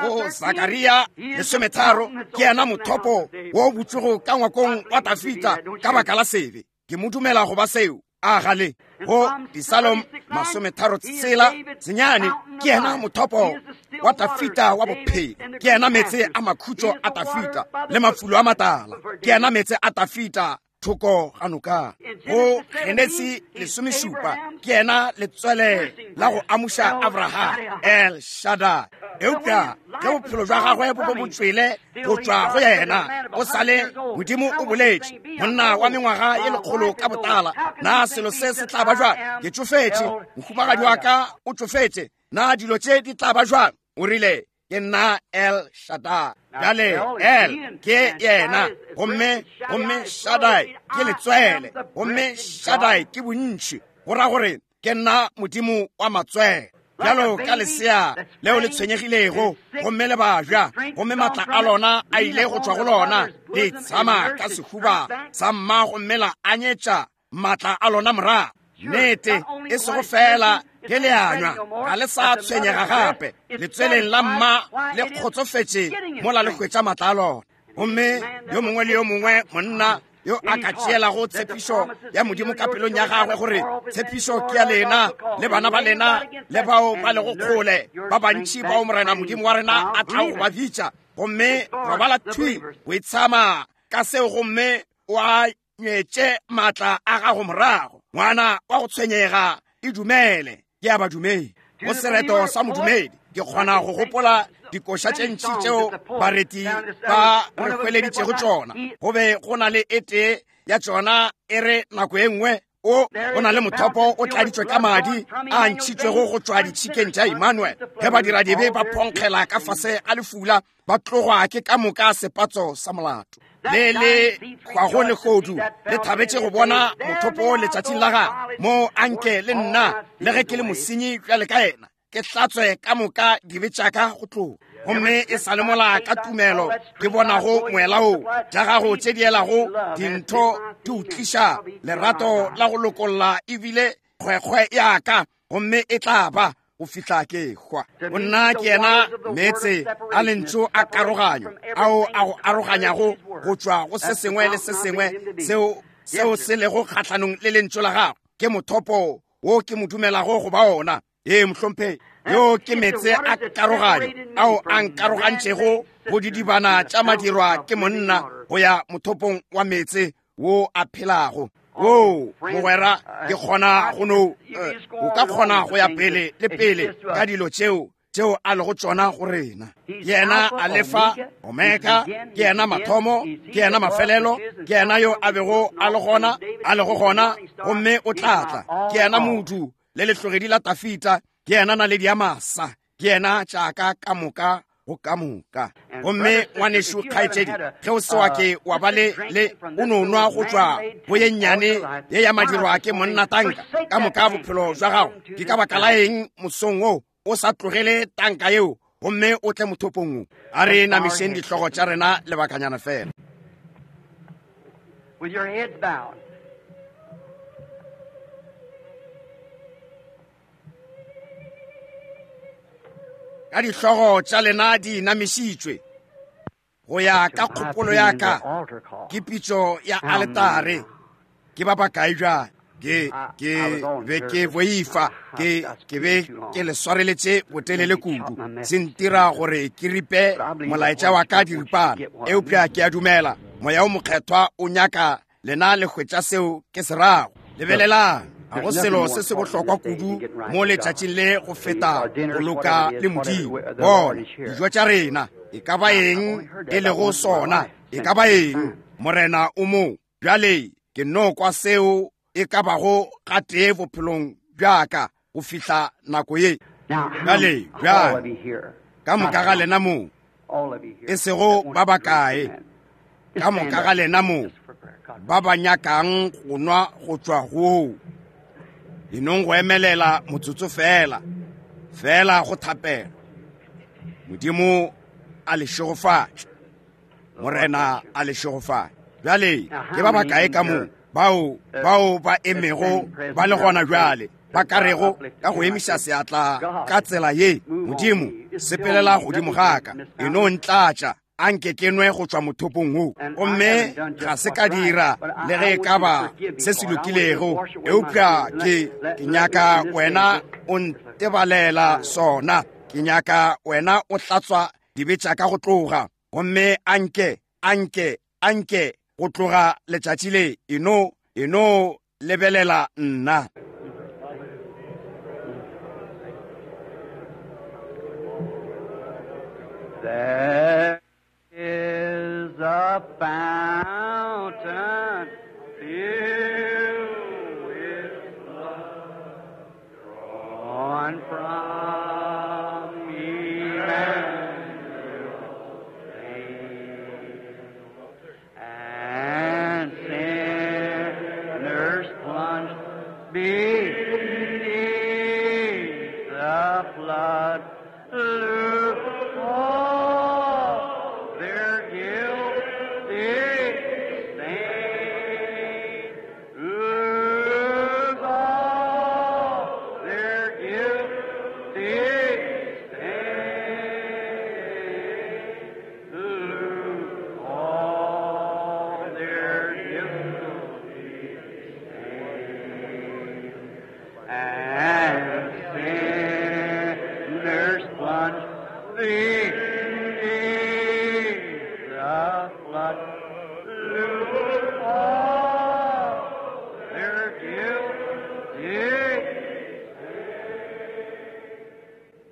Go Sakaria 13, ke yena mothopo wo o butšwego ka ngwakong wa Dafida ka baka la sebe. Ke mo dumela go ba seo. A gale go Psalm 36 senyane, ke yena mothopo wa Dafida wa bophelo. Ke yena meetse a makhutšo a Dafida le mafulo a matala. Ke yena meetse a Dafida thoko ga noka. Go Genesi 17, ke yena letswele la go amuša Abraham, El Shaddai. Eupša ge bophelo bja gagwe bo be bo tšwele go tšwa go yena, o sale Modimo o boletše, monna wa mengwaga ye lekgolo ka botala, na selo se se tla ba jwang? Ke tšofetše, mohumagadi wa ka o tšofetše, na dilo tše di tla ba jwang? O rile, ke nna El Shaddai. Bjale El ke yena, gomme gomme Shaddai ke letswele, gomme Shaddai ke bontši, go ra gore ke nna Modimo wa matswele. Bjalo ka lesea leo le tshwenyegilego gomme le babja, gomme matla a lona a ile go tšwa go lona, le tshama ka sehuba sa mma gomme la anyetša matla a lona morago. Nnete, e sego fela ge le anywa, ga le sa tshwenyega gape. Letsweleng la mma le kgotsofetše mola le hwetša matla a lona. Gomme yo mongwe le yo mongwe monna yo a ka tšeelago tshepišo ya Modimo ka pelong ya gagwe, gore tshepišo ke ya lena le bana ba lena le bao ba lego kgole, ba bantši bao Morena Modimo wa rena a tlago go ba bitša, gomme robala thwi go itshama ka seo gomme o a nywetše maatla a gago morago. Ngwana wa go tshwenyega, e dumele, ke a badumedi. Go sereto sa modumedi, ke kgona go gopola dikoša tše ntši tšeo bareti ba re hweleditšego tšona. Go be go na le e tee ya tšona e re nako e nngwe o go na le mothopo o tladitšwe ka madi a ntšhitšwego go tšwa ditšhikeng tša Emmanuel. Ge badiradibe ba phonkgela ka fase ga lefula, ba tlogwa ke ka moka sepatso sa molato. Le le hwago lehodu le thabetše go bona mothopo letšatšing la gagwe, mo anke le nna, le ge ke le mosenyi bjale ka yena, ke hlatswe ka moka dibe tša ka go tloga. Gomme e sa le mola ka tumelo ke bonago moela wo, tša gago tše di elago dintho di o tliša lerato la go lokolla ebile kgwekgwe ya ka, gomme e tla ba go fihla ke hwa. Go nna ke yena meetse a lentšu a karoganyo ao a go aroganyago go tšwa go se sengwe le se sengwe seo se lego kgahlanong le lentšu la gagwe. Ke mothopo wo ke mo dumelago go ba ona. Ee, mohlomphegi, yo ke meetse a karoganyo ao a nkarogantšego go didibana tša madirwa ke monna go ya mothopong wa meetse wo a phelago. Wo mogwera, ke kgona go no o ka kgona go ya pele le pele ka dilo tšeo tšeo a lego tšona go rena. Ke yena Alefa, Omega, ke yena mathomo, ke yena mafelelo, ke yena yo a bego a le gona, a lego gona, gomme o tla tla. Ke yena modu le lehlogedi la Tafita, ke yena naledi ya masa, ke yena tšaka ka moka go ka moka. Gomme ngwanešu kgaetšedi, ge o se wa ke wa ba le le o no nwa go tšwa go ye nnyane ye ya madirwa ke monna tanka ka moka bophelo jwa gago, ke ka baka la eng mosong wo o sa tlogele tanka yeo gomme o tle mothopong wo? A re namišeng dihlogo tša rena lebakanyana fela. With your heads bowed. Ka dihlogo tša lena di inamišitšwe, go ya ka kgopolo ya ka ke pitšo ya aletare. Ke ba bakae bjale? Ke be ke boifa, ke be ke le swareletše botelele kudu, se ntira gore ke ripe molaetša wa ka diripana, eupša ke a dumela Moya o Mokgethwa o nyaka lena le hwetša seo ke se rago. Lebelelang, ga go selo se se bohlokwa kudu mo letšatšing le go feta go loka le Modimo. Bona dijo tša rena, e ka ba eng e lego sona, e ka ba eng, Morena o mo. Bjale ke no kwa seo e ka bago gatee bophelong bja ka go fihla nako ye. Bjale, bjale, ka moka ga lena mo, e sego ba bakae, ka moka ga lena mo ba ba nyakang go nwa go tšwa go enong go emelela motsotso fela, fela go thapelo. Modimo a le šegofatše, Morena a le šegofatše. Bjale ke ba bakae ka mo bao ba emego ba le gona bjale, ba ka rego ka go emiša seatla ka tsela ye, Modimo, sepelela godimo ga ka, e no ntlatša, a nke ke nwe go tšwa mothopong wo. Gomme ga se ka dira le ge e ka ba se se lokilego, eupša ke nyaka wena o ntebalela sona. Ke nyaka wena o hlatswa dibe tša ka go tloga. Gomme a nke, a nke, a nke go tloga letšatši le, e no lebelela nna. There is a fountain filled with blood, drawn from Emmanuel's veins, and sinners plunge beneath the flood. Look all their guilty stains. Look all their guilty stains. Look all their guilty stains. And sinners plunge beneath the flood. Look all their guilty.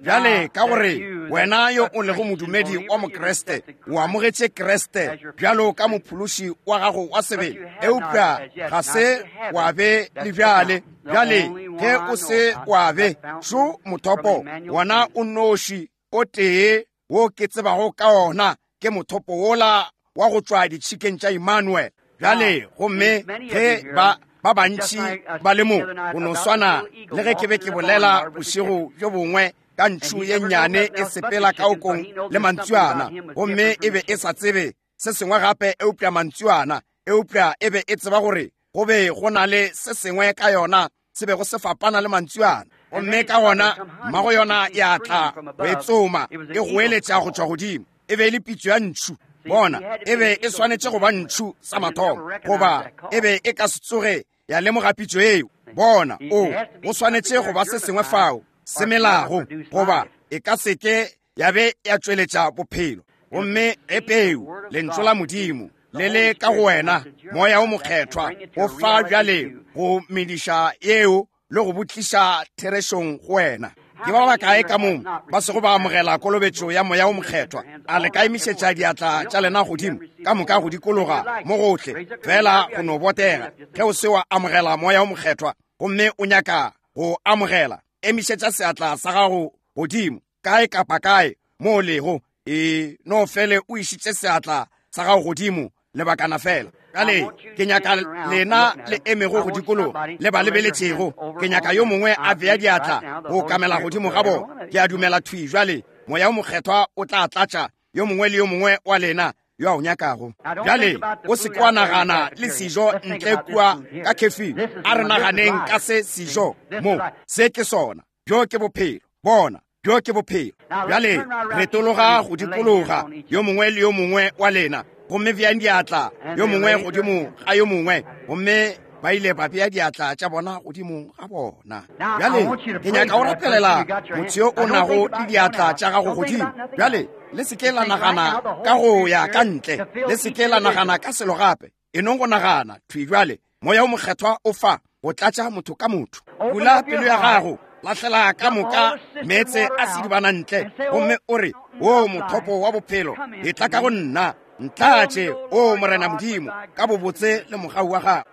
Bjale ka gore wena yo o lego modumedi wa Mokriste, o amogetše Kriste bjalo ka mophološi wa gago wa sebele, eupša ga se wa be le bjale. Bjale ge o se wa be, šo mothopo wona o nnoši o tee wo ke tsebago ka ona, ke mothopo wola wa go tšwa ditšhikeng tša Emmanuel. Bjale gomme ge ba bantši ba le mo, go no swana le ge ke be ke bolela bošego bjo bongwe ka ntšhu ye nnyane e sepela ka okong le mantsuana, gomme e be e sa tsebe se sengwe gape eupša mantsuana, eupša e be e tseba gore go be go na le se sengwe ka yona se bego se fapana le mantsuana. Gomme ka gona mmago yona ya tla go e tsoma, e goeletša go tšwa godimo. E be e le pitšo ya ntšhu. Bona, e be e swanetše go ba ntšhu sa mathomo, goba e be e ka se tsoge ya lemoga pitšo eo. Bona, o go swanetše go ba se sengwe fao se melago, goba e ka se ke ya be ya tšweletša bophelo. Gomme ge peu, Lentšu la Modimo, le le ka go wena, Moya o Mokgethwa o fa bjale go mediša yeo le go botliša therešong go wena. Ke ba bakae ka mo ba sego ba amogela kolobetšo ya Moya o Mokgethwa? A le ka emišetša diatla tša lena godimo ka moka go dikologa mo gohle, fela go no botega. Ge o se wa amogela Moya o Mokgethwa gomme o nyaka go amogela, emišetša seatla sa gago godimo kae kapa kae mo o lego. E no fele o išitše seatla sa gago godimo lebakana fela. Bjale ke nyaka lena le emego go dikologa le ba lebeletšego. Ke nyaka yo mongwe a bea diatla go kamela godimo ga bona. Ke a dumela thwi bjale Moya o Mokgethwa o tla tlatša yo mongwe le yo mongwe wa lena yo a o nyakago. Bjale o se ke wa nagana le sejo ntle kua ka khefing. A re naganeng ka se sejo mo. Se ke sona. Bjo ke bophelo. Bona, bjo ke bophelo. Bjale retologa go dikologa yo mongwe le yo mongwe wa lena, gomme beang diatla yo mongwe godimo ga yo mongwe. Gomme ba ile ba bea diatla tša bona godimo ga bona. Bjale ke nyaka o rapelela motho yo o nago le diatla tša gago godimo. Bjale le se ke la nagana ka go ya ka ntle, le se ke la nagana ka selo gape. E nong go nagana thwi bjale, Moya o Mokgethwa o fa go tlatša motho ka motho. Bula pelo ya gago, lahlela ka moka meetse a sedibana ntle, gomme o re, O mothopo wa bophelo, etla ka go nna, ntlatše, o Morena Modimo, ka bobotse le mogau wa gago.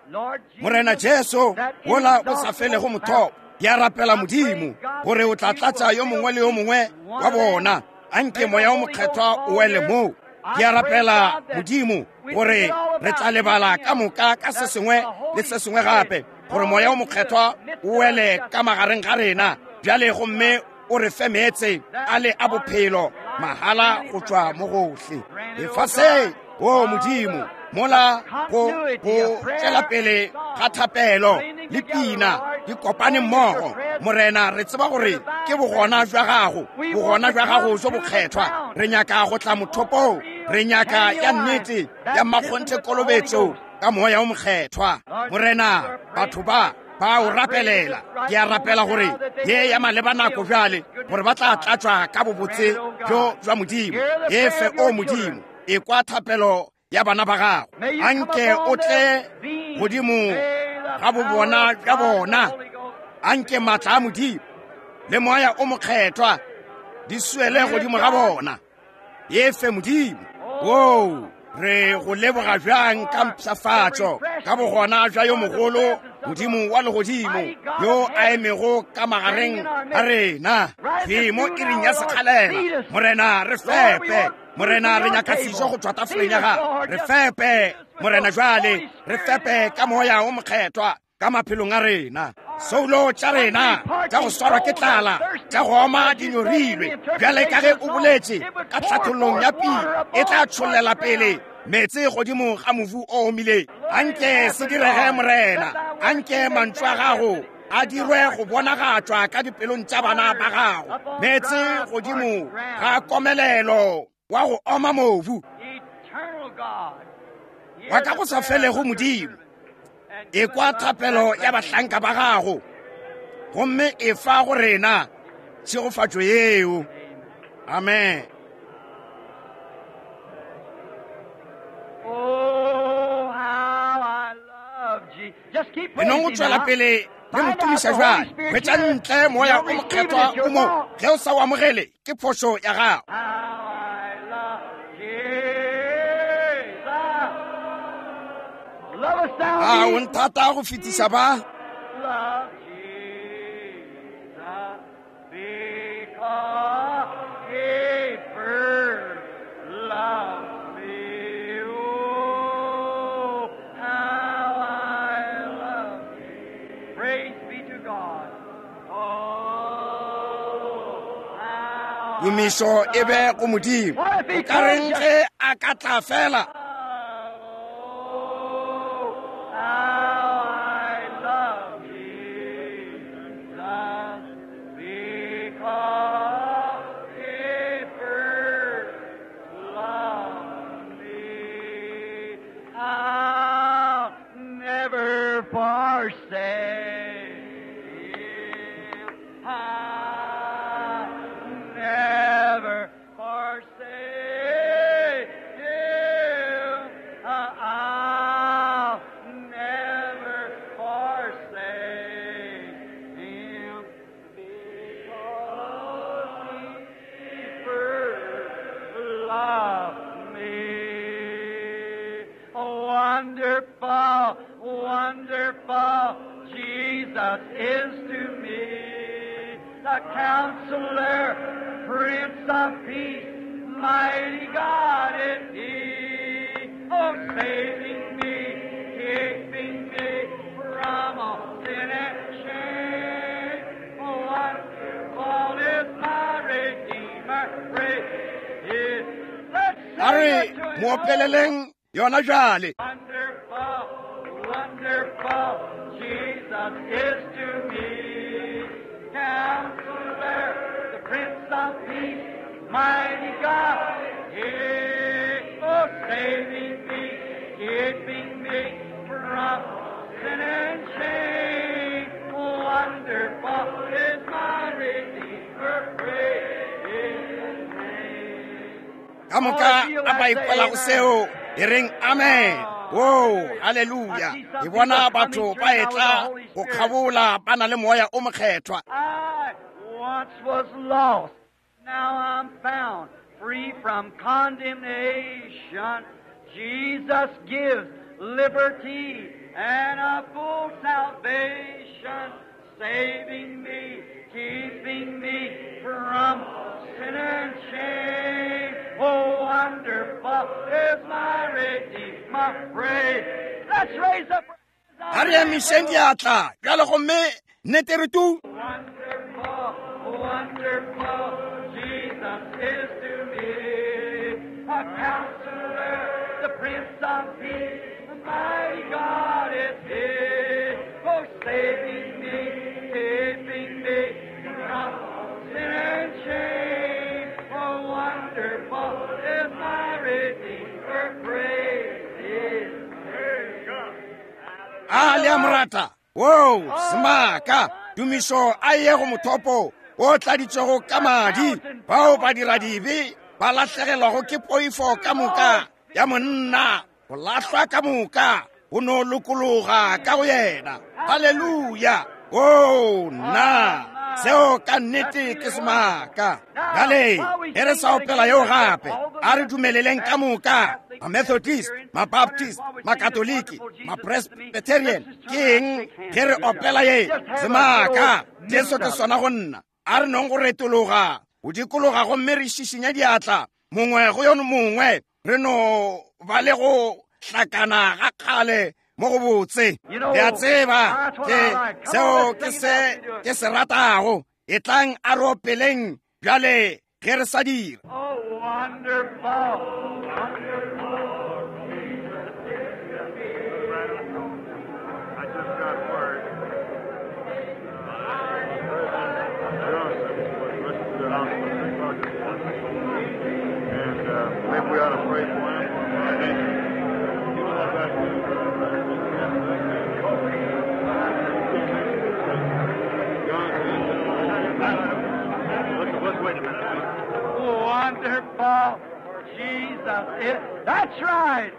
Morena Jesu, wola o sa felego mothopo, ke a rapela Modimo gore o tla tlatša yo mongwe le yo mongwe wa bona. Anke Moya o Mokgethwa o wele moo. Ke a rapela Modimo gore re tla lebala ka moka ka se sengwe le se sengwe gape, gore Moya o Mokgethwa o wele ka magareng ga rena bjale, gomme o re fe meetse a le a bophelo mahala go tšwa mo gohle lefaseng. O Modimo, mola go tšwela pele ga thapelo le pina di kopane mmogo, Morena, re tseba gore ke bogona bja gago, bogona bja gago jo bokgethwa. Re nyaka go tla mothopong, re nyaka ya nnete ya mmakgonthe kolobetšo ka Moya o Mokgethwa. Morena, batho ba ba o rapelela. Ke a rapela gore ye ya maleba nako bjale, gore ba tla tlatšwa ka bobotse bjo bja Modimo. E fe, o Modimo, ekwa thapelo ya bana ba gago. Anke o tle godimo ga bobona bja bona. Anke maatla a Modimo le Moya o Mokgethwa di swele godimo ga bona. E fe, Modimo. Oo, re go leboga bjang ka mpshafatšo, ka bogona bja yo mogolo Modimo wa legodimo yo a emego ka magareng ga rena. Thwi mo iring ya sekgalela, Morena, re fepe. Morena, re nyaka sejo go tšwa tafoleng ya gago. Re fepe, Morena, jwale re fepe ka Moya o Mokgethwa ka maphelong a rena. Soulo tša rena tša go swarwa ke tlala, tša go oma di nyorilwe, bjale ka ge o boletše ka tlhathollong ya pina, e tla tšhollela pele meetse godimo ga mobu o omileng. Anke se direge, Morena. Anke mantšu a gago a dirwe go bonagatšwa ka dipelong tša bana ba gago. Meetse godimo ga komelelo wa go oma mobu wa ka go sa felego. Modimo, ekwa thapelo ya bahlanka ba gago, gomme e fa go rena tšhegofatšo yeo. Amen. Oh, how I love Jesus. Just keep E nong go praising tšwela now. pele le mo Find out tumiša the Holy bjale. Spirit Hwetša here. ntle Moya You'll o receive it Mokgethwa if you o mo. want. Ge o sa o amogele, ke phošo ya gago. How I love Jesus. Love us thou A o me. nthata go fetiša ba? Love Jesus because he first loved me. Oh, how I love him. Praise be to God. Oh, how I Tumišo e be go Modimo. What if he O ka reng comes ge a ka tla fela? Oh, how I love Jesus because he first loved me. I'll never forsake him. I'll never forsake Wonderful, wonderful, Jesus is to me. The Counselor, Prince of Peace, mighty God is He. Oh, saving me, keeping me from all sin and shame. Wonderful is my Redeemer, praise His. Let's A re sing it to mo Him. opeleleng yona jale. Wonderful, wonderful, Jesus is to me. Counselor, the Prince of Peace, mighty God, yeah. Oh, saving me, keeping me from sin and shame. Wonderful is my Redeemer, praise His name. Ka moka a ba ikwelago seo e reng amen. O, haleluya. Ke bona batho ba etla go kgabola ba na le moya o mokgethwa. I once was lost, now I'm found, free from condemnation. Jesus gives liberty and a full salvation, saving me, keeping me from sin and shame. Oh, wonderful is my Redeemer. Praise. Let's raise up. A re emišeng diatla bjale gomme nnete re tu. Wonderful, wonderful, Jesus is to me. A counselor, the Prince of Peace, the mighty God is here. Oh, saving me, keeping me from sin and shame. Oh, wonderful is my Redeemer, praise His. A le a mo rata. Wo, semaka, tumišo a ye go mothopo o tladitšwego ka madi, bao ba dira dibe ba lahlegelwago ke poifo ka moka ya monna, go lahlwa ka moka, go no lokologa ka go yena. Haleluya. O, nna, seo ka nnete ke semaka. Bjale, ge re sa opela yeo gape, a re dumeleleng ka moka, ma-Methodist, ma-Baptist, ma-Katoliki, ma-Presbyterian, ke eng ge re opela ye semaka? Jesu ke sona go nna. A re nong go retologa, go dikologa gomme re šišinya diatla mongwe go yo mongwe, re no ba le go hlakana ga kgale mo go botse. Le a tseba ke seo ke se ke se ratago. Etlang a re opeleng bjale ge re sa dira. Oh, wonderful, wonderful. I just got word. President Johnson was rushed to the hospital at 3 o'clock this morning. And maybe we ought to pray for him. You know that Let's, let's wait a minute. Wonderful Jesus is. That's right.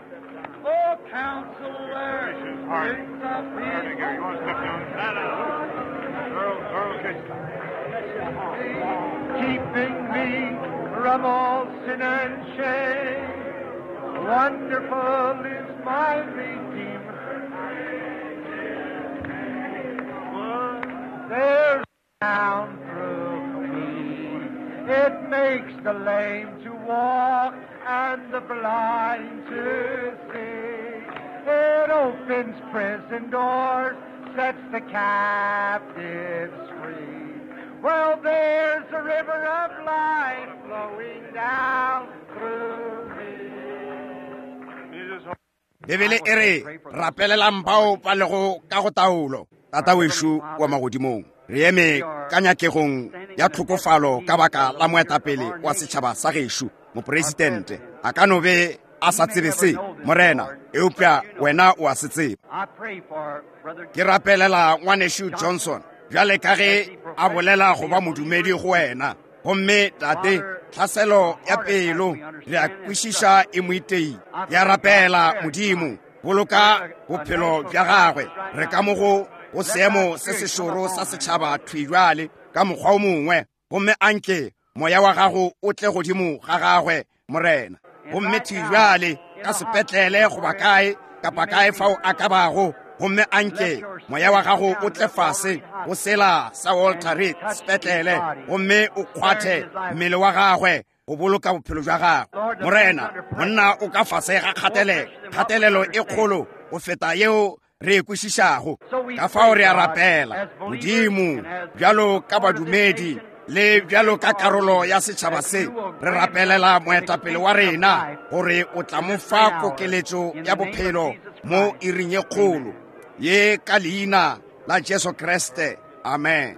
Oh, counselor, Prince of Ernie, Peace, here, you want to step down? No, no, no. Earl, Earl, Kitchen. keeping me from all sin and shame. Wonderful is my Redeemer. There's down through me. It makes the lame to walk and the blind to see. It opens prison doors, sets the captives free. Well, there's a river of life flowing down through me. You just Bibele e re rapelelang bao ba lego ka go taolo. Tata wešo wa magodimong, re eme ka nyakegong ya tlhokofalo ka baka la moetapele wa setšhaba sa gešo, mopresidente. A ka no be a sa tsebe se, Morena, eupša wena o a se tseba. I pray for Brother Ke rapelela ngwanešu Johnson, bjale ka ge a bolela go ba modumedi go wena. Gomme tate, tlhaselo ya pelo re a kwešiša e mo iteile. Ya rapela Modimo, boloka bophelo bja gagwe. Re ka mo go go seemo se sešoro sa setšhaba thwi bjale ka mokgwa o mongwe, gomme anke moya wa gago o tle godimo ga gagwe, Morena. Gomme thwi bjale ka sepetlele goba kae, kapa kae fao a ka bago, gomme anke moya wa gago o tle fase go sela sa Walter Reed sepetlele gomme o kgwathe mmele wa gagwe go boloka bophelo bja gagwe. Morena, monna o ka fase ga kgatelelo, kgatelelo e kgolo go feta yeo re e kwešišago. Ka fao re a rapela, Modimo, bjalo ka badumedi le bjalo ka karolo ya setšhaba se, re rapelela moetapele wa rena gore o tla mo fa kokeletšo ya bophelo mo iring ye kgolo ye, ka leina la Jesu Kriste. Amen.